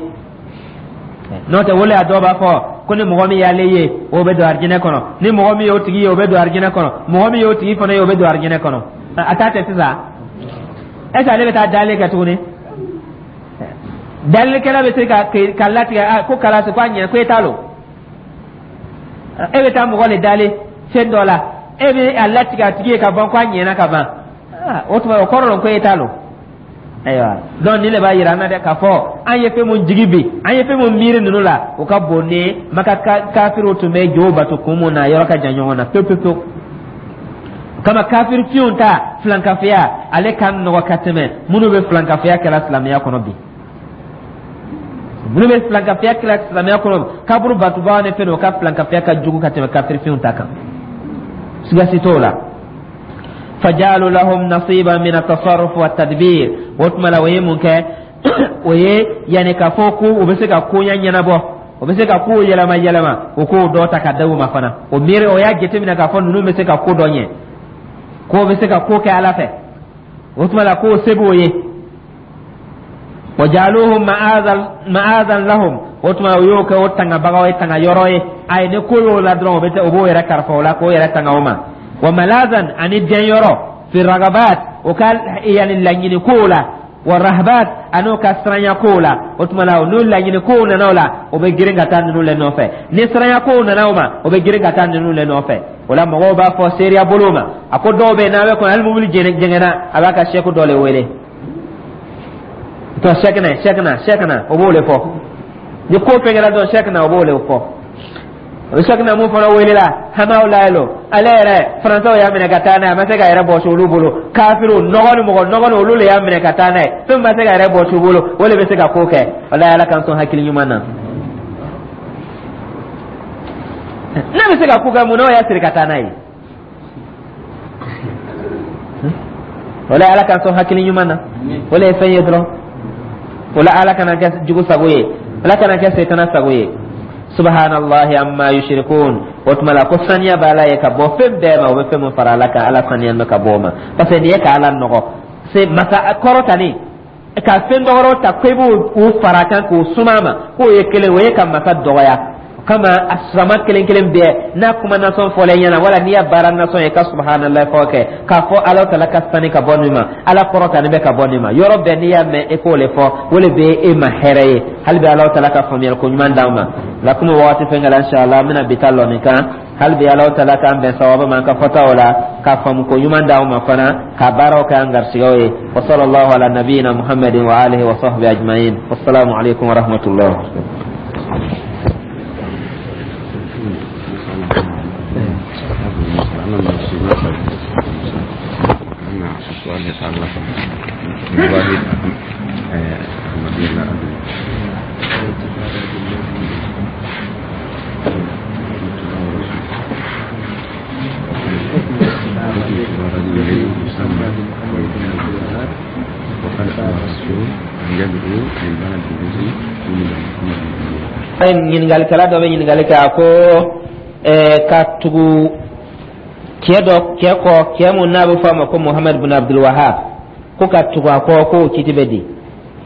N'o tɛ, wele a dɔw b'a fɔ ko ni mɔgɔ min y'ale ye, o bɛ don arijinɛ kɔnɔ, ni mɔgɔ min y'o tigi ye, o bɛ don arijinɛ kɔnɔ, mɔgɔ min y'o tigi fana ye, o bɛ don arijinɛ kɔnɔ. A t'a tɛ sisan, est ce que ale bɛ taa dalen kɛ tuguni? Dalilikɛla bɛ se ka latigɛ ko kalasi ko a ɲɛ ko e t'a lɔn, e bɛ taa mɔgɔ le dalen fɛn dɔ la, e bɛ a latigɛ a tigi ye ka ban ko a ɲɛna ka ban. O tuma o kɔrɔ lɔn ko e t'a lɔn. Ayiwa, donc nin de b'a yira an na dɛ k'a fɔ an ye fɛn mun jigi bi, an ye fɛn mun miiri ninnu la, o ka bon ni Maka kafiriw tun bɛ jow bato kun mun na, yɔrɔ ka jan ɲɔgɔn na pewu pewu pewu. Kama kafiri fiyenw ta filankafoya, ale ka nɔgɔ ka tɛmɛ minnu bɛ filankafoya kɛla silamɛya kɔnɔ bi. Minnu bɛ filankafoya kɛla silamɛya kɔnɔ, kaburu batubaga ni fɛn, o ka filankafoya ka jugu ka tɛmɛ kafiri fiyenw ta kan, siga si t'o la. Fajalu lahum nasiba min at-tasarruf wa tadbir. O tuma la, o ye mun kɛ? O ye yanni k'a fɔ ko u bɛ se ka koɲɛ ɲɛnabɔ, o bɛ se ka kow yɛlɛma yɛlɛma, o k'o dɔ ta ka da u ma fana. O miiri, o y'a jateminɛ k'a fɔ ninnu bɛ se ka ko dɔ ɲɛ, k'o bɛ se ka ko kɛ Ala fɛ. O tuma la, k'o se b'o ye. Wa jaaluhum ma'azan lahum, o tuma o y'o kɛ o tangabagaw ye, tanga yɔrɔ ye. A ye ni ko y'o la dɔrɔn, o bɛ o b'o yɛrɛ kalifa o la k'o yɛrɛ tanga o ma. Wa malazan, ani dɛnyɔrɔ, fi ragabat, o ka yani laɲini kow la, wa rahbat, ani o ka siranya kow la. O tuma la, n'o laɲini kow nana o la, o bɛ girin ka taa ninnu le nɔfɛ. Ni siranya kow nana o ma, o bɛ girin ka taa ninnu le nɔfɛ. O la, mɔgɔw b'a fɔ seereya bolo ma, a ko dɔw bɛ yen, n'a bɛ kɔnɔ, hali mobili jɛngɛnna, a b'a ka sɛku dɔ le wele to sɛkina, sɛkina, sɛkina, o b'o le fɔ. Ni ko fɛn kɛra dɔrɔn, sɛkina, o b'o le fɔ. O Cheikh na mun fana welela Hamaw Laylo, ale yɛrɛ, Faransaw y'a minɛ ka taa n'a ye, a ma se ka yɛrɛ bɔsi olu bolo. Kafiriw nɔgɔ ni mɔgɔ nɔgɔ ni olu le y'a minɛ ka taa n'a ye. Fɛn ma se ka yɛrɛ bɔsi u bolo, o le bɛ se ka ko kɛ. Walayi, Ala k'an sɔn hakili ɲuman na. N'a bɛ se ka ko kɛ, mun na o y'a siri ka taa n'a ye? Walayi, Ala k'an sɔn hakili ɲuman na. O le ye fɛn ye dɔrɔn. O la, Ala kana kɛ jugu sago ye, Ala kana kɛ setana sago ye. Subhanallahi amma yushrikun. O tuma la ko saniya bɛ Ala ye ka bɔ fɛn bɛɛ ma, o bɛ fɛn min fara Ala kan. Ala saniya bɛ ka bɔ o ma, parce que nin ye ka Ala nɔgɔ se masa kɔrɔtani ka fɛn dɔgɔrɔ ta ko i b'o fara kan k'o suma ma k'o ye kelen, o ye ka masa dɔgɔya. O kama, a sama kelen kelen bɛɛ n'a kuma nasɔn fɔlen ɲɛna, wala n'i y'a baara nasɔn ye, ka subhanallah fɔ kɛ k'a fɔ Ala tala ka sani ka bɔ nin ma, Ala kɔrɔtani bɛ ka bɔ nin ma. Yɔrɔ bɛɛ n'i y'a mɛn, e k'o le fɔ, o le bɛ e ma hɛrɛ ye. Hali bi, Ala tala ka faamuyali ko ɲuman d'an ma. La komi wagati fɛn kɛla, inshallah an bɛna bi ta lɔ nin kan. Hali bi, Ala tala k'an bɛn sawaba ma an ka fɔtaw la, ka faamu ko ɲuman d'anw ma fana, ka baaraw kɛ an garisigɛw ye. Wa sallallahu ala nabiyina Muhammadin wa alihi wa sahbihi ajma'in. Wassalamu alaikum wa rahmatullah. Ɲininkalikɛla dɔ bɛ ɲininkali kɛ, a ko ka tugu cɛ dɔ cɛ kɔ, cɛ mun n'a bɛ fɔ a ma ko Muhamadu bin Abdul Wahab, ko ka tugu a kɔ, k'o kiti bɛ di?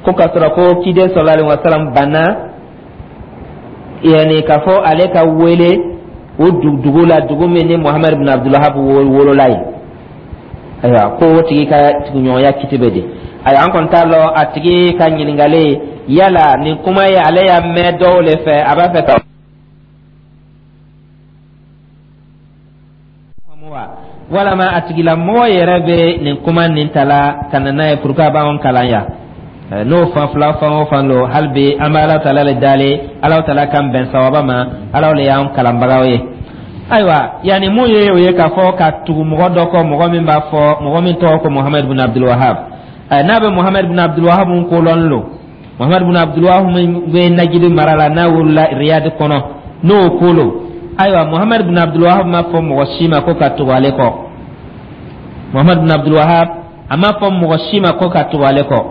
Ko ka sɔrɔ ko ciden sallallahu alaihi wasallam banna, yani k'a fɔ ale ka wele o dugu la, dugu min ni Muhamadu bin Abdul Wahab wolola yen. Ayiwa, ko o tigi ka tuguɲɔgɔnya kiti bɛ di? Ayiwa, an kɔni t'a lɔn a tigi ka ɲininkali yala nin kuma ye, ale y'a mɛn dɔw le fɛ, a b'a fɛ ka walama a tigilamɔgɔ yɛrɛ bɛ nin kuma nin ta la ka na n'a ye pour que a b'anw kalan yan. N'o fan fila fan o fan don, hali bi an bɛ Ala taala le dali, Ala taala k'an bɛn sawaba ma. Ala le y'an kalanbagaw ye. Ayiwa, yanni mun ye o ye k'a fɔ ka tugu mɔgɔ dɔ kɔ, mɔgɔ min b'a fɔ, mɔgɔ min tɔgɔ ko Muhamadu bin Abdul Wahab, n'a bɛ Muhamadu bin Abdul Wahab ko lɔn lo, Muhamadu bin Abdul Wahab min bɛ Najidi mara la, n'a wolola Riyad kɔnɔ, n'o ko lo. Ayiwa, Muhamadu bin Abdul Wahab ma fɔ mɔgɔ si ma ko ka tugu ale kɔ. Muhamadu bin Abdul Wahab, a ma fɔ mɔgɔ si ma ko ka tugu ale kɔ.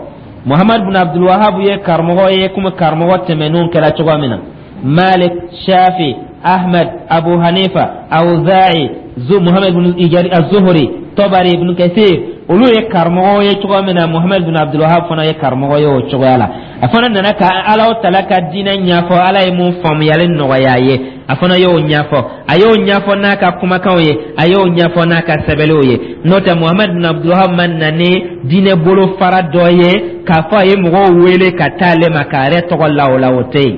Muhamadu bin Abdul Wahab ye karamɔgɔ ye komi karamɔgɔ tɛmɛnenw kɛra cogoya min na: Malik, Shafi, Ahmed, Abu Hanifa, Awza'i, Zu Muhammad bin Ijari Az-Zuhri, Tabari, Ibn Kathir, olu ye karamɔgɔ ye cogoya min na, Muhammad bin Abdul Wahab fana ye karamɔgɔ ye o cogoya la. A fana nana ka Ala tala ka diinɛ ɲɛfɔ. Ala ye mun faamuyali nɔgɔya a ye, a fana y'o ɲɛfɔ. A y'o ɲɛfɔ n'a ka kumakanw ye, a y'o ɲɛfɔ n'a ka sɛbɛnniw ye. N'o tɛ, Muhammad bin Abdul Wahab ma na ni diinɛ bolofara dɔ ye k'a fɔ a ye mɔgɔw wele ka taa ale ma k'a yɛrɛ tɔgɔ la o la. O tɛ yen,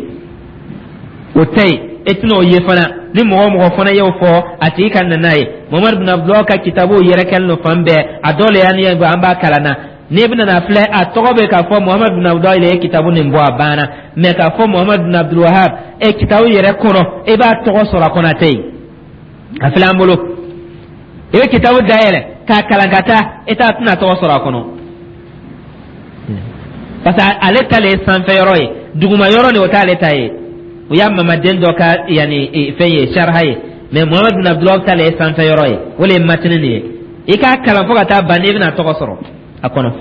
o tɛ yen, e tɛna o ye fana. Ni mɔgɔ o mɔgɔ fana y'o fɔ, a tigi ka na n'a ye. Muhamadu bin Abdulahi ka kitabuw yɛrɛ kɛlen don fan bɛɛ, a dɔw le y'an ye, an b'a kalan na. N'i bɛna na filɛ, a tɔgɔ bɛ k'a fɔ Muhamadu bin Abdulahi le ye kitabu nin bɔ, a banna. Mɛ k'a fɔ Muhamadu bin Abdul Wahab e kitabu yɛrɛ kɔnɔ, e b'a tɔgɔ sɔrɔ a kɔnɔ, a tɛ yen. A filɛ an bolo, i bɛ kitabu dayɛlɛ k'a kalan ka taa, e t'a tɛna tɔgɔ sɔrɔ a kɔnɔ, parce que ale ta le ye sanfɛ yɔrɔ ye, duguma yɔrɔ nin, o t'ale ta ye. O y'a mamaden dɔ ka yanni fɛn ye, sariha ye. Mɛ Muhamadu bin Abdulahi ta le ye sanfɛ yɔrɔ ye, o le ye matini nin ye. I k'a kalan fo ka taa ban, n'i bɛna tɔgɔ sɔrɔ a kɔnɔ.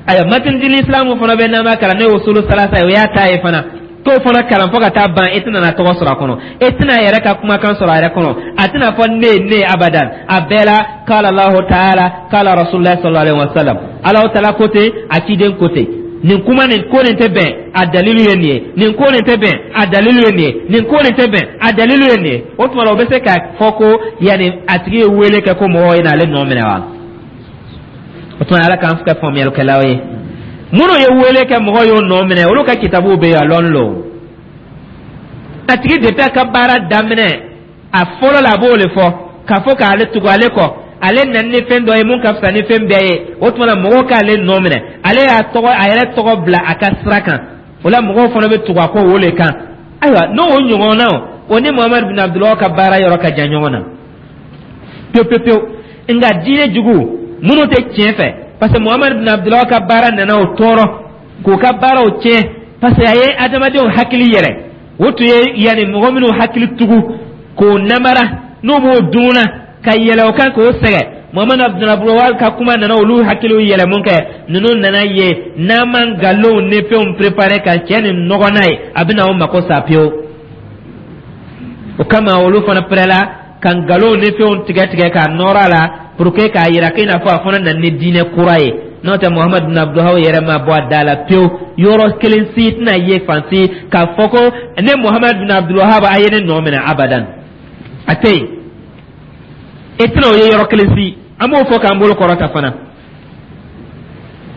Ayiwa, matini dili isilamu fana bɛ, n'an b'a kalan, n'o ye usulu salasa ye, o y'a ta ye fana. T'o fana kalan fo ka taa ban, e tɛna na tɔgɔ sɔrɔ a kɔnɔ, e tɛna yɛrɛ ka kumakan sɔrɔ a yɛrɛ kɔnɔ. A tɛna fɔ ne ne abadan. A bɛɛ la, kala Allahu taala, kala Rasulullah sallallahu alaihi wasallam, Alahu taala ko ten, a ciden ko ten. Nin kuma nin ko nin tɛ bɛn, a dalilu ye nin ye. Nin ko nin tɛ bɛn, a dalilu ye nin ye. Nin ko nin tɛ bɛn, a dalilu ye nin ye. O tuma la, o bɛ se ka fɔ ko yanni a tigi ye wele kɛ ko mɔgɔw ye n'ale nɔ minɛ wa? O tuma, Ala k'an kɛ faamuyalikɛlaw ye. Minnu ye wele kɛ, mɔgɔw y'o nɔ minɛ, olu ka kitabuw bɛ yen, a lɔn lo. A tigi depuis a ka baara daminɛ, a fɔlɔ la, a b'o le fɔ k'a fɔ k'ale tugu ale kɔ, ale nana ni fɛn dɔ ye mun ka fisa ni fɛn bɛɛ ye. O tuma na, mɔgɔw k'ale nɔ minɛ. Ale y'a tɔgɔ, a yɛrɛ tɔgɔ bila a ka sira kan, o la mɔgɔw fana bɛ tugu a kɔ o le kan. Ayiwa, n'o ɲɔgɔnna O ni Muhamadu bin Abdulwahab ka baara yɔrɔ ka jan ɲɔgɔn na pewu pewu pewu. Nka diinɛ jugu minnu tɛ tiɲɛ fɛ, parce que Muhamadu bin Abdulwahab ka baara nana o tɔɔrɔ k'o ka baaraw tiɲɛ, parce que a ye adamadenw hakili yɛlɛ. O tun ye yanni mɔgɔ minnu hakili tugu k'o namara, n'u b'o dun na ka yɛlɛ o kan k'o sɛgɛn. Muhamadu Abdulwahab ka kuma nana olu hakiliw yɛlɛ. Mun kɛ? Ninnu nana ye n'an ma nkalonw ni fɛnw préparer ka cɛ ni nɔgɔ n'a ye, a bɛna o mako sa pewu. O kama olu fana pɛrɛla ka nkalonw ni fɛnw tigɛ tigɛ k'a nɔrɔ a la pour que k'a yira k'i n'a fɔ a fana nana ni diinɛ kura ye. N'o tɛ, Muhamadu bin Abdulwahab yɛrɛ ma bɔ a da la pewu. Yɔrɔ kelen si tɛna ye fan si k'a fɔ ko ne Muhamadu bin Abdulwahab, a ye ne nɔ minɛ, abadan, a tɛ yen. E tɛna o ye yɔrɔ kelen si. An b'o fɔ k'an bolo kɔrɔta fana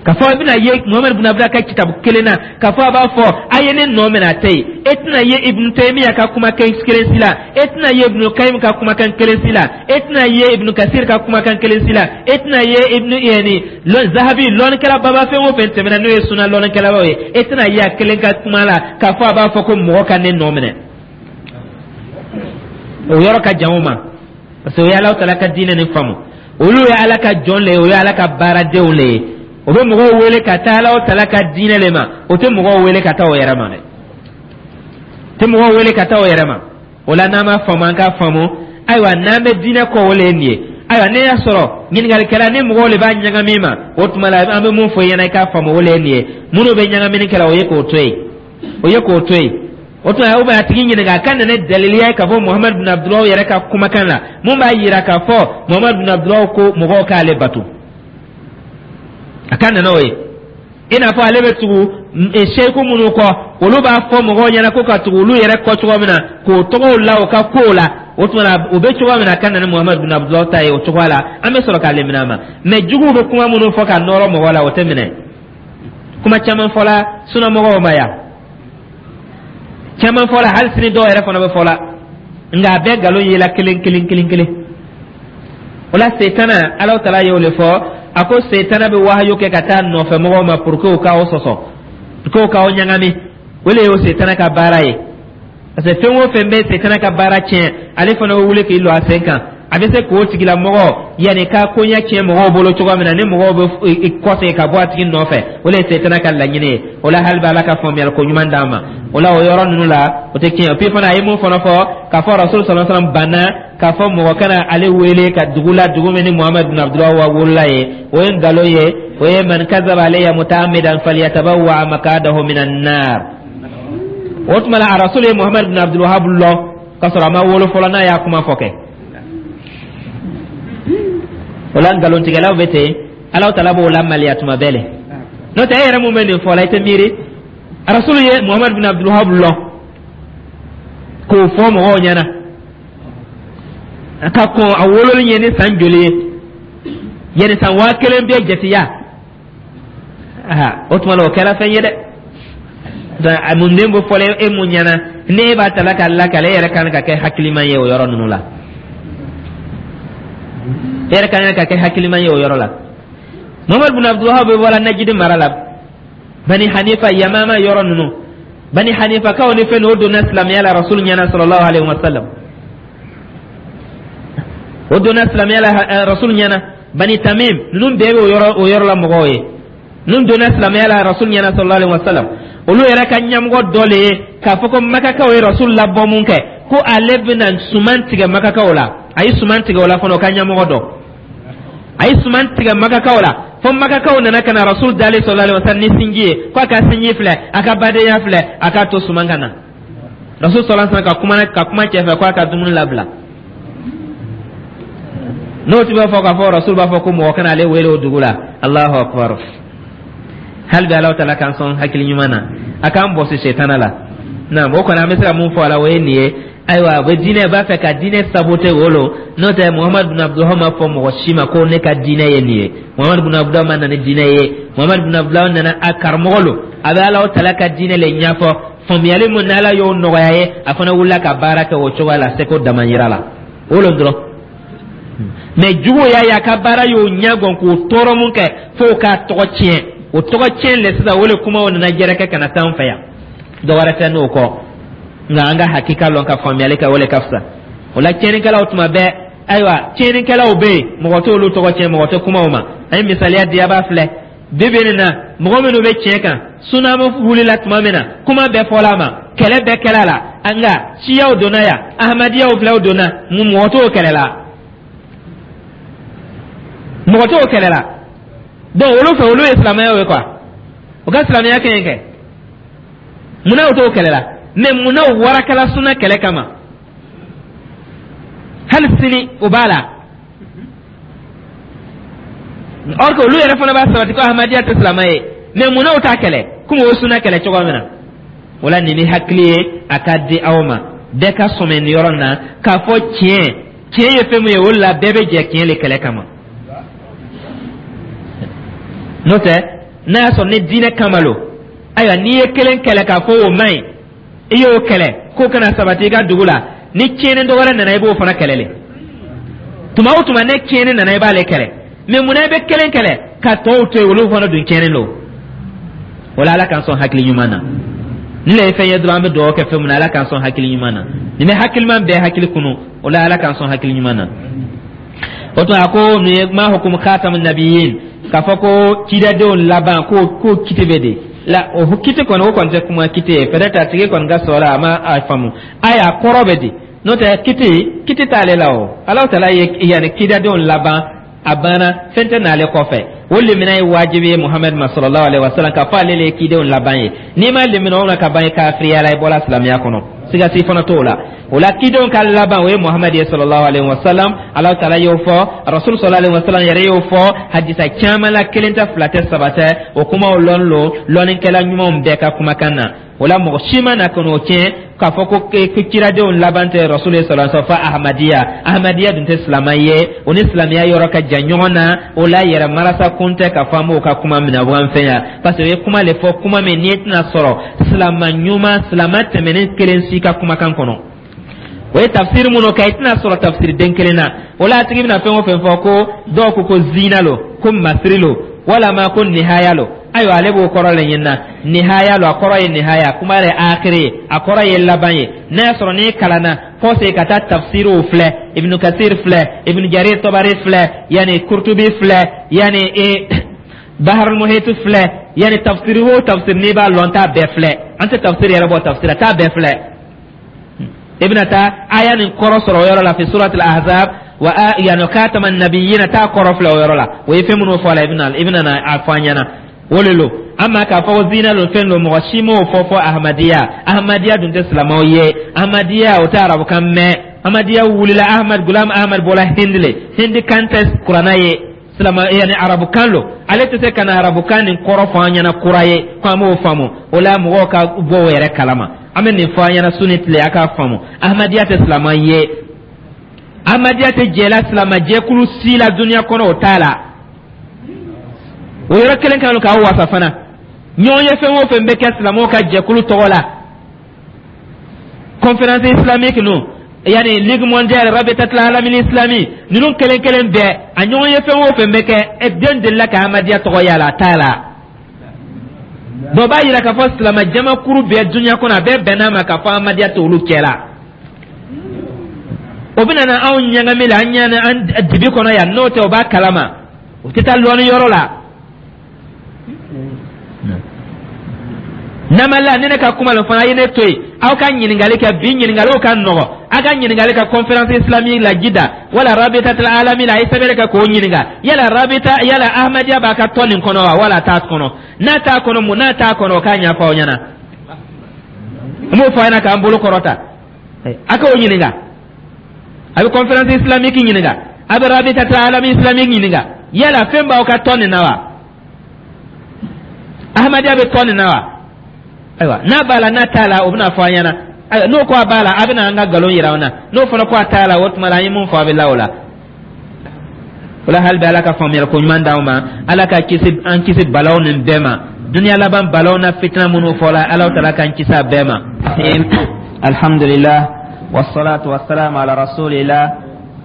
k'a fɔ i bɛna ye Muhamadu bin Abdulayi ka kitabu kelen na k'a fɔ a b'a fɔ a ye ne nɔ minɛ, a tɛ yen. E tɛna ye Ibnu Taymiya ka kumakan kelen si la, e tɛna ye Ibnu Kayim ka kumakan kelen si la, e tɛna ye Ibnu Kasir ka kumakan kelen si la, e tɛna ye Ibnu yani Zahabi, lɔnnikɛla baba fɛn o fɛn tɛmɛna n'o ye suna lɔnnikɛlabaw ye, e tɛna ye a kelen ka kuma la k'a fɔ a b'a fɔ ko mɔgɔ ka ne nɔ minɛ. O yɔrɔ ka jan o ma, parce que o ye Alahu Taala ka diinɛ nin faamu. Olu ye Ala ka jɔn le ye, o ye Ala ka baaradenw le ye. O bɛ mɔgɔw wele ka taa Alahu Taala ka diinɛ le ma. O tɛ mɔgɔw wele ka taa o yɛrɛ ma dɛ, tɛ mɔgɔw wele ka taa o yɛrɛ ma. O la, n'an m'a faamu, an k'a faamu. Ayiwa, n'an bɛ diinɛ kɔ, o le ye nin ye. Ayiwa, ne y'a sɔrɔ ɲininkalikɛla ni mɔgɔw le b'a ɲagami ma, o tuma la an bɛ mun fɔ i ɲɛna, i k'a faamu, o le ye nin ye. Minnu bɛ ɲagamini kɛla, o ye k'o to yen, o ye k'o to yen. O tuma, o bɛ a tigi ɲininka a ka na ne daliliya ye k'a fɔ Muhamadu bin Abudulayi yɛrɛ ka kumakan la, mun b'a yira k'a fɔ Muhamadu bin Abudulayi ko mɔgɔw k'ale bato. A ka nana o ye i n'a fɔ ale bɛ tugu seyiku minnu kɔ, olu b'a fɔ mɔgɔw ɲɛna ko ka tugu olu yɛrɛ kɔ cogo min na, k'o tɔgɔw la o ka kow la. O tuma na, o bɛ cogoya min na, a ka na ni Muhamadu bin Abudulayi ta ye o cogoya la, an bɛ sɔrɔ k'ale minɛ a ma. Mɛ juguw bɛ kuma minnu fɔ ka nɔrɔ mɔgɔ la, o tɛ minɛ. Kuma caman fɔla sunamɔgɔw ma yan, caman fɔla, hali sini dɔw yɛrɛ fana bɛ fɔla, nka a bɛɛ nkalon yela kelen kelen kelen kelen. O la, setana, Alahu Taala y'o le fɔ, a ko setana bɛ wahayu kɛ ka taa nɔfɛ mɔgɔw ma pour que u k'aw sɔsɔ, pour que u k'aw ɲagami. O le y'o setana ka baara ye, parce que fɛn o fɛn bɛ setana ka baara tiɲɛ, ale fana bɛ wuli k'i lɔ a sen kan. A bɛ se k'o tigilamɔgɔ yanni ka koɲɛ tiɲɛ mɔgɔw bolo cogoya min na, ni mɔgɔw bɛ kɔsegin ka bɔ a tigi nɔfɛ, o le ye setana ka laɲini ye. O la, hali bɛ Ala ka faamuyali ko ɲuman d'an ma. O la, o yɔrɔ ninnu la, o tɛ tiɲɛ. Puis fana, a ye mun fana fɔ k'a fɔ Rasul sallallahu alaihi wasallam banna k'a fɔ mɔgɔ kana ale wele ka dugu la, dugu min ni Muhamadu bin Abdulahi wa wolola ye, o ye nkalon ye. O ye man kazaba alayya mutaamidan falyatabawwa maqadahu minan nar. O tuma la, a Rasul ye Muhamadu bin Abdul Wahab lɔn k'a sɔrɔ a ma wolo fɔlɔ n'a y'a kuma fɔ kɛ. O la, nkalontigɛlaw bɛ ten, Alahu Taala b'o lamaliya tuma bɛɛ le. N'o tɛ, e yɛrɛ mun bɛ nin fɔ la, i tɛ miiri Rasulu ye Muhamadu bin Abdul Wahab lɔn k'o fɔ mɔgɔw ɲɛna ka kɔn a wololi ɲɛ ni san joli ye, yanni san 1000 bɛɛ jatiya. O tuma la, o kɛra fɛn ye dɛ. A mun den bɛ fɔlɔ e mun ɲɛna, ne e b'a tala k'a lakale, e yɛrɛ kan ka kɛ hakiliman ye o yɔrɔ ninnu la. E yɛrɛ kan ka kɛ hakiliman ye o yɔrɔ la. Muhamadu bin Abdulwahab bɛ bɔra Najidi mara la, Bani Hanifa, Yamama yɔrɔ ninnu, Bani Hanifa kaw ni fɛn o donna silamɛya la Rasul ɲɛna sallallahu alaihi wa sallam. O donna silamɛya la Rasul ɲɛna. Bani Tamim ninnu bɛɛ bɛ o yɔrɔ la mɔgɔw ye. Ninnu donna silamɛya la Rasul ɲɛna sallallahu alaihi wa sallam. Olu yɛrɛ ka ɲɛmɔgɔ dɔ le ye k'a fɔ ko Makakaw ye Rasul labɔ mun kɛ, ko ale bɛna suman tigɛ Makakaw la. A ye suman tigɛ o la fana. O ka ɲɛmɔgɔ dɔ, a ye suman tigɛ Makakaw la fo Makakaw nana ka na Rasul dalen sallallahu alaihi wa sallam ni sinji ye, ko a ka sinji filɛ, a ka badenya filɛ, a k'a to suman ka na. Rasul sallallahu alaihi wa sallam ka kuma cɛ fɛ ko a ka dumuni labila. N'o tun b'a fɔ k'a fɔ Rasul b'a fɔ ko mɔgɔ kana ale wele o dugu la. Allahu akbar! Hali bi Alahu Taala k'an sɔn hakili ɲuman na, a k'an bɔsi setana la. Naam, o kɔni, an bɛ se ka mun fɔ a la, o ye nin ye. Ayiwa, a bɛ diinɛ b'a fɛ ka diinɛ saboter o lo. N'o tɛ, Muhamadu bin Abdulwahab ma fɔ mɔgɔ si ma ko ne ka diinɛ ye nin ye. Muhamadu bin Abdulwahab ma na ni diinɛ ye. Muhamadu bin Abdulwahab nana, a karamɔgɔ lo, a bɛ Alahu Taala ka diinɛ le ɲɛfɔ. Faamuyali mun n'Ala y'o nɔgɔya ye, a fana wulila ka baara kɛ o cogoya la, seko damayira la, o lo dɔrɔn. Mɛ juguw y'a ye a ka baara y'o ɲɛgɔn k'o tɔɔrɔ mun kɛ f'o k'a tɔgɔ tiɲɛ, o tɔgɔ tiɲɛ le sisan, o le kumaw nana jɛrɛkɛ ka na s'an fɛ yan. Dɔ wɛrɛ tɛ n'o kɔ. Nka an ka hakika lɔn ka faamuyali kɛ, o le ka fisa. O la, tiɲɛnikɛlaw tuma bɛɛ, ayiwa, tiɲɛnikɛlaw bɛ yen, mɔgɔ t'olu tɔgɔ tiɲɛ, mɔgɔ tɛ kuma o ma. An ye misaliya di, a b'a filɛ bi bi nin na, mɔgɔ minnu bɛ tiɲɛ kan, sunamu wulila tuma min na, kuma bɛɛ fɔla a ma, kɛlɛ bɛɛ kɛla la. Nka siyaw donna yan, ahmadiyaw filɛ, donna, mɔgɔ t'o kɛlɛ la, mɔgɔ t'o kɛlɛ la. Donc olu fɛ, olu ye silamɛyaw ye quoi, u ka silamɛya kɛ yen kɛ. Munna u t'o kɛlɛ la? Mais munna u warakala suna kɛlɛ kama? Hali sini o b'a la, or que olu yɛrɛ fana b'a sabati ko ahmadiya tɛ silamɛ ye. Mais munna u t'a kɛlɛ komi o suna kɛlɛ cogo min na? O la, nin ni hakili ye a ka di aw ma, bɛɛ ka sɔmɛ nin yɔrɔ na k'a fɔ tiɲɛ, tiɲɛ ye fɛn min ye, o la bɛɛ bɛ jɛ tiɲɛ le kɛlɛ kama. N'o tɛ, n'a y'a sɔrɔ ni diinɛ kama lo, ayiwa, n'i ye kelen kɛlɛ k'a fɔ o man ɲi, i y'o kɛlɛ k'o kana sabati i ka dugu la, ni tiɲɛni dɔ wɛrɛ nana, i b'o fana kɛlɛ le. Tuma o tuma ne tiɲɛni nana, i b'ale kɛlɛ. Mais munna i bɛ kelen kɛlɛ ka tɔw to yen? Olu fana dun tiɲɛni don. O la, Ala k'an sɔn hakili ɲuman na. Ni le ye fɛn ye dɔrɔn, an bɛ dugawu kɛ fɛn min na, Ala k'an sɔn hakili ɲuman na. Nin bɛ hakiliman bɛɛ hakili kunu. O la, Ala k'an sɔn hakili ɲuman na. O tuma, a ko nin ye ma hukumu khatamu nabiyin, k'a fɔ ko cidadenw laban ko kiti bɛ de la. O kiti kɔni, o kɔni tɛ kuma kiti ye. Peut-être a tigi kɔni ka sɔrɔ a ma a faamu. Ayi, a kɔrɔ bɛ di? N'o tɛ, kiti t'ale la. O Alahu Taala ye yanni cidadenw laban, a banna, fɛn tɛ n'ale kɔfɛ. O limina ye wajibi ye Muhamadu ma sallallahu alaihi wasallam, k'a fɔ ale le ye cidenw laban ye. N'i ma limina o la ka ban, i kafiriya la, i bɔra silamɛya kɔnɔ, siga si fana t'o la. O la, cidenw ka laban, o ye Muhamadu ye sallallahu alaihi wasallam. Alahu Taala y'o fɔ, Rasul sallallahu alaihi wasallam yɛrɛ y'o fɔ hadisa caman la, kelen tɛ, fila tɛ, saba tɛ. O kumaw lɔn lo lɔnnikɛla ɲumanw bɛɛ ka kumakan na. O la, mɔgɔ si ma na ka n'o tiɲɛ k'a fɔ ko kiradenw laban tɛ Rasul ye sallallahu alaihi wasallam fɔ ahmadiya. Ahmadiya dun tɛ silamɛ ye, o ni silamɛya yɔrɔ ka jan ɲɔgɔn na. O la, yɛrɛ marasa kun tɛ k'a fɔ an b'o ka kuma minɛ an fɛ yan, parce que o ye kuma le fɔ, kuma min n'i tɛna sɔrɔ silamɛ ɲuman, silamɛ tɛmɛnen kelen si ka kumakan kɔnɔ. O ye tafsiri minnu kɛ, i tɛna sɔrɔ tafsiri den kelen na. O la, a tigi bɛna fɛn o fɛn fɔ, ko dɔw ko ko zina lo, ko masiri lo, walama ko nihaya lo. Ayiwa, ale b'o kɔrɔ le ɲinina. Nihaya lo, a kɔrɔ ye nihaya, kuma yɛrɛ akiri ye, a kɔrɔ ye laban ye. N'a y'a sɔrɔ n'i kalanna fɔ se ka taa tafsiriw filɛ, Ibnu Kasir filɛ, Ibnu Jarir Tabari filɛ, yanni Kurtubi filɛ, yanni Baharul Muhit filɛ, yanni tafsiri o tafsir n'i b'a lɔn, t'a bɛɛ filɛ. An tɛ tafsiri yɛrɛ bɔ tafsir la, t'a bɛɛ filɛ. I bɛna taa aya nin kɔrɔ sɔrɔ o yɔrɔ la, fi suratul Ahzab wa yani khatama nabiyina, t'a kɔrɔ filɛ o yɔrɔ la. O ye fɛn minnu fɔ a la, i bɛna na a fɔ an ɲɛna. O le lo. Ama k'a fɔ ko zina lo, fɛn lo, mɔgɔ si m'o fɔ fɔ ahmadiya. Ahmadiya dun tɛ silamɛw ye. Ahmadiya, o tɛ arabukan mɛn. Ahmadiya wulila, Ahmad Gulam Ahmad bɔra Hindi le, Hindi kan tɛ Kuranna ye, silama yani arabukan lo. Ale tɛ se ka na arabukan nin kɔrɔ fɔ an ɲɛna kura ye ko an b'o faamu. O la, mɔgɔw ka bɔ o yɛrɛ kalama. An bɛ nin fɔ an ɲɛna su ni tile, a k'a faamu: ahmadiya tɛ silamɛ ye, ahmadiya tɛ jɛla silama jɛkulu si la duniya kɔnɔ, o t'a la. O yɔrɔ kelen kan k'aw wasa fana. Ɲɔgɔn ye fɛn o fɛn bɛ kɛ silamɛw ka jɛkulu tɔgɔ la, conférence islamique ninnu, yani Ligue mondiale, Rabitatul alamil islami ninnu kelen kelen bɛɛ, a ɲɔgɔn ye fɛn o fɛn bɛ kɛ, ɛ den delila ka ahmadiya tɔgɔ y'a la, a t'a la. Dɔ b'a yira k'a fɔ silamɛ jamakuru bɛɛ dunuya kɔnɔ, a bɛɛ bɛnn'a ma k'a fɔ ahmadiya t'olu cɛ la. O bɛna na anw ɲagami la, an ɲana an dibi kɔnɔ yan. N'o tɛ, o b'a kalama, o tɛ taa lɔnni yɔrɔ la. Namala ni ne ka kuma lo fana, a ye ne to yen, aw ka ɲininkali kɛ. Bi ɲininkaliw ka nɔgɔ. Aw ka ɲininkali kɛ conférence islamique la Jida wala Rabitatul alami la. A ye sɛbɛnni kɛ k'o ɲininka: yala rabita, yala ahmadiya b'a ka tɔn nin kɔnɔ wa, wala t'a kɔnɔ? N'a t'a kɔnɔ, mun n'a t'a kɔnɔ, o k'a ɲɛfɔ aw ɲɛna. N b'o fɔ a ɲɛna k'an bolo kɔrɔta. A k'o ɲininka, a bɛ conférence islamique ɲininka, a bɛ Rabitatul alami islamique ɲininka: yala fɛn b'aw ka tɔn nin na wa? Ahmadiya bɛ tɔn nin na wa? Ayiwa, n'a b'a la, n'a t'a la, o bɛna fɔ an ɲɛna. Ayiwa, n'o ko a b'a la, a bɛna an ka nkalon yira an na. N'o fana ko a t'a la, o tuma la, an ye mun fɔ, a bɛ la o la. O la, hali bi, Ala ka faamuyali ko ɲuman d'anw ma. Ala ka kisi, an kisi balaw nin bɛɛ ma, duniya laban balaw na fitina minnu fɔla, Ala taala k'an kisi a bɛɛ ma. Alhamdulillah wassalatu wassalamu ala rasulillah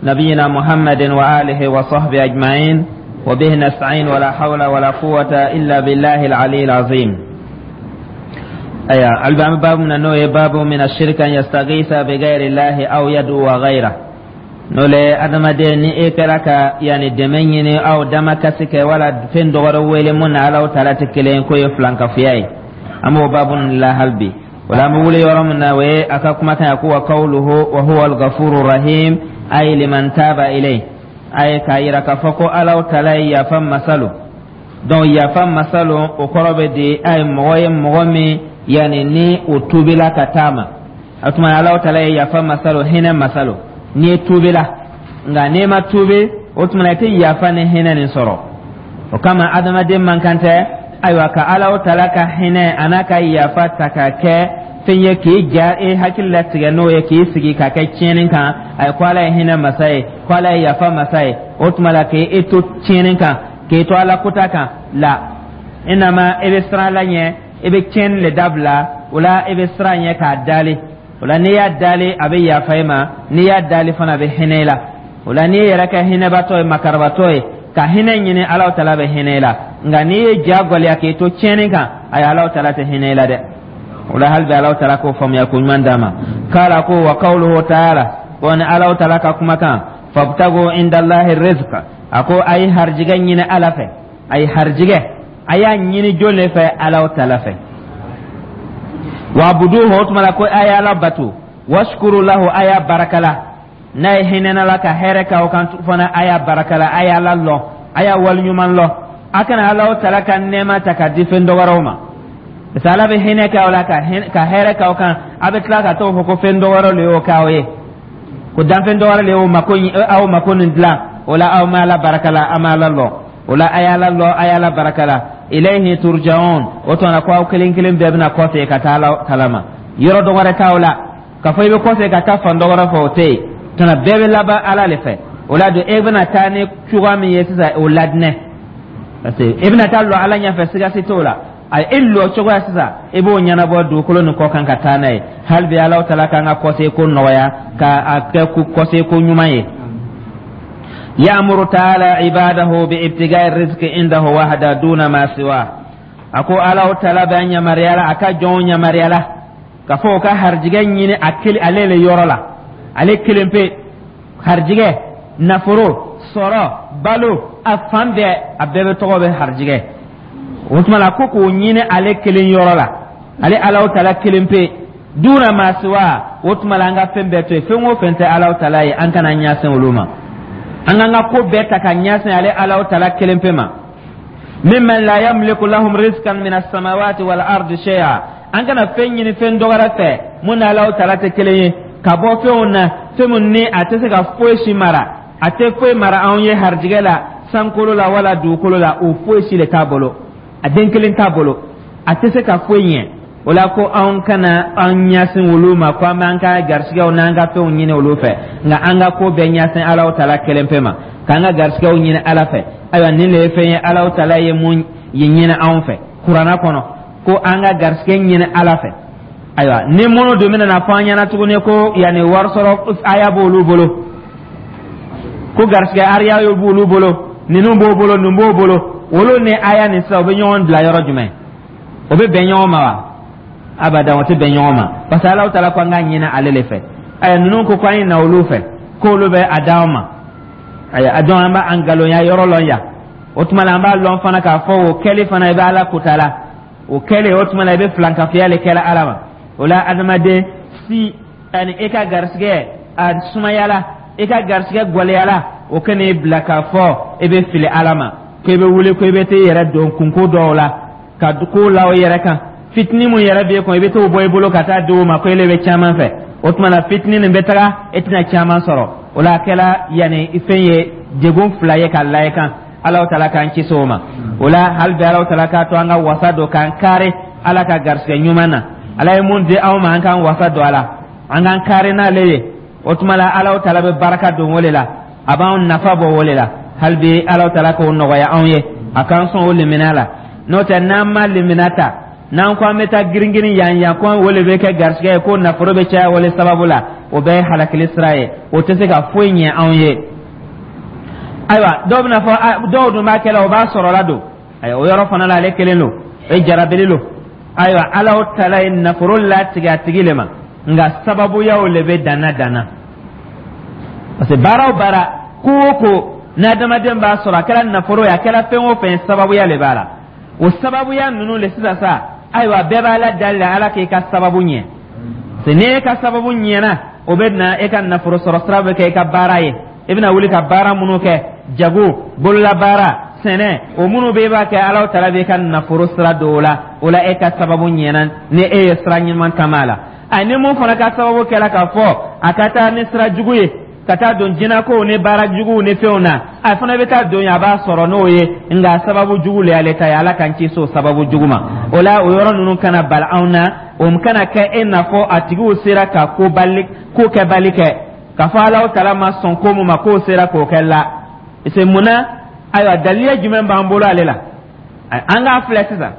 nabiyina Muhammadin wa alihi wa sahbihi ajma'in wa bihi nasta'in wa la hawla wa la quwwata illa billahi al-ali al-azim. Aya, hali an bɛ baabu min na, n'o ye baabu min ashirka an yastaghitha bi ghayri llahi aw yad'u ghayra, n'o le adamaden ni e kɛra ka yanni dɛmɛ ɲini aw damakasi kɛ wala fɛn dɔ wɛrɛ wele mun na Alahu taala tɛ kelen k'o ye filankafoya ye. An b'o baabu nin la hali bi. O la, an bɛ wuli yɔrɔ min na, o ye a ka kumakan ye ko: wa qawluhu wa huwa al-ghafuru rahim, ay liman taba ilayhi. A ye k'a yira k'a fɔ ko Alahu taala ye yafa masa lo. Donc yafa masa lo, o kɔrɔ bɛ di a ye mɔgɔ ye, mɔgɔ min yanni ni o tuubila ka taa ma. O tuma Alahu taala ye yafa masa lo, hinɛ masa lo n'i ye tuubila. Nka n'i ma tuubi, o tuma i tɛ yafa ni hinɛ nin sɔrɔ. O kama adamaden man kan tɛ, ayiwa, ka Alahu taala ka hinɛ a n'a ka yafa ta ka kɛ fɛn ye k'i ja e hakili latigɛ n'o ye, k'i sigi ka kɛ tiɲɛni kan. A ye ko Ala ye hinɛ masa ye, ko Ala ye yafa masa ye, o tuma la k'e to tiɲɛni kan, k'e to Ala kota kan la. I nama e bɛ siran Ala ɲɛ, i bɛ tiɲɛni le dabila. O la i bɛ siran ɲɛ k'a dali. O la n'i y'a dali, a bɛ yafa i ma. N'i y'a dali fana, a bɛ hinɛ i la. O la n'i yɛrɛ kɛ hinɛbatɔ ye, makarabatɔ ye, ka hinɛ ɲini, Ala taala bɛ hinɛ i la. Nka n'i ye ja gwɛlɛya k'i to tiɲɛni kan, ayi, Ala taala tɛ hinɛ i la dɛ. O la hali bi Ala taala k'o faamuya ko ɲuman d'a ma. K'ala ko: wa qawluhu ta'ala, ko ni Ala taala ka kumakan: fabtagu indallahi rizqa. A ko a ye harijigɛ ɲini Ala fɛ. A ye harijigɛ, a y'a ɲini jɔn de fɛ? Ala taala fɛ. Wa'buduhu, o tuma la ko a ye Ala bato. Washkuru lahu, a y'a barakala. N'a ye hinɛna la ka hɛrɛ k'aw kan fana, a y'a barakala, a ye Ala lɔn, a y'a waliɲuman lɔn. A kana Ala taala ka nɛɛma ta ka di fɛn dɔ wɛrɛw ma, parce que Ala bɛ hinɛ k'aw la ka hɛrɛ k'aw kan, a bɛ tila ka t'o fɔ ko fɛn dɔ wɛrɛ de y'o k'aw ye, ko danfɛn dɔ wɛrɛ de y'o mako, aw mako nin dilan. O la aw ma Ala barakala, a ma Ala lɔn. O la a y'Ala lɔn, a y'Ala barakala. Ilayhi turja'un, o tuma na ko aw kelen kelen bɛɛ bɛna kɔfɛ ka taa Ala taala ma. Yɔrɔ dɔ wɛrɛ t'aw la k'a fɔ i bɛ kɔfɛ ka taa fan dɔ wɛrɛ fɛ, o tɛ yen. Tuma bɛɛ bɛ laban Ala de fɛ. O la don e bɛna taa ni cogoya min ye sisan, o ladinɛ, parce que e bɛna taa lɔ Ala ɲɛfɛ, siga si t'o la. A e lɔ cogoya sisan, i b'o ɲɛnabɔ dugukolo nin kɔ kan ka taa n'a ye. Hali bi Ala taala k'an ka kɔse ko nɔgɔya, ka a kɛ kɔse ko ɲuman ye. يأمر تعالى عباده بابتغاء الرزق عنده وحده دون ما سواه. Ako Ala taala bɛ yamaruya la, a ka jɔnw yamaruya la k'a fɔ o ka harijigɛ ɲini a kelen ale le yɔrɔ la, ale kelen pe. Harijigɛ, nafolo sɔrɔ, balo, a fan bɛɛ, a bɛɛ bɛ tɔgɔ bɛ harijigɛ. O tuma la ko k'o ɲini ale kelen yɔrɔ la, ale Ala taala kelen pe. Duna ma siwa, o tuma la an ka fɛn bɛɛ to yen. Fɛn o fɛn tɛ Ala taala ye, an kana ɲɛsin olu ma. An k'an ka ko bɛɛ ta ka ɲɛsin ale Ala taala kelen pe ma. Mimman la yamliku lahum rizqan min as-samawati wal ardi shay'a. An kana fɛn ɲini fɛn dɔ wɛrɛ fɛ mun ni Ala taala tɛ kelen ye, ka bɔ fɛnw na, fɛn mun ni a tɛ se ka foyi si mara, a tɛ foyi mara anw ye harijigɛ la sankolo la wala dugukolo la. O foyi si de t'a bolo, a den kelen t'a bolo, a tɛ se ka foyi ɲɛ. O la ko anw kana an ɲɛsin olu ma ko an b'an ka garisigɛw n'an ka fɛnw ɲini olu fɛ, nka an ka ko bɛɛ ɲɛsin Ala taala kelen pe ma, k'an ka garisigɛw ɲini Ala fɛ. Ayiwa, nin de ye fɛn ye Ala taala ye mun ye ɲini anw fɛ Kuranna kɔnɔ, ko an ka garisigɛ ɲini Ala fɛ. Ayiwa, ni minnu dun bɛna na fɔ an ɲɛna tuguni ko yanni wari sɔrɔ aya b'olu bolo, ko garisigɛ ariya b'olu bolo, ninnu b'o bolo, nin b'o bolo, olu ni aya nin sisan, u bɛ ɲɔgɔn bila yɔrɔ jumɛn? O bɛ bɛn ɲɔgɔn ma wa? Abada, o tɛ bɛn ɲɔgɔn ma, parce que Ala taala ko an k'a ɲini ale de fɛ. Ayiwa, ninnu ko an ye na olu fɛ k'olu bɛ a d'anw ma. Ayiwa, a dɔn an b'a ngalonya yɔrɔ lɔn yan. O tuma la an b'a lɔn fana k'a fɔ o kɛli fana, i bɛ Ala kota la. O kɛli, o tuma la i bɛ filankafoya le kɛla Ala ma. O la adamaden si ani e ka garisigɛ a sumayala, i ka garisigɛ gwɛlɛyala, o kan'i bila k'a fɔ i bɛ fili Ala ma, ko i bɛ wuli ko i bɛ t'i yɛrɛ don kunko dɔw la, ka ko la o yɛrɛ kan. Fitinin mun yɛrɛ b'e kun, i bɛ t'o bɔ i bolo ka taa di o ma ko ele bɛ caman fɛ. O tuma na fitinin nin bɛ taga, e tɛna caman sɔrɔ. O la a kɛla yanni fɛn ye degun fila ye ka la i kan. Ala taala k'an kisi o ma. O la hali bi Ala taala k'a to an ka wasa don k'an kari Ala ka garisigɛ ɲuman na. Ala ye mun di anw ma, an k'an wasa don a la, an k'an kari n'ale ye. O tuma la Ala taala bɛ baraka don o de la, a b'anw nafa bɔ o de la. Hali bi Ala taala k'o nɔgɔya anw ye, a k'an sɔn o limina la. N'o tɛ, n'an ma limina ta, n'an ko an bɛ taa girin-girin yan yan, ko o de bɛ kɛ garisigɛ ye, ko nafolo bɛ caya o de sababu la, o bɛɛ ye halakili sira ye, o tɛ se ka foyi ɲɛ anw ye. Ayiwa, dɔw bɛna fɔ, dɔw dun b'a kɛ la, o b'a sɔrɔ la don. Ayiwa, o yɔrɔ fana la, ale kelen don, o ye jarabili don. Ayiwa, Ala tala ye nafolo latigɛ a tigi le ma, nka sababuyaw le bɛ danna danna, parce que baara o baara, ko o ko n'adamaden b'a sɔrɔ, a kɛra nafolo ye, a kɛra fɛn o fɛn ye, sababuya le b'a la. O sababuya ninnu le sisan sa, ayiwa, bɛɛ b'Ala dali la, Ala k'i ka sababu ɲɛ. Se n'e ka sababu ɲɛna, o bɛ na e ka nafolo sɔrɔ sira bɛ kɛ i ka baara ye. I bɛna wuli ka baara minnu kɛ, jago, bololabaara, sɛnɛ, o minnu bɛ e b'a kɛ, Ala tala b'i ka nafolo sira don o la. O la, e ka sababu ɲɛna ni e ye sira ɲuman taama a la. A ni mun fana ka sababu kɛra k'a fɔ a ka taa ni sira jugu ye, ka taa don jinɛkow ni baara juguw ni fɛnw na, a fana bɛ taa don yen, a b'a sɔrɔ n'o ye, nka sababu jugu le y'ale ta ye. Ala k'an kisi o sababu jugu ma. O la, o yɔrɔ ninnu kana bali anw na, o kana kɛ e n'a fɔ a tigiw sera ka ko bali, ko kɛbali kɛ, k'a fɔ Ala tala ma sɔn ko mun ma, k'o sera k'o kɛ la. Se mun na? Ayiwa, daliya jumɛn b'an bolo ale la? An k'a filɛ sisan,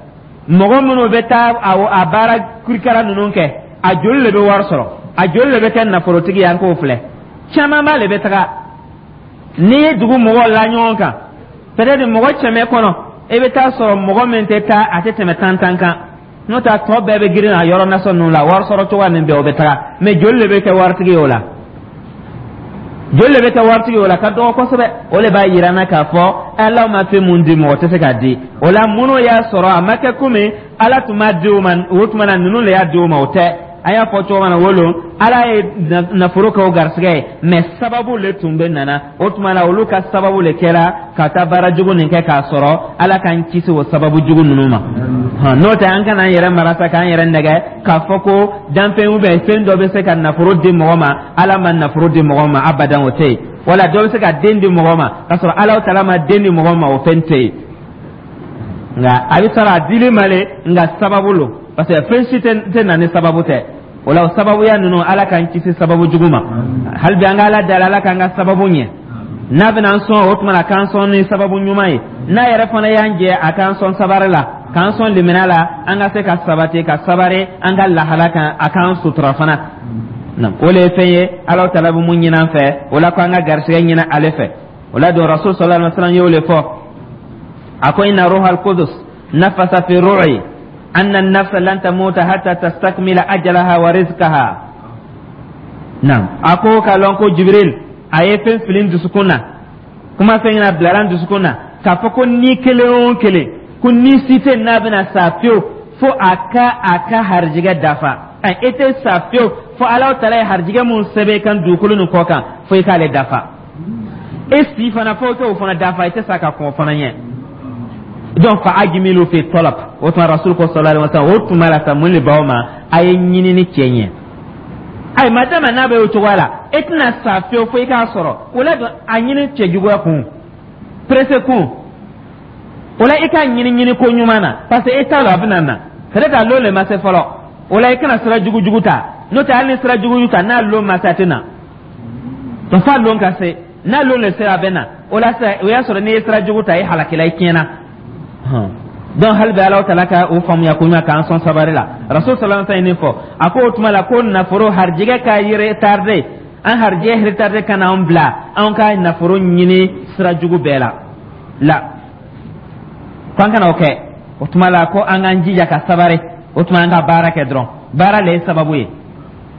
mɔgɔ minnu bɛ taa a baara kirikara ninnu kɛ, a joli le bɛ wari sɔrɔ, a joli le bɛ kɛ nafolotigi ye? An k'o filɛ, camanba le bɛ taga. N'i ye dugu mɔgɔw la ɲɔgɔn kan, peut-être mɔgɔ 100 kɔnɔ, i bɛ taa sɔrɔ mɔgɔ min tɛ taa, a tɛ tɛmɛ 10 kan. N'o tɛ, a tɔ bɛɛ bɛ girin a yɔrɔ nasɔn ninnu la, wari sɔrɔ cogoya nin bɛɛ, o bɛ taga. Mais joli le bɛ kɛ waritigi ye o la? Joli le bɛ kɛ waritigi ye o la? Ka dɔgɔ kosɛbɛ. O le b'a yira n na k'a fɔ Ala ma fɛn mun di, mɔgɔ tɛ se k'a di. O la, minnu y'a sɔrɔ, a ma kɛ komi Ala tun b'a di o ma, o tuma na ninnu le y'a di o ma, o tɛ. A y'a fɔ cogo min na, wolo Ala ye nafolo kɛ o garisɛgɛ ye, mais sababu le tun bɛ nana. O tuma na, olu ka sababu le kɛra ka taa baara jugu nin kɛ k'a sɔrɔ. Ala k'an kisi o sababu jugu ninnu ma. N'o tɛ, an kana an yɛrɛ mara sa, k'an yɛrɛ nɛgɛ k'a fɔ ko danfɛn ou bien fɛn dɔ bɛ se ka nafolo di mɔgɔ ma. Ala ma nafolo di mɔgɔ ma abadan, o tɛ yen. Wala dɔ bɛ se ka den di mɔgɔ ma k'a sɔrɔ Ala tala ma den di mɔgɔ ma, o fɛn tɛ yen. Nka a bɛ sɔrɔ a dili ma le, nka sababu lo, parce que fɛn si tɛ na ni sababu tɛ. O la, o sababuya ninnu, Ala k'an kisi sababu jugu ma. Hali bi an ka Ala dali, Ala k'an ka sababu ɲɛ. N'a bɛna an sɔn, o tuma na k'an sɔn ni sababu ɲuman ye. N'a yɛrɛ fana y'an jɛ, a k'an sɔn sabari la, k'an sɔn limina la, an ka se ka sabati ka sabari an ka lahala kan, a k'an sutura fana. O le ye fɛn ye Ala tala bɛ mun ɲini an fɛ. O la, ko an ka garisɛgɛ ɲini ale fɛ. O la don, Rasul sallallahu alaihi wa sallam y'o le fɔ, a ko: inna ruhal qudus nafasa fi ru'i anna an-nafsa lan tamuta hatta tastakmila ajalaha wa rizqaha. Naam, a ko k'a lɔn ko Jibril a ye fɛn fili dusukun na, kuma fɛn ɲɛna bilara dusukun na, k'a fɔ ko ni kelen o kelen, ko ni si tɛ n'a bɛna sa fiyewu fo a ka harijigɛ dafa. E tɛ sa fiyewu fo Ala tala ye harijigɛ mun sɛbɛn i kan dugukolo nin kɔ kan, fo i k'ale dafa. E si fana, fo i k'o fana dafa, i tɛ sa ka kɔn o fana ɲɛ. Donc fa ajmilu fi talab. O tuma, Rasul ko sallallahu alaihi wasallam, o tuma la sa, mun de b'aw ma? A ye ɲinini cɛ ɲɛ. Ayi, madama n'a bɛ o cogoya la, e tɛna sa fiyewu fo i k'a sɔrɔ. O la don, a ɲini cɛjuguya kun, pressé kun, o la i k'a ɲini ɲini ko ɲuman na, parce que e t'a dɔn a bɛna na, peut-être a lon le ma se fɔlɔ. O la, i kana sira jugu jugu ta. N'o tɛ, hali ni sira jugu ta, n'a lon ma se, a tɛ na. Donc f'a lon ka se, n'a lon le sera, a bɛ na. O la sisan, o y'a sɔrɔ n'i ye sira jugu ta, i halakila, i tiɲɛna. Donc hali bi Ala tala ka o faamuya ko ɲuman, k'an sɔn sabari la. Rasul sallallahu alaihi wasallam ye nin fɔ, a ko o tuma la ko nafolo harijigɛ ka retardé, an harijigɛ retardé ka n'an bila an ka nafolo ɲini sira jugu bɛɛ la la, ko an kana o kɛ. O tuma la, ko an k'an jija ka sabari. O tuma, an ka baara kɛ dɔrɔn, baara le ye sababu ye.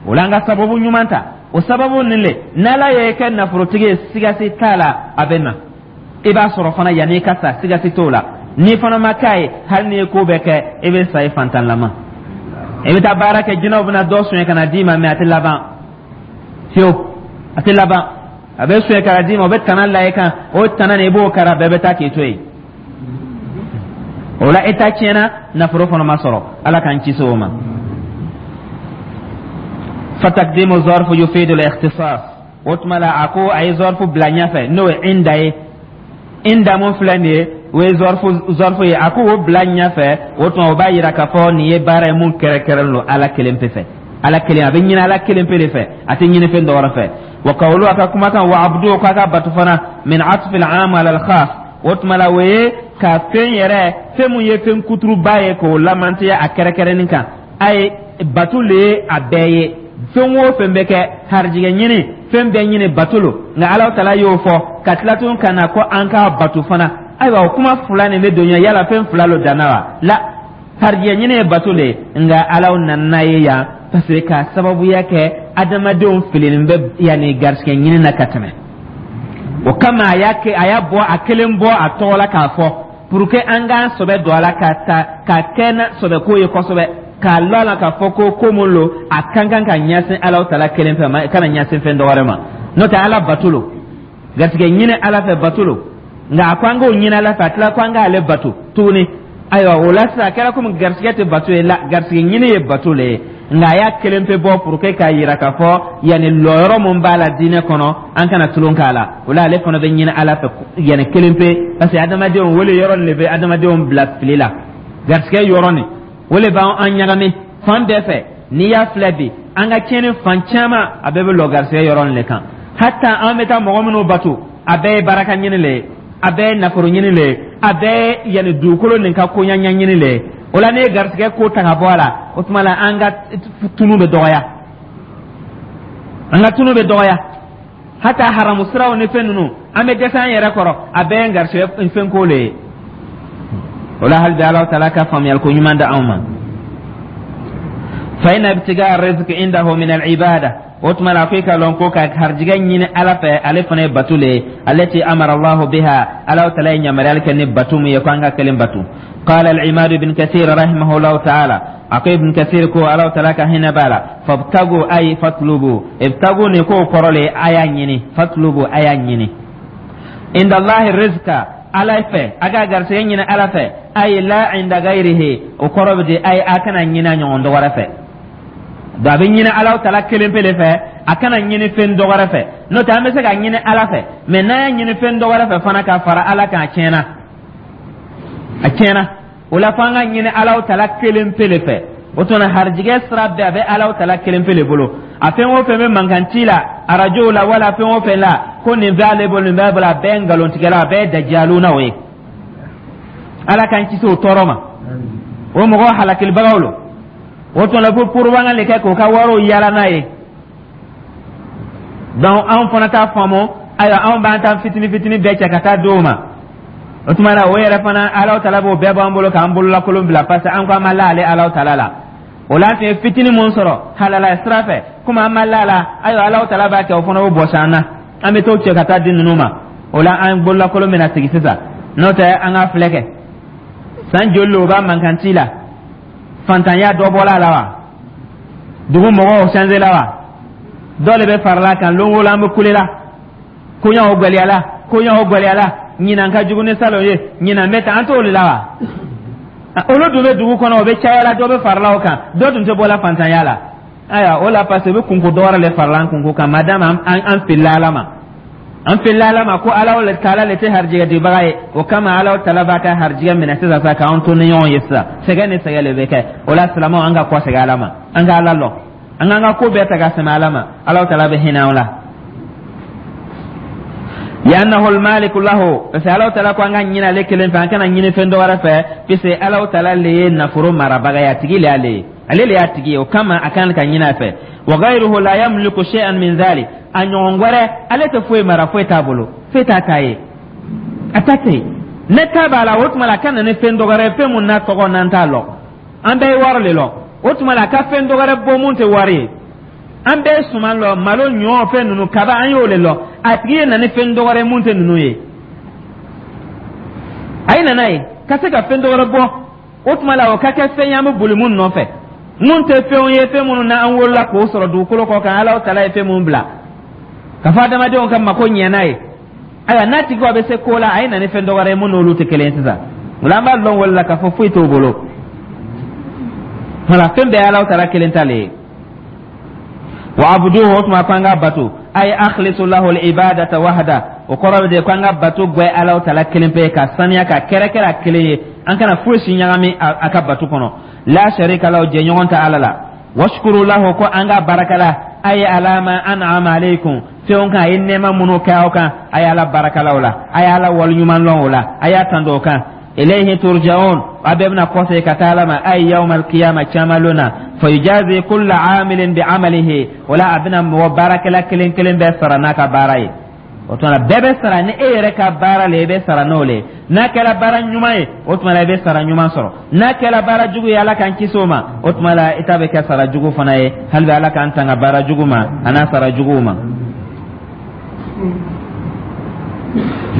O la, an ka sababu ɲuman ta. O sababu nin le, n'Ala ye kɛ nafolotigi ye, sigasi t'a la, a bɛ na, i b'a sɔrɔ fana yanni i ka sa, sigasi t'o la. N'i fana ma k'a ye, hali n'i ye ko bɛɛ kɛ, i bɛ sa i fantanlama. I bɛ taa baara kɛ, jinɛw bɛna dɔ suɲɛ ka na d'i ma, mais a tɛ laban fiyewu, a tɛ laban. A bɛ suɲɛ ka na d'i ma, o bɛ tana la i kan, o tana nin, i b'o kara, bɛɛ bɛ taa k'i to yen. O la, e ta tiɲɛna, nafolo fana ma sɔrɔ. Ala k'an kisi o ma. Fatakdimu zarfu yufidu al-ikhtisas. O tuma la, a ko a ye zarfu bila ɲɛfɛ, n'o ye inda ye. Inda mun filɛ nin ye, o ye zarfu ye. A ko o bila ɲɛfɛ, o tuma o b'a yira k'a fɔ nin ye baara ye mun kɛrɛnkɛrɛnnen don Ala kelen pe fɛ. Ala kelen a bɛ ɲini, Ala kelen pe de fɛ, a tɛ ɲini fɛn dɔ wɛrɛ fɛ. Wa kawulu, a ka kumakan, wa abdu, k'a ka batu fana, min atfi al-am ala al-khas. O tuma la, o ye ka fɛn yɛrɛ, fɛn mun ye fɛn kuturuba ye, k'o lamantiya a kɛrɛnkɛrɛnnin kan. A ye batu le ye a bɛɛ ye, fɛn o fɛn bɛ kɛ, harijigɛ ɲini, fɛn bɛɛ ɲini, bato lo. Nka Ala tala y'o fɔ ka tila tun ka na ko an k'a batu fana. Ayiwa, o kuma fila nin bɛ don ɲɛ. Yala fɛn fila lo danna wa? La. Harijigɛ ɲini ye bato le, nka Ala nana n'a ye yan parce que k'a sababuya kɛ adamadenw filinen bɛ yanni garisigɛ ɲini na ka tɛmɛ. O kama a y'a kɛ, a y'a bɔ a kelen bɔ a tɔgɔ la k'a fɔ pour que an k'an sɔbɛ don a la ka ta k'a kɛ na sɔbɛko ye kosɛbɛ, k'a lɔn a la k'a fɔ ko ko mun lo, a kan kan ka ɲɛsin Ala tala kelen fɛ ma, kana ɲɛsin fɛn dɔ wɛrɛ ma. N'o tɛ, Ala bato lo, garijɛgɛ ɲini Ala fɛ bato lo, nka a ko an k'o ɲini Ala fɛ, a tila ko an k'ale bato tuguni. Ayiwa, o la sisan, a kɛra komi garijɛgɛ tɛ bato ye la, garijɛgɛ ɲini ye bato le ye, nka a y'a kelen pe bɔ pour que k'a yira k'a fɔ yanni lɔyɔrɔ mun b'a la diinɛ kɔnɔ, an kana tulon k'a la. O la, ale fana bɛ ɲini Ala fɛ yanni kelen pe, parce que adamadenw wele yɔrɔ nin de bɛ adamadenw bila fili la. Garijɛgɛ yɔrɔ nin, o le b'an an ɲagami fan bɛɛ fɛ. N'i y'a filɛ bi, an ka tiɲɛni fan caman, a bɛɛ bɛ lɔ garijɛgɛ yɔrɔ nin de kan. Hata an bɛ taa mɔgɔ minnu bato, a bɛɛ ye baraka ɲini le ye, a bɛɛ ye nafolo ɲini le ye, a bɛɛ ye yanni dugukolo nin ka koɲa ɲɛɲini le ye. O la, ne ye garijɛgɛ ko ta ka bɔ a la, o tuma la an ka tunu bɛ dɔgɔya, an ka tunu bɛ dɔgɔya. Hata haramu siraw ni fɛn ninnu, an bɛ dɛsɛ an yɛrɛ kɔrɔ, a bɛɛ ye garijɛgɛ fɛn ko le ye. O la, hali bi Ala taala ka faamuyali ko ɲuman di anw ma. Fa inna ibtigaa rizqi indahu min al-ibada. O tuma la, ko i ka lɔn ko ka harijigɛ ɲini Ala fɛ, ale fana ye bato le ye, allati amara Allahu biha, Ala taala ye yamaruyali kɛ ni bato mun ye, ko an ka kelen bato. قال العماد بن كثير رحمه الله تعالى، أكو ابن كثير كو الله تعالى كهنا بالا فابتغوا أي فاطلبوا. ابتغوا نكو كرولي آيا نيني، فاطلبوا آيا نيني، عند الله الرزق ala fɛ, a ka garisɛgɛ ɲini Ala fɛ, ay la inda ghairihi. O kɔrɔ bɛ di ay a kana ɲini a ɲɔgɔn dɔ wɛrɛ fɛ. Donc a bɛ ɲini Ala tala kelen pe de fɛ, a kana ɲini fɛn dɔ wɛrɛ fɛ. N'o tɛ, an bɛ se ka ɲini Ala fɛ, mɛ n'an y'a ɲini fɛn dɔ wɛrɛ fɛ fana ka fara Ala kan, a tiɲɛna, a tiɲɛna. O la, f'an ka ɲini Ala tala kelen pe de fɛ. O tuma, harijigɛ sira bɛɛ, a bɛ Ala tala kelen pe de bolo. A fɛn o fɛn bɛ mankan ci la arajow la, wala fɛn o fɛn la ko nin b'ale bolo, nin b'a bolo, a bɛɛ ye nkalontigɛla, a bɛɛ ye dajalunaw ye. Ala k'an kisi o tɔɔrɔ ma, o mɔgɔ halakilibagaw lo. O tuma la, ko propagande de kɛ k'o ka wariw yala n'a ye. Donc anw fana t'a faamu. Ayiwa, anw b'an ta fitini fitini bɛɛ cɛ ka taa d'o ma. O tuma la, o yɛrɛ fana, Ala tala b'o bɛɛ b'an bolo k'an bololakolon bila, parce que an ko an ma la ale Ala tala la. O la, an tun ye fitini mun sɔrɔ halala sira fɛ, komi an ma la la, ayiwa, Ala tala b'a kɛ o fana b'o bɔsi an na, an bɛ t'o cɛ ka taa di ninnu ma. O la, an bololakolon bɛna sigi sisan. N'o tɛ, an ka filɛ kɛ san joli o b'a mankan ci la, fantanya dɔ bɔla a la wa, dugu mɔgɔw changé la wa, dɔ de bɛ farala kan. Lon o lon an bɛ kule la, koɲaw gwɛlɛyala, koɲaw gwɛlɛyala, ɲinan ka jugu ni salon ye, ɲinan bɛ tan, an t'o de la wa. Olu dun bɛ dugu kɔnɔ, o bɛ caya la, dɔ bɛ farala o kan, dɔ dun tɛ bɔla fantanya la. Ayiwa, o la, parce que u bɛ kunko dɔ wɛrɛ de farala an kunko kan, madama an filila Ala ma, an filila Ala ma ko Ala taala le tɛ harijigɛ dibaga ye. O kama, Ala taala b'a ka harijigɛ minɛ sisan sa k'an to ni ɲɔgɔn ye sisan. Sɛgɛn ni sɛgɛn de bɛ kɛ. O la, silamɛw, an ka kɔsegin Ala ma, an ka Ala lɔn, an k'an ka ko bɛɛ ta ka sɛmɛ Ala ma. Ala taala bɛ hinɛ an la. Li'annahu al-maliku lahu, parce que Ala taala ko an ka ɲini ale kelen fɛ, an kana ɲini fɛn dɔ wɛrɛ fɛ, puisque Ala taala le ye nafolo marabaga ye, a tigi le y'ale ye, ale le y'a tigi ye. O kama, a kan ka ɲini a fɛ. Wa ghayruhu la yamliku shay'an min dhalik. A ɲɔgɔn wɛrɛ, ale tɛ foyi mara, foyi t'a bolo, foyi t'a ta ye, a ta tɛ yen. Ne ta b'a la, o tuma la a ka na ni fɛn dɔ wɛrɛ ye, fɛn mun n'a tɔgɔ n'an t'a lɔn. An bɛɛ ye wari de lɔn. O tuma la, a ka fɛn dɔ wɛrɛ bɔ mun tɛ wari ye. An bɛɛ ye suman lɔ, malo, ɲɔ, fɛn ninnu, kaba, an y'o de lɔn. A tigi ye na ni fɛn dɔ wɛrɛ ye mun tɛ ninnu ye. A ye nana ye ka se ka fɛn dɔ wɛrɛ bɔ. O tuma la, o ka kɛ fɛn ye an bɛ boli mun nɔfɛ, mun tɛ fɛnw ye, fɛn minnu na an wolola k'o sɔrɔ dugukolo kɔ kan. Ala taala ye fɛn mun bila ka fɔ adamadenw ka mako ɲɛ n'a ye. Ayiwa, n'a tigi bɛ se ko la, a ye na ni fɛn dɔ wɛrɛ ye mun n'olu tɛ kelen ye sisan. O la, an b'a lɔn wale la k'a fɔ foyi t'o bolo. Wala fɛn bɛɛ ye Ala taala kelen ta le ye. Wa abuduhu, o tuma ko an ka bato, ay akhlisu lahu al-ibadata wahda. O kɔrɔ bɛ de ko an ka bato gwɛ Ala taala kelen pe, ka saniya ka kɛrɛkɛrɛ a kelen ye, an kana foyi si ɲagami a ka bato kɔnɔ. La sharika lahu, jɛɲɔgɔn tɛ Ala la. Washkuru lahu, ko an ka barakala, ay ala ma an'ama alaykum, fɛnw kan a ye nɛɛma minnu kɛ aw kan, a ye Ala barakala o la, a ye Ala waleɲuman lɔn o la, a y'a tando o kan. Ilayhi turja'un, a bɛɛ bɛna kɔsegin ka taa Ala ma, ay yawma alqiyama, caman lon na. Fayujazi kulla amilin bi amalihi, o la a bɛna mɔgɔ baarakɛla kelen kelen bɛɛ sara n'a ka baara ye. O tuma la, bɛɛ bɛ sara ni e yɛrɛ ka baara le, i bɛ sara n'o le ye. N'a kɛra baara ɲuman ye, o tuma la, i bɛ sara ɲuman sɔrɔ. N'a kɛra baara jugu ye, Ala k'an kisi o ma, o tuma la, i ta bɛ kɛ sara jugu fana ye. Hali bi, Ala k'an tanga baara jugu ma a n'a sara juguw ma.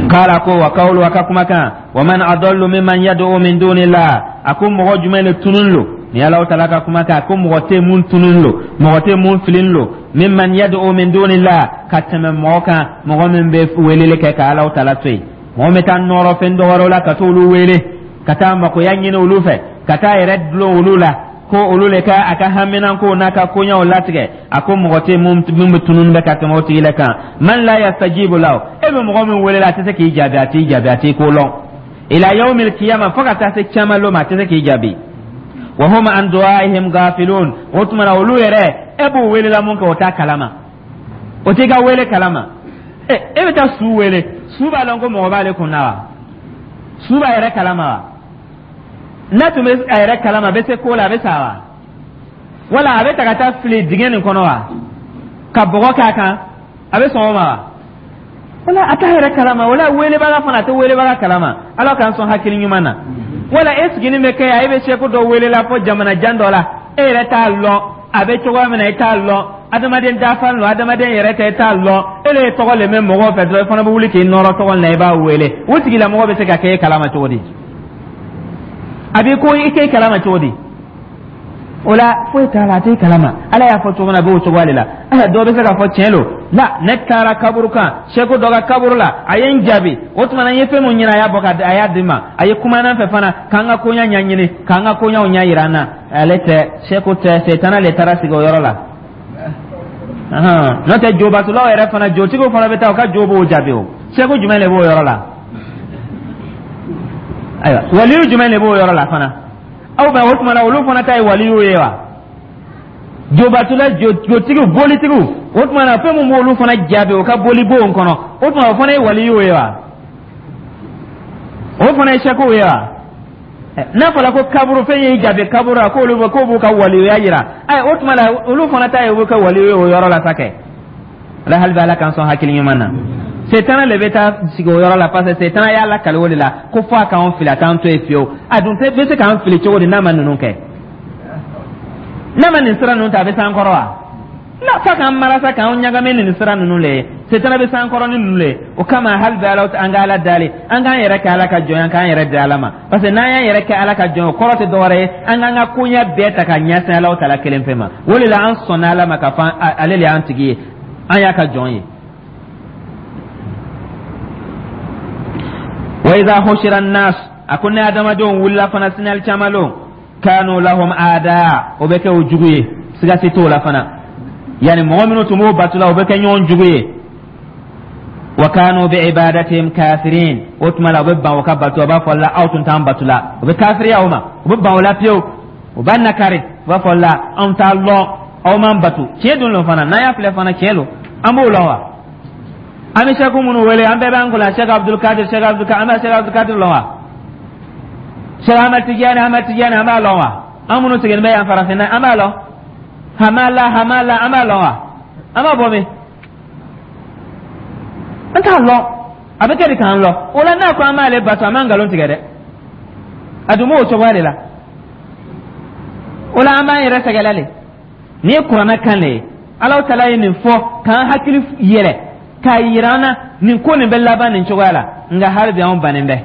Kala ko wa kawlu, a ka kumakan: wa man adallu mimman yad'u min dunillah. A ko mɔgɔ jumɛn le tunun lo ni Alahu taala ka kumakan? Ko mɔgɔ tɛ mun tunun lo, mɔgɔ tɛ mun filin lo, mimman yad'u min dunillah, ka tɛmɛ mɔgɔ kan, mɔgɔ min bɛ weleli kɛ ka Alahu taala to yen, mɔgɔ min bɛ taa nɔrɔ fɛn dɔ wɛrɛw la, ka t'olu wele, ka taa makoya ɲini olu fɛ, ka taa yɛrɛ dulon olu la, ko olu le ka a ka haminankow n'a ka koɲɛw latigɛ. A ko mɔgɔ tɛ mun bɛ tunun bɛ ka tɛmɛ o tigi la kan. Man la yastajibu lahu, e bɛ mɔgɔ min wele la, a tɛ se k'i jaabi, a t'i jaabi, a t'i ko lɔn, ila yawmil kiyama, fo ka taa se cama lon ma, a tɛ se k'i jaabi. Wa hum an du'aihim gafilun. O tuma na, olu yɛrɛ, e b'u welela mun kɛ, o t'a kalama, o t'i ka wele kalama. E e bɛ taa su wele, su b'a lɔn ko mɔgɔ b'ale kun na wa? Su b'a yɛrɛ kalama wa? N'a tun bɛ a yɛrɛ kalama, a bɛ se ko la, a bɛ sa wa? Wala a bɛ ta ka taa fili dingɛ nin kɔnɔ wa, ka bɔgɔ k'a kan, a bɛ sɔn o ma wa? Wala a t'a yɛrɛ kalama, wala welebaga fana, a tɛ welebaga kalama. Ala k'an sɔn hakili ɲuman na. Wala e siginin bɛ kɛ yan, e bɛ seko dɔ wele la fo jamana jan dɔ la, e yɛrɛ t'a lɔn a bɛ cogoya min na, e t'a lɔn adamaden dafalen don, adamaden yɛrɛ tɛ, e t'a lɔn. E le ye tɔgɔ le mɛn mɔgɔw fɛ dɔrɔn, e fana bɛ wuli k'i nɔrɔ tɔgɔ la, i b'a wele. O tigilamɔgɔ bɛ se ka kɛ e kalama cogo di? A b'i ko i k'e kalama cogo di? O la, foyi t'a la, a t'e kalama. Ala y'a fɔ cogo min na, a b'o cogoya de la. Ala dɔw bɛ se k'a fɔ tiɲɛ lo la, ne taara kaburu kan, seko dɔ ka kaburu la, a ye n jaabi. O tuma na, n ye fɛn mun ɲini, a y'a bɔ ka a y'a di n ma, a ye kuma n'an fɛ fana, k'an ka koɲa ɲɛɲini, k'an ka koɲaw ɲɛ yira an na. Ale tɛ, seko tɛ, setana le taara sigi o yɔrɔ la. N'o tɛ, jobatulaw yɛrɛ fana, jotigiw fana bɛ taa, u ka jo b'o jaabi. O seko jumɛn de b'o yɔrɔ la? Ayiwa, waliyu jumɛn de b'o yɔrɔ la fana? Aw bɛ o tuma na, olu fana ta ye waliyu ye wa? Jobatula, jotigiw, bolitigiw, o tuma na, fɛn mun b'olu fana jaabi o ka bolibonw kɔnɔ, o tuma, o fana ye waliyu ye wa? O fana ye sɛkow ye wa? N'a fɔra ko kaburu fɛn y'i jaabi kaburu la, k'olu bɛ k'o b'u ka waliyuya yira, ayi, o tuma la, olu fana ta ye u bɛ kɛ waliyu ye o yɔrɔ la sa kɛ. Ala hali bɛ, Ala k'an sɔn hakili ɲuman na. Setana le bɛ taa sigi o yɔrɔ la, parce que setana y'a lakali o de la ko fo a k'an fili, a t'an to yen fiyewu. A dun tɛ bɛ se k'an fili cogo di n'a ma ninnu kɛ, n'a ma nin sira ninnu ta? A bɛ s'an kɔrɔ wa? Na f'a k'an marasa, k'an ɲagami nin sira ninnu le ye. Setana bɛ s'an kɔrɔ ni ninnu le ye. O kama, hali bɛ, Ala, an ka Ala dali, an k'an yɛrɛ kɛ Ala ka jɔn ye, an k'an yɛrɛ di Ala ma, parce que n'an y'an yɛrɛ kɛ Ala ka jɔn ye, o kɔrɔ tɛ dɔwɛrɛ ye, an k'an ka koɲɛ bɛɛ ta ka ɲɛsin Ala ta la kelen pe ma. O de la, an sɔnna Ala ma k'a fɔ ale le y'an tigi ye, an y'a ka jɔn ye. Wa iza hushira nas, a ko ni adamadenw wulila fana sini alikiyama lon, kanu lahum ada, o bɛ kɛ o jugu ye, siga si t'o la fana. Yani mɔgɔ minnu tun b'o bato la, o bɛ kɛ ɲɔgɔn jugu ye. Wa kanu bi ibadatihim kafirin. O tuma la, o bɛ ban o ka bato, o b'a fɔ la aw tun t'an bato la, o bɛ kafiriya o ma, o bɛ ban o la pewu, o b'a nakari, o b'a fɔ la anw t'a lɔn, aw m'an bato. Tiɲɛ dun lo fana, n'an y'a filɛ fana, tiɲɛ lo, an b'o lɔn wa? An bɛ sɛku minnu wele, an bɛɛ b'an kunna Sɛki Abdulkadir, Sɛki Abdulkadir, an bɛ Sɛki Abdulkadir lɔn wa? Sɛki Ahmad Tijani, Ahmad Tijani, an b'a lɔn wa? An minnu sigilen bɛ yan farafinna, an b'a lɔn? Hamala, Hamala, an b'a lɔn wa? An b'a bɔ min? An t'a lɔn. A bɛ kɛ di k'an lɔn o la? N'a ko an b'ale bato, an b'an nkalon tigɛ dɛ. A dun b'o cogoya de la. O la, an b'an yɛrɛ sɛgɛlɛ le. Nin ye kuranɛ kan le ye. Alahu taala ye nin fɔ k'an hakili yɛlɛ, k'a yira an na nin ko nin bɛ laban nin cogoya la. Nka hali bi, anw bannen bɛ,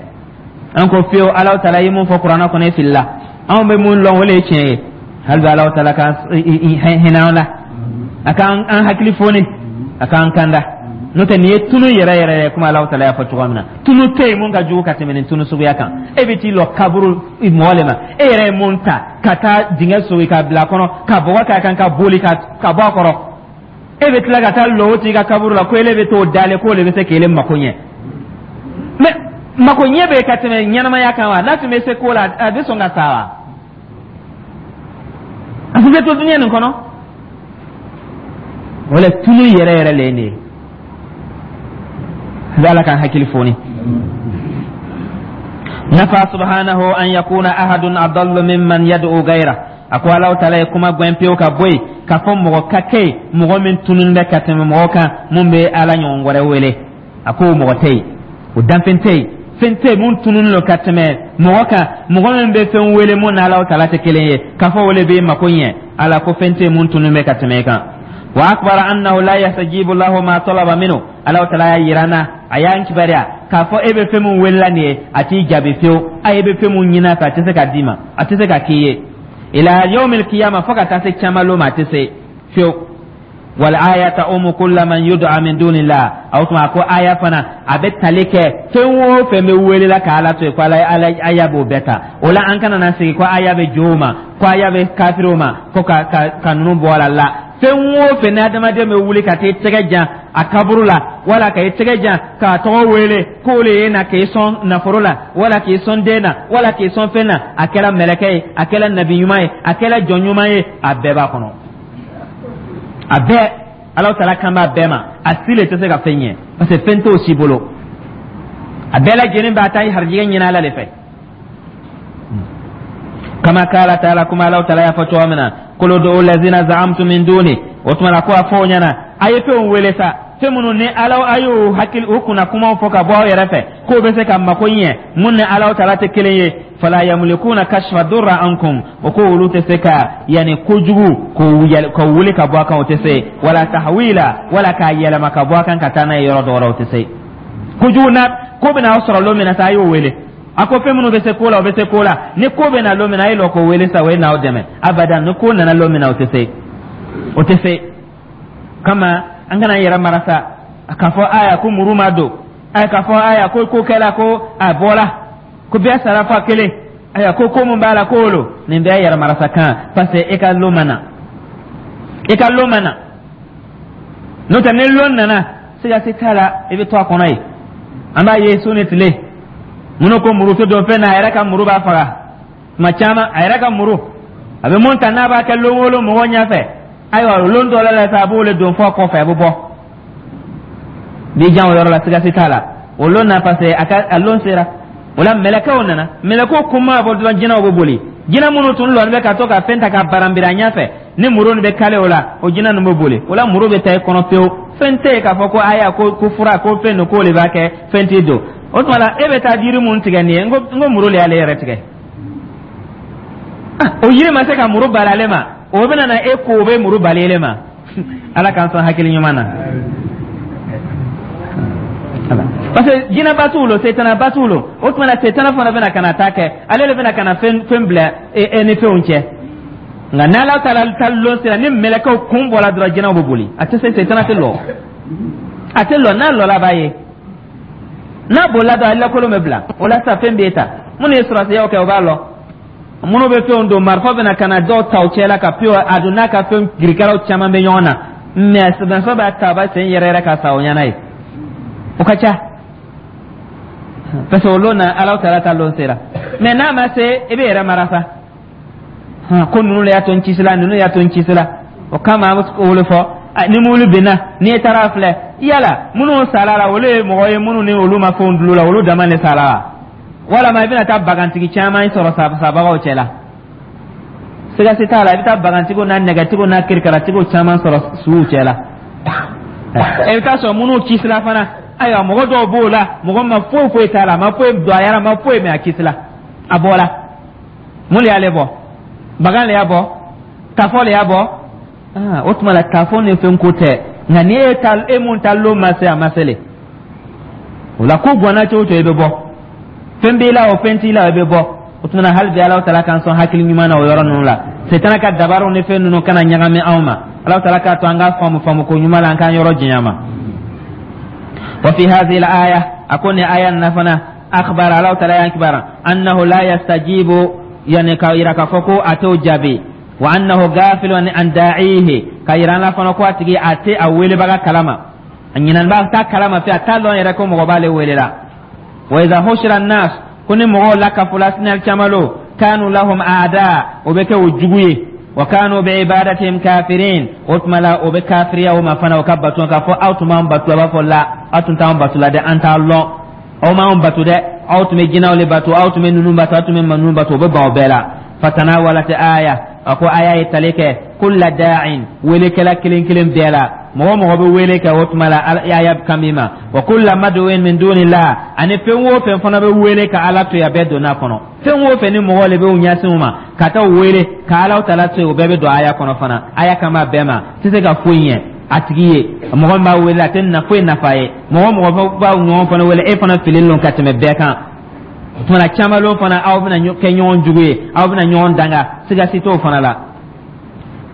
an ko fiyewu, Alahu taala ye mun fɔ kuranɛ kɔnɔ, e filila, anw bɛ mun lɔn, o le ye tiɲɛ ye. Hali bi, Alahu taala ka hinɛ an la, a k'an an hakili foni, a k'an kanda. N'o tɛ, nin ye tunu yɛrɛ yɛrɛ ye, komi Alahu taala y'a fɔ cogoya min na. Tunu tɛ yen mun ka jugu ka tɛmɛ nin tunu suguya kan. E bɛ t'i lɔ kaburu mɔgɔ le ma, e yɛrɛ ye mun ta ka taa dingɛ sogi ka bila a kɔnɔ, ka bɔgɔ k'a kan, ka boli ka bɔ a kɔrɔ, e bɛ tila ka taa lɔ o tigi ka kaburu la ko ele bɛ t'o dalen, k'o le bɛ se k'ele mako ɲɛ. Mais mako ɲɛ bɛ ka tɛmɛ ɲɛnamaya kan wa? N'a tun bɛ se ko la, a bɛ sɔn ka sa wa? A tun bɛ to diɲɛ nin kɔnɔ. O la, tunu yɛrɛ yɛrɛ le ye nin ye. Ala k'an hakili foni. Nafa subhanahu an yakuna ahadun adallu mimman yad'u ghayra. A ko Alahu taala ye kuma gwɛn pewu ka bɔ yen k'a fɔ mɔgɔ ka kɛ yen, mɔgɔ min tunun bɛ ka tɛmɛ mɔgɔ kan, mun bɛ Ala ɲɔgɔn wɛrɛ wele. A ko mɔgɔ tɛ yen, o danfɛn tɛ yen, fɛn tɛ yen mun tununnen don ka tɛmɛ mɔgɔ kan, mɔgɔ min bɛ fɛn wele mun n'Alaw tala tɛ kelen ye, k'a fɔ o le b'i mako ɲɛ. Ala ko fɛn tɛ yen mun tununnen bɛ ka tɛmɛ e kan. Wa akbara annahu la yastajibu lahu ma talaba minhu. Alaw tala y'a yira an na, a y'an kibaruya k'a fɔ e bɛ fɛn min welela nin ye, a t'i jaabi fiyewu. A e bɛ fɛn mun ɲini a fɛ, a tɛ se ka d'i ma, a tɛ se ka k'i ye ila yawmil qiyama, fo ka taa se caman ma, a tɛ se fiyewu. Wal aya ta'umu kulla man yud'a min dunillah. O tuma, a ko aya fana a bɛ tali kɛ fɛn o fɛn bɛ welela ka Ala to yen, ko Ala Ala aya b'o bɛɛ ta. O la, an kana na sigi ko aya bɛ jow ma, ko aya bɛ kafiriw ma, ko ka ninnu bɔ a la. Fɛn o fɛn ni adamaden bɛ wuli ka t'i tɛgɛ jan a kaburu la, wala ka i tɛgɛ jan k'a tɔgɔ wele k'o le ye na k'i sɔn nafolo la, wala k'i sɔn den na, wala k'i sɔn fɛn na, a kɛra mɛlɛkɛ ye, a kɛra nabi ɲuman ye, a kɛra jɔn ɲuman ye, a bɛɛ b'a kɔnɔ, a bɛɛ. Alahu taala kan b'a bɛɛ ma. A si le tɛ se ka fɛn ɲɛ, parce que fɛn t'o si bolo. A bɛɛ lajɛlen b'a ta harijigɛ ɲini Ala de fɛ. Kama kala taala, kuma Alahu taala y'a fɔ cogo min na: qul ud'u lazina za'amtum min duni. O tuma la, ko a fɔ o ɲɛna, a ye fɛnw wele sa, fɛn minnu ni Ala a y'o hakili u kunna kumaw fɔ ka bɔ aw yɛrɛ fɛ k'o bɛ se ka mako ɲɛ, mun ni Alahu taala tɛ kelen ye. Fala yamlikuna kashfa durra ankum. O ko olu tɛ se ka yanni kojugu k'o wuli ka bɔ a kan, o tɛ se, wala tahwila, wala k'a yɛlɛma ka bɔ a kan ka taa n'a ye yɔrɔ dɔ wɛrɛ, o tɛ se. Kojugu na ko bɛna aw sɔrɔ lon min na sa, a y'o wele. A ko fɛn minnu bɛ se ko la, o bɛ se ko la. Ni ko bɛ na lon min na, a ye lɔ k'o wele sa, o ye n'aw dɛmɛ abada. Ni ko nana lon min na, o tɛ se, o tɛ se. Kama an kana yɛrɛ mara sa k'a fɔ aya ko muru ma don, aya k'a fɔ aya ko ko kɛla, ko a bɔra, ko bɛɛ sara fɔ a kelen, aya ko ko mun b'a la, ko lo nin bɛɛ yɛrɛ marasa kan, parce que e ka lon ma na, e ka lon ma na. N'o tɛ, ni lon nana, siga si t'a la, i bɛ to a kɔnɔ yen. An b'a ye su ni tile, minnu ko muru tɛ don fɛn na, a yɛrɛ ka muru b'a faga tuma caman. A yɛrɛ ka muru, a bɛ mun ta n'a b'a kɛ lon o lon mɔgɔw ɲɛfɛ, ayiwa, lon dɔ la sa, a b'o le don fɔ kɔfɛ, a bɛ bɔ b'i jan o yɔrɔ la, siga si t'a la, o lon na, parce que a ka a lon sera. O la, mɛlɛkɛw nana, mɛlɛkɛw kun ma bɔ dɔrɔn, jinɛw bɛ boli. Jinɛ minnu tun lɔni bɛ ka to ka fɛn ta ka baranbiri a ɲɛfɛ, ni muru nin bɛ kale o la, o jinɛ ninnu bɛ boli. O la, muru bɛ taa i kɔnɔ pewu. Fɛn tɛ yen k'a fɔ ko aya ko fura, ko fɛn nin k'o de b'a kɛ, fɛn t'i don. O tuma la, e bɛ taa jiri mun tigɛ nin ye, n ko muru le y'ale yɛrɛ tigɛ. O yiri ma se ka muru bali ale ma, o bɛna na e ko o bɛ muru bali ele ma. Ala k'an sɔn hakili ɲuman na, parce que jinɛba t'u lo, setanaba t'u lo. O tuma na, setana fana bɛna ka na taa kɛ, ale de bɛna ka na fɛn fɛn bila e ni fɛnw cɛ. Nka n'Ala taala ta lon sera, ni mɛlɛkɛw kun bɔra dɔrɔn, jinɛw bɛ boli. A tɛ se, setana tɛ lɔ, a tɛ lɔ. N'a lɔla, a b'a ye, n'a bolila dɔrɔn, a lakolon bɛ bila. O la sa, fɛn b'e ta. Minnu ye sɔrɔsiyaw kɛ, o b'a lɔ. Minnu bɛ fɛnw don, marifa bɛna ka na dɔw ta u cɛ la ka pewu, a don n'a ka fɛn kirikaraw caman bɛ ɲɔgɔn na, mɛ marifa b'a ta, a b'a sen yɛrɛ yɛrɛ ka sa o ɲɛna ye. O ka ca, parce que o lon na, Ala taala ta lon sera. Mɛ n'a ma se, i bɛ yɛrɛ mara sa ko ninnu le y'a to n kisila, ninnu y'a to n kisila. O kama, an bɛ o le fɔ: ni mobili binna, n'i taara filɛ, yala minnu sala la, olu ye mɔgɔ ye minnu ni olu ma fɛnw dulon la, olu dama de sala la, walama i bɛna taa bagantigi caman sɔrɔ sabagaw cɛ la? Siga si t'a la, i bɛ taa bagantigiw n'a nɛgɛtigiw n'a kirikaratigiw caman sɔrɔ suw cɛ la. I bɛ taa sɔrɔ minnu kisila fana, ayiwa, mɔgɔ dɔw b'o la, mɔgɔ ma foyi foyi t'a la, a ma foyi don a yɛrɛ, a ma foyi mɛ, a kisila, a bɔra. Mun de y'ale bɔ? Bagan de y'a bɔ, tafɔ de y'a bɔ. O tuma la, tafɔ ni fɛn ko tɛ. Nka ni e ta, e mun ta lon ma se, a ma se le. O la, ko gwanna cogo o cogo, i bɛ bɔ. Fɛn b'i la o, fɛn t'i la o, i bɛ bɔ. O tuma na, hali bi Ala taala k'an sɔn hakili ɲuman na o yɔrɔ ninnu la. Setana ka dabaraw ni fɛn ninnu kana ɲagami anw ma. Ala taala k'a to an k'a faamu faamu ko ɲuman la, an k'an yɔrɔ janya ma. Wa fi hadhihi al-aya, a ko ni aya na fana, akhbara, Ala taala y'an kibara, annahu la yastajibu, yani ka yira k'a fɔ ko a t'o jaabi, wa annahu ghafilun an da'ihi, ka yira an la fana ko a tigi a tɛ a welebaga kalama, a ɲinɛn b'a t'a kalama fɛ, a t'a lɔn yɛrɛ ko mɔgɔ b'ale wele la. Wa idha hushira an-nas, ko ni mɔgɔw lakafola sini caman lo, kanu lahum a'da, o bɛ kɛ o jugu ye, wa kanu bi ibadatihim kafirin. O tuma la, o bɛ kafiriya o ma fana, o ka bato, k'a fɔ aw tun b'an bato. A b'a fɔ la, aw tun t'an bato la dɛ, an t'a lɔn, aw m'anw bato dɛ, aw tun bɛ jinɛw le bato, aw tun bɛ ninnu bato, aw tun bɛ ninnu bato. O bɛ ban o bɛɛ la. Fatanawalat aya, a ko aya ye tali kɛ kulla da'in, welekɛla kelen kelen bɛɛ la. Mɔgɔ mɔgɔ bɛ wele kɛ, o tuma la aya kan b'i ma. Wa kulla mad'uin min dunillah, ani fɛn o fɛn fana bɛ wele ka Ala to yen, a bɛɛ donna a kɔnɔ. Fɛn o fɛn ni mɔgɔ le bɛ u ɲɛsin u ma ka taa u wele ka Ala tala to yen, o bɛɛ bɛ don aya kɔnɔ fana. Aya kan b'a bɛɛ ma, tɛ se ka foyi ɲɛ a tigi ye. Mɔgɔ min b'a wele, a tɛ na foyi nafa ye. Mɔgɔ mɔgɔ b'a ɲɔgɔn fana wele, e fana fililen don ka tɛmɛ bɛɛ kan. O tuma na caman lon fana, aw bɛna kɛ ɲɔgɔn jugu ye, aw bɛna ɲɔgɔn danga, siga si t'o fana la.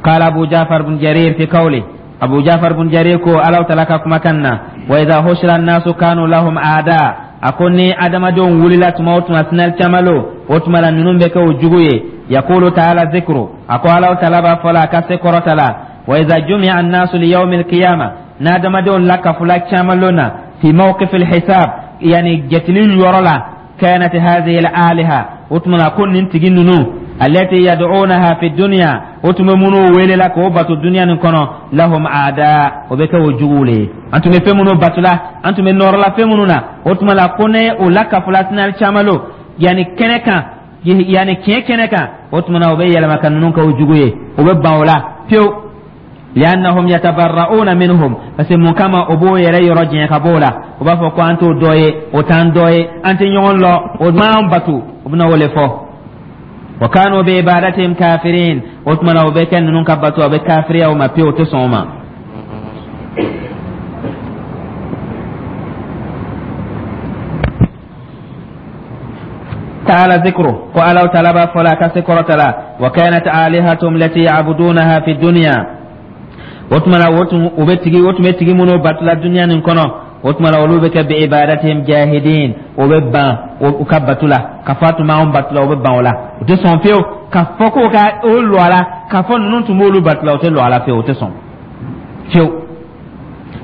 Qala Abu Jafar bin Jarir fi qawli, Abu Jafar bin Jarir ko Ala tala ka kumakan na, wa idha hushira an-nasu kanu lahum aada, a ko ni adamadenw wulila tuma o tuma sinali caman lo, o tuma la ninnu bɛ kɛ o jugu ye. Yaqulu ta'ala dhikru, a ko Ala tala b'a fɔ la a ka se kɔrɔta la, wa idha jumi'a an-nasu li yawmi al-qiyamah, n'adamadenw lakafula caman lon na, fi mawqif al-hisab, yani jatili yɔrɔ la, kanat hadhihi al-aliha, o tuma na ko nin tigi ninnu, allati yad'unaha fi dunya, o tun bɛ minnu wele la k'o bato dunya nin kɔnɔ, lahum aada, o bɛ kɛ o juguw le ye. An tun bɛ fɛn minnu batula, an tun bɛ nɔrɔla fɛn minnu na, o tuma la ko ne o lakafula sinali caman lo, yani kɛnɛ kan, yani tiɲɛ kɛnɛ kan, o tuma na o bɛ yɛlɛma ka ninnu kɛ o jugu ye, o bɛ ban o la pewu. Liannahum yatabarra'una minhum, parce que mun kama o b'o yɛrɛ yɔrɔ janya ka b'o la, o b'a fɔ ko an t'o dɔ ye, o t'an dɔ ye, an tɛ ɲɔgɔn lɔ, o m'an bato, o bɛna o le fɔ. Wa kanu bi ibadatihim kafirin, o tuma na o bɛ kɛ ninnu ka bato, o bɛ kafiriya o ma pewu, o tɛ sɔn o ma. Ta'ala zikru, ko Ala ta'ala b'a fɔ la a ka se kɔrɔta la, wa kanat alihatum lati ya'budunaha fi dunya, o tuma la o tun o bɛ tigi o tun bɛ tigi minnu batula dunya nin kɔnɔ, o tuma la olu bɛ kɛ bi ibadatihim jahidin, o bɛ ban u ka batu la, ka fɔ a tun b'anw batu la, o bɛ ban o la, o tɛ sɔn fiyewu ka fɔ k'o ka o lɔ a la, ka fɔ ninnu tun b'olu batu la, o tɛ lɔ a la fiyewu, o tɛ sɔn fiyewu.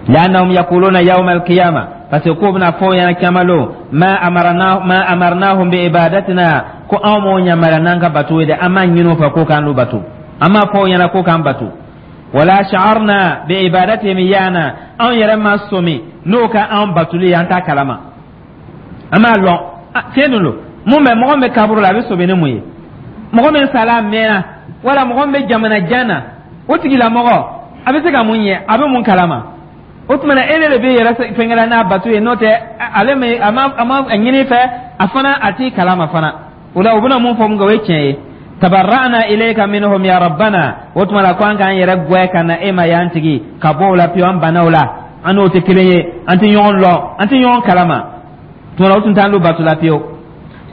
Li'annahum yaquluna yawma al-qiyamah, parce que k'o bɛna fɔ o ɲɛna caman lon, ma amarna ma amarnahum bi ibadatina, ko anw m'o yamaruya n'an ka bato ye dɛ, an m'a ɲini o fɛ k'o k'an lu bato, an m'a fɔ o ɲɛna k'o k'an bato. Wala sha'arna bi ibadatihim iyana, anw yɛrɛ ma sɔmi n'o ka anw batoli ye, an t'a kalama, an m'a lɔn tiɲɛ dun don. Mun bɛ mɔgɔ min bɛ kaburu la, a bɛ sɔmi ni mun ye? Mɔgɔ min sala a mɛnna, wala mɔgɔ min bɛ jamana jan na, o tigilamɔgɔ a bɛ se ka mun ɲɛ, a bɛ mun kalama? O tuma na e de bɛ yɛrɛ fɛnkɛla n'a bato ye, n'o tɛ ale ma a ma a ma ɲini fɛ, a fana a t'i kalama fana. O la u bɛna mun fɔ mun kɛ, o ye tiɲɛ ye. Tabarra'na ilayka minhum ya rabbana, o tuma la ko an k'an yɛrɛ gwɛ ka na e ma y'an tigi ka bɔ o la pewu, an banna o la, an n'o tɛ kelen ye, an tɛ ɲɔgɔn lɔn, an tɛ ɲɔgɔn kalama. Tuma la o tun t'an lu bato la pewu.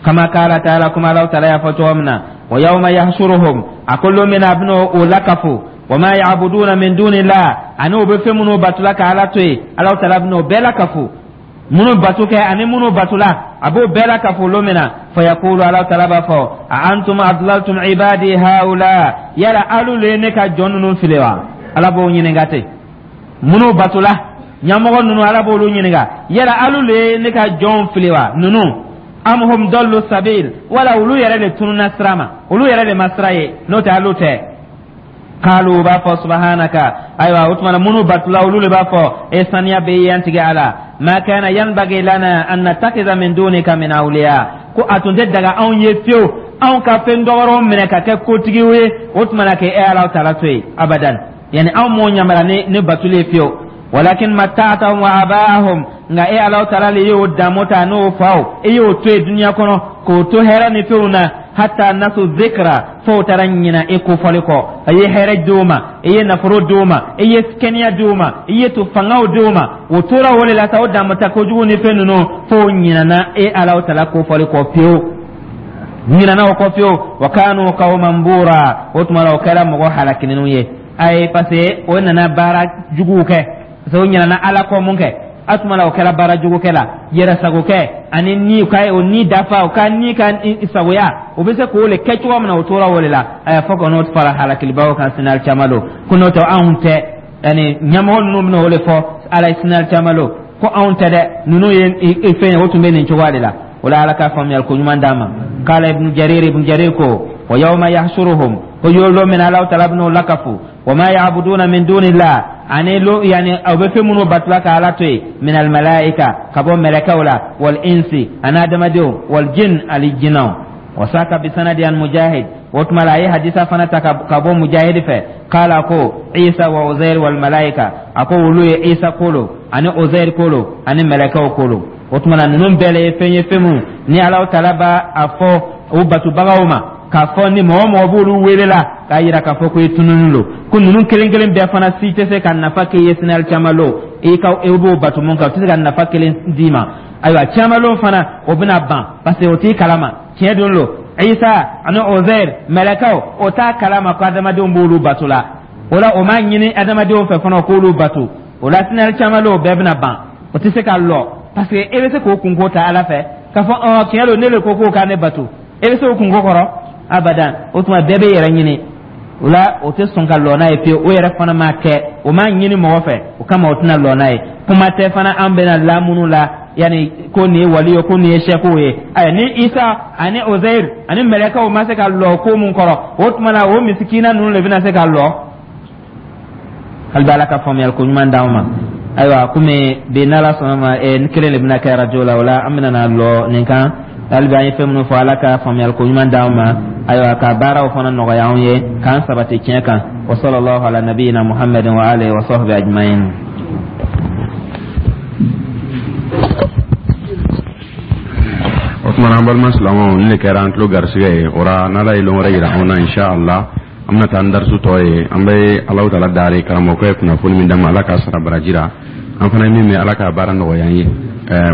Kama kala ta'ala, kuma Ala ta'ala y'a fɔ cogo min na, wa yawma yahshuruhum, a ko lon min na a bɛna o lakafo, wa ma ya'buduna min dunillah, ani o bɛ fɛn minnu batula ka Ala to yen, Ala ta'ala bɛna o bɛɛ lakafo, minnu bato kɛ ani minnu batula, a b'o bɛɛ lakafo lon min na. Fayaqulu, Ala ta'ala b'a fɔ, a antum adlaltum ibadi haula, yala alu le ye ne ka jɔn ninnu fili wa? Ala b'o ɲininka ten. Minnu batula, ɲɛmɔgɔ ninnu, Ala b'olu ɲininka, yala alu le ye ne ka jɔnw fili wa ninnu? Am hum dallu sabil, wala olu yɛrɛ de tununna sira ma, olu yɛrɛ de ma sira ye, n'o tɛ alu tɛ. Kalu, u b'a fɔ, subhanaka, ayiwa o tuma na minnu batula, olu de b'a fɔ, e saniya bɛ yan tigi Ala, ma kana yanbaghi lana an nattakhidha min dunika min awliya, ko a tun tɛ daga anw ye fiyewu anw ka fɛn dɔgɔrɔw minɛ ka kɛ kotigiw ye, o tuma na k'e Ala taala to yen abadan, yani anw m'o yamaruya ni batuli ye fiyewu. Walakin matta'tahum wa aba'ahum, nka e Ala taala le y'o damu ta n'o faw, e y'o to yen dunuya kɔnɔ k'o to hɛrɛ ni fɛnw na, hatta nasu zikra, fo taara ɲina e kofɔli kɔ. A ye hɛrɛ d'o ma, e ye nafolo d'o ma, e ye kɛnɛya d'o ma, i ye to fangaw d'o ma, o tora o de la sa, o damu ta kojugu ni fɛn ninnu, fo ɲinana e Ala taala kofɔli kɔ pewu, ɲinana o kɔ pewu. Wa kanu qawman bura, o tuma la o kɛra mɔgɔ halakininw ye. Ayi, parce que o nana baara juguw kɛ, parce que o ɲinana Ala kɔ mun kɛ, a tuma la o kɛra baara jugu kɛ la, yɛrɛ sago kɛ ani ni ka o ni dafa, o ka ni ka sagoya, o bɛ se k'o le kɛ cogo min na, o tora o de la. Aya, fo ka n'o fara halakilibaw kan sinali caman lo, ko n'o tɛ anw tɛ. Yani ɲɛmɔgɔ ninnu bɛna o de fɔ Ala ye sinali caman lo, ko anw tɛ dɛ, ninnu ye fɛn ye, o tun bɛ nin cogoya de la. O la Ala ka faamuyali ko ɲuman d'an ma. Kala Ibn Jarir, Ibn Jarir ko, wa yawma yahshuruhum, ko lon min Ala taala bɛn'o lakafu, wa ma ya'buduna min dunillah, ani lo yani aw bɛ fɛn minnu batula ka Ala to yen, min al malaika, ka bɔ mɛlɛkɛw la, wal insi, ani adamadenw, wal jin, ani jinɛw. Wasaka bisanadi an Mujahid. O tuma la, a ye hadisa fana ta ka bɔ Mujahid fɛ. Kala ko Isa wa Uzair wal malaika. A ko olu ye Isa kolo ani Uzair kolo ani mɛlɛkɛw kolo. O tuma na, ninnu bɛɛ le ye fɛn ye, fɛn mun ni Alahu Taala b'a a fɔ o batubagaw ma k'a fɔ ni mɔgɔ mɔgɔ b'olu wele la, k'a yira k'a fɔ ko i tununi lo, ko ninnu kelen kelen bɛɛ fana si tɛ se ka nafa k'i ye sini alikiyama lon. I ka i b'o batu mun kan, o tɛ se ka nafa kelen d'i ma. Ayiwa, ciyama fana o bɛna ban, parce que o t'i kalama. Tiɲɛ don lo, Isa ani Ozair, mɛlɛkɛw, o t'a kalama ko adamadenw b'olu bato la. O la, o m'a ɲini adamadenw fɛ fana k'olu bato. O la, sini alikiyama lon, o bɛɛ bɛna ban, o tɛ se ka lɔ, parce que e bɛ se k'o kunko ta Ala fɛ k'a fɔ ɔ tiɲɛ don, ne le ko k'o ka ne bato. E bɛ se o kunko kɔrɔ abadan. O tuma, bɛɛ bɛ yɛrɛ ɲini. O la, o tɛ sɔn ka lɔ n'a ye fiyewu. O yɛrɛ fana m'a kɛ, o m'a ɲini mɔgɔ fɛ, o kama o tɛna lɔ n'a ye. Kuma tɛ fana an bɛna lamunu la, yanni ko nin ye wali ye, ko nin ye sɛkiw ye. Ayiwa, ni Isa ani Ozair ani mɛlɛkɛw ma se ka lɔ ko mun kɔrɔ, o tuma na, o misikina ninnu de bɛna se ka lɔ. Hali bi, Ala ka faamuyali ko ɲuman d'anw ma. Ayiwa, komi bi n'Ala sɔnna ma, ni kelen de bɛna kɛ arajo la, o la an bɛna na lɔ nin kan. Hali bi, an ye fɛn minnu fɔ, Ala ka faamuyali ko ɲuman d'anw ma. Ayiwa, ka baaraw fana nɔgɔya anw ye, k'an sabati tiɲɛ kan. Wa sallallahu ala nabiyina Muhammadin wa alihi wa sahbihi ajma'in. O tuma na, an balima silamɛw, nin de kɛra an tulo garisigɛ ye. O la, n'Ala ye lon wɛrɛ yira anw na, insha Allah, an bɛna taa ni darisu tɔ ye. An bɛ Alahu Taala daari, karamɔgɔkɛ ye kunnafoni min d'an ma, Ala k'a sara baraji la. An fana ye min mɛn, Ala k'a baara nɔgɔya an ye.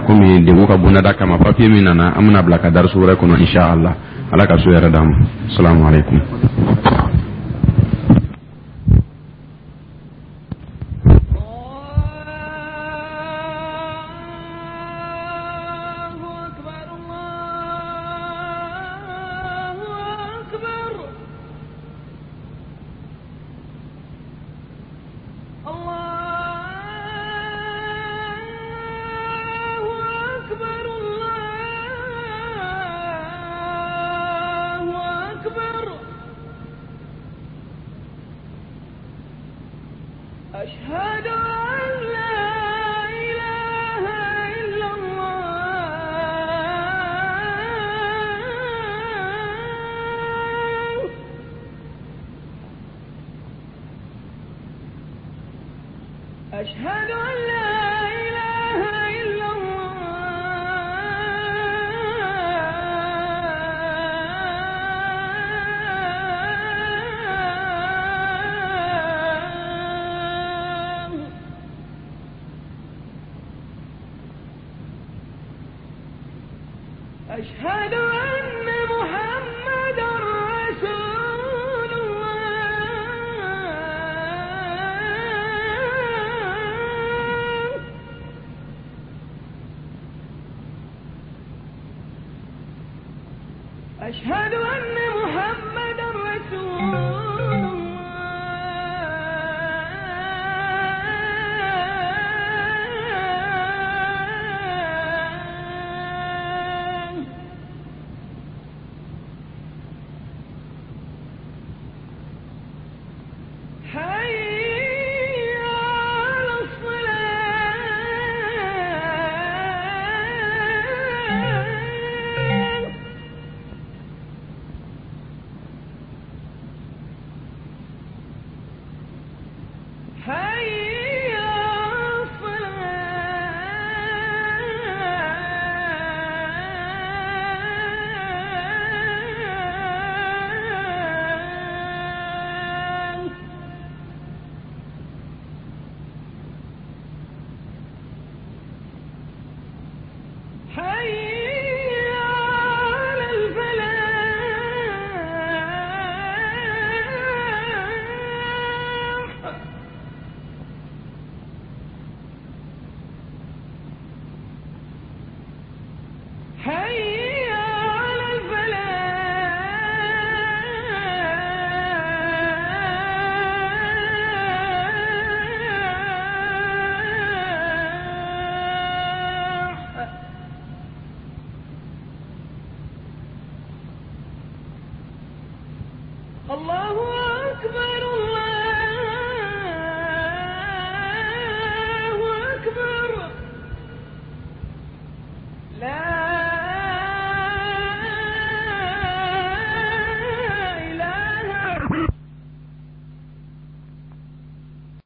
Komi degun ka bondada kama, papiye min nana, an bɛna bila ka darisu wɛrɛ kɔnɔ, insha Allah. Ala ka so yɛrɛ d'an ma. Salamu aleykum. الله أكبر.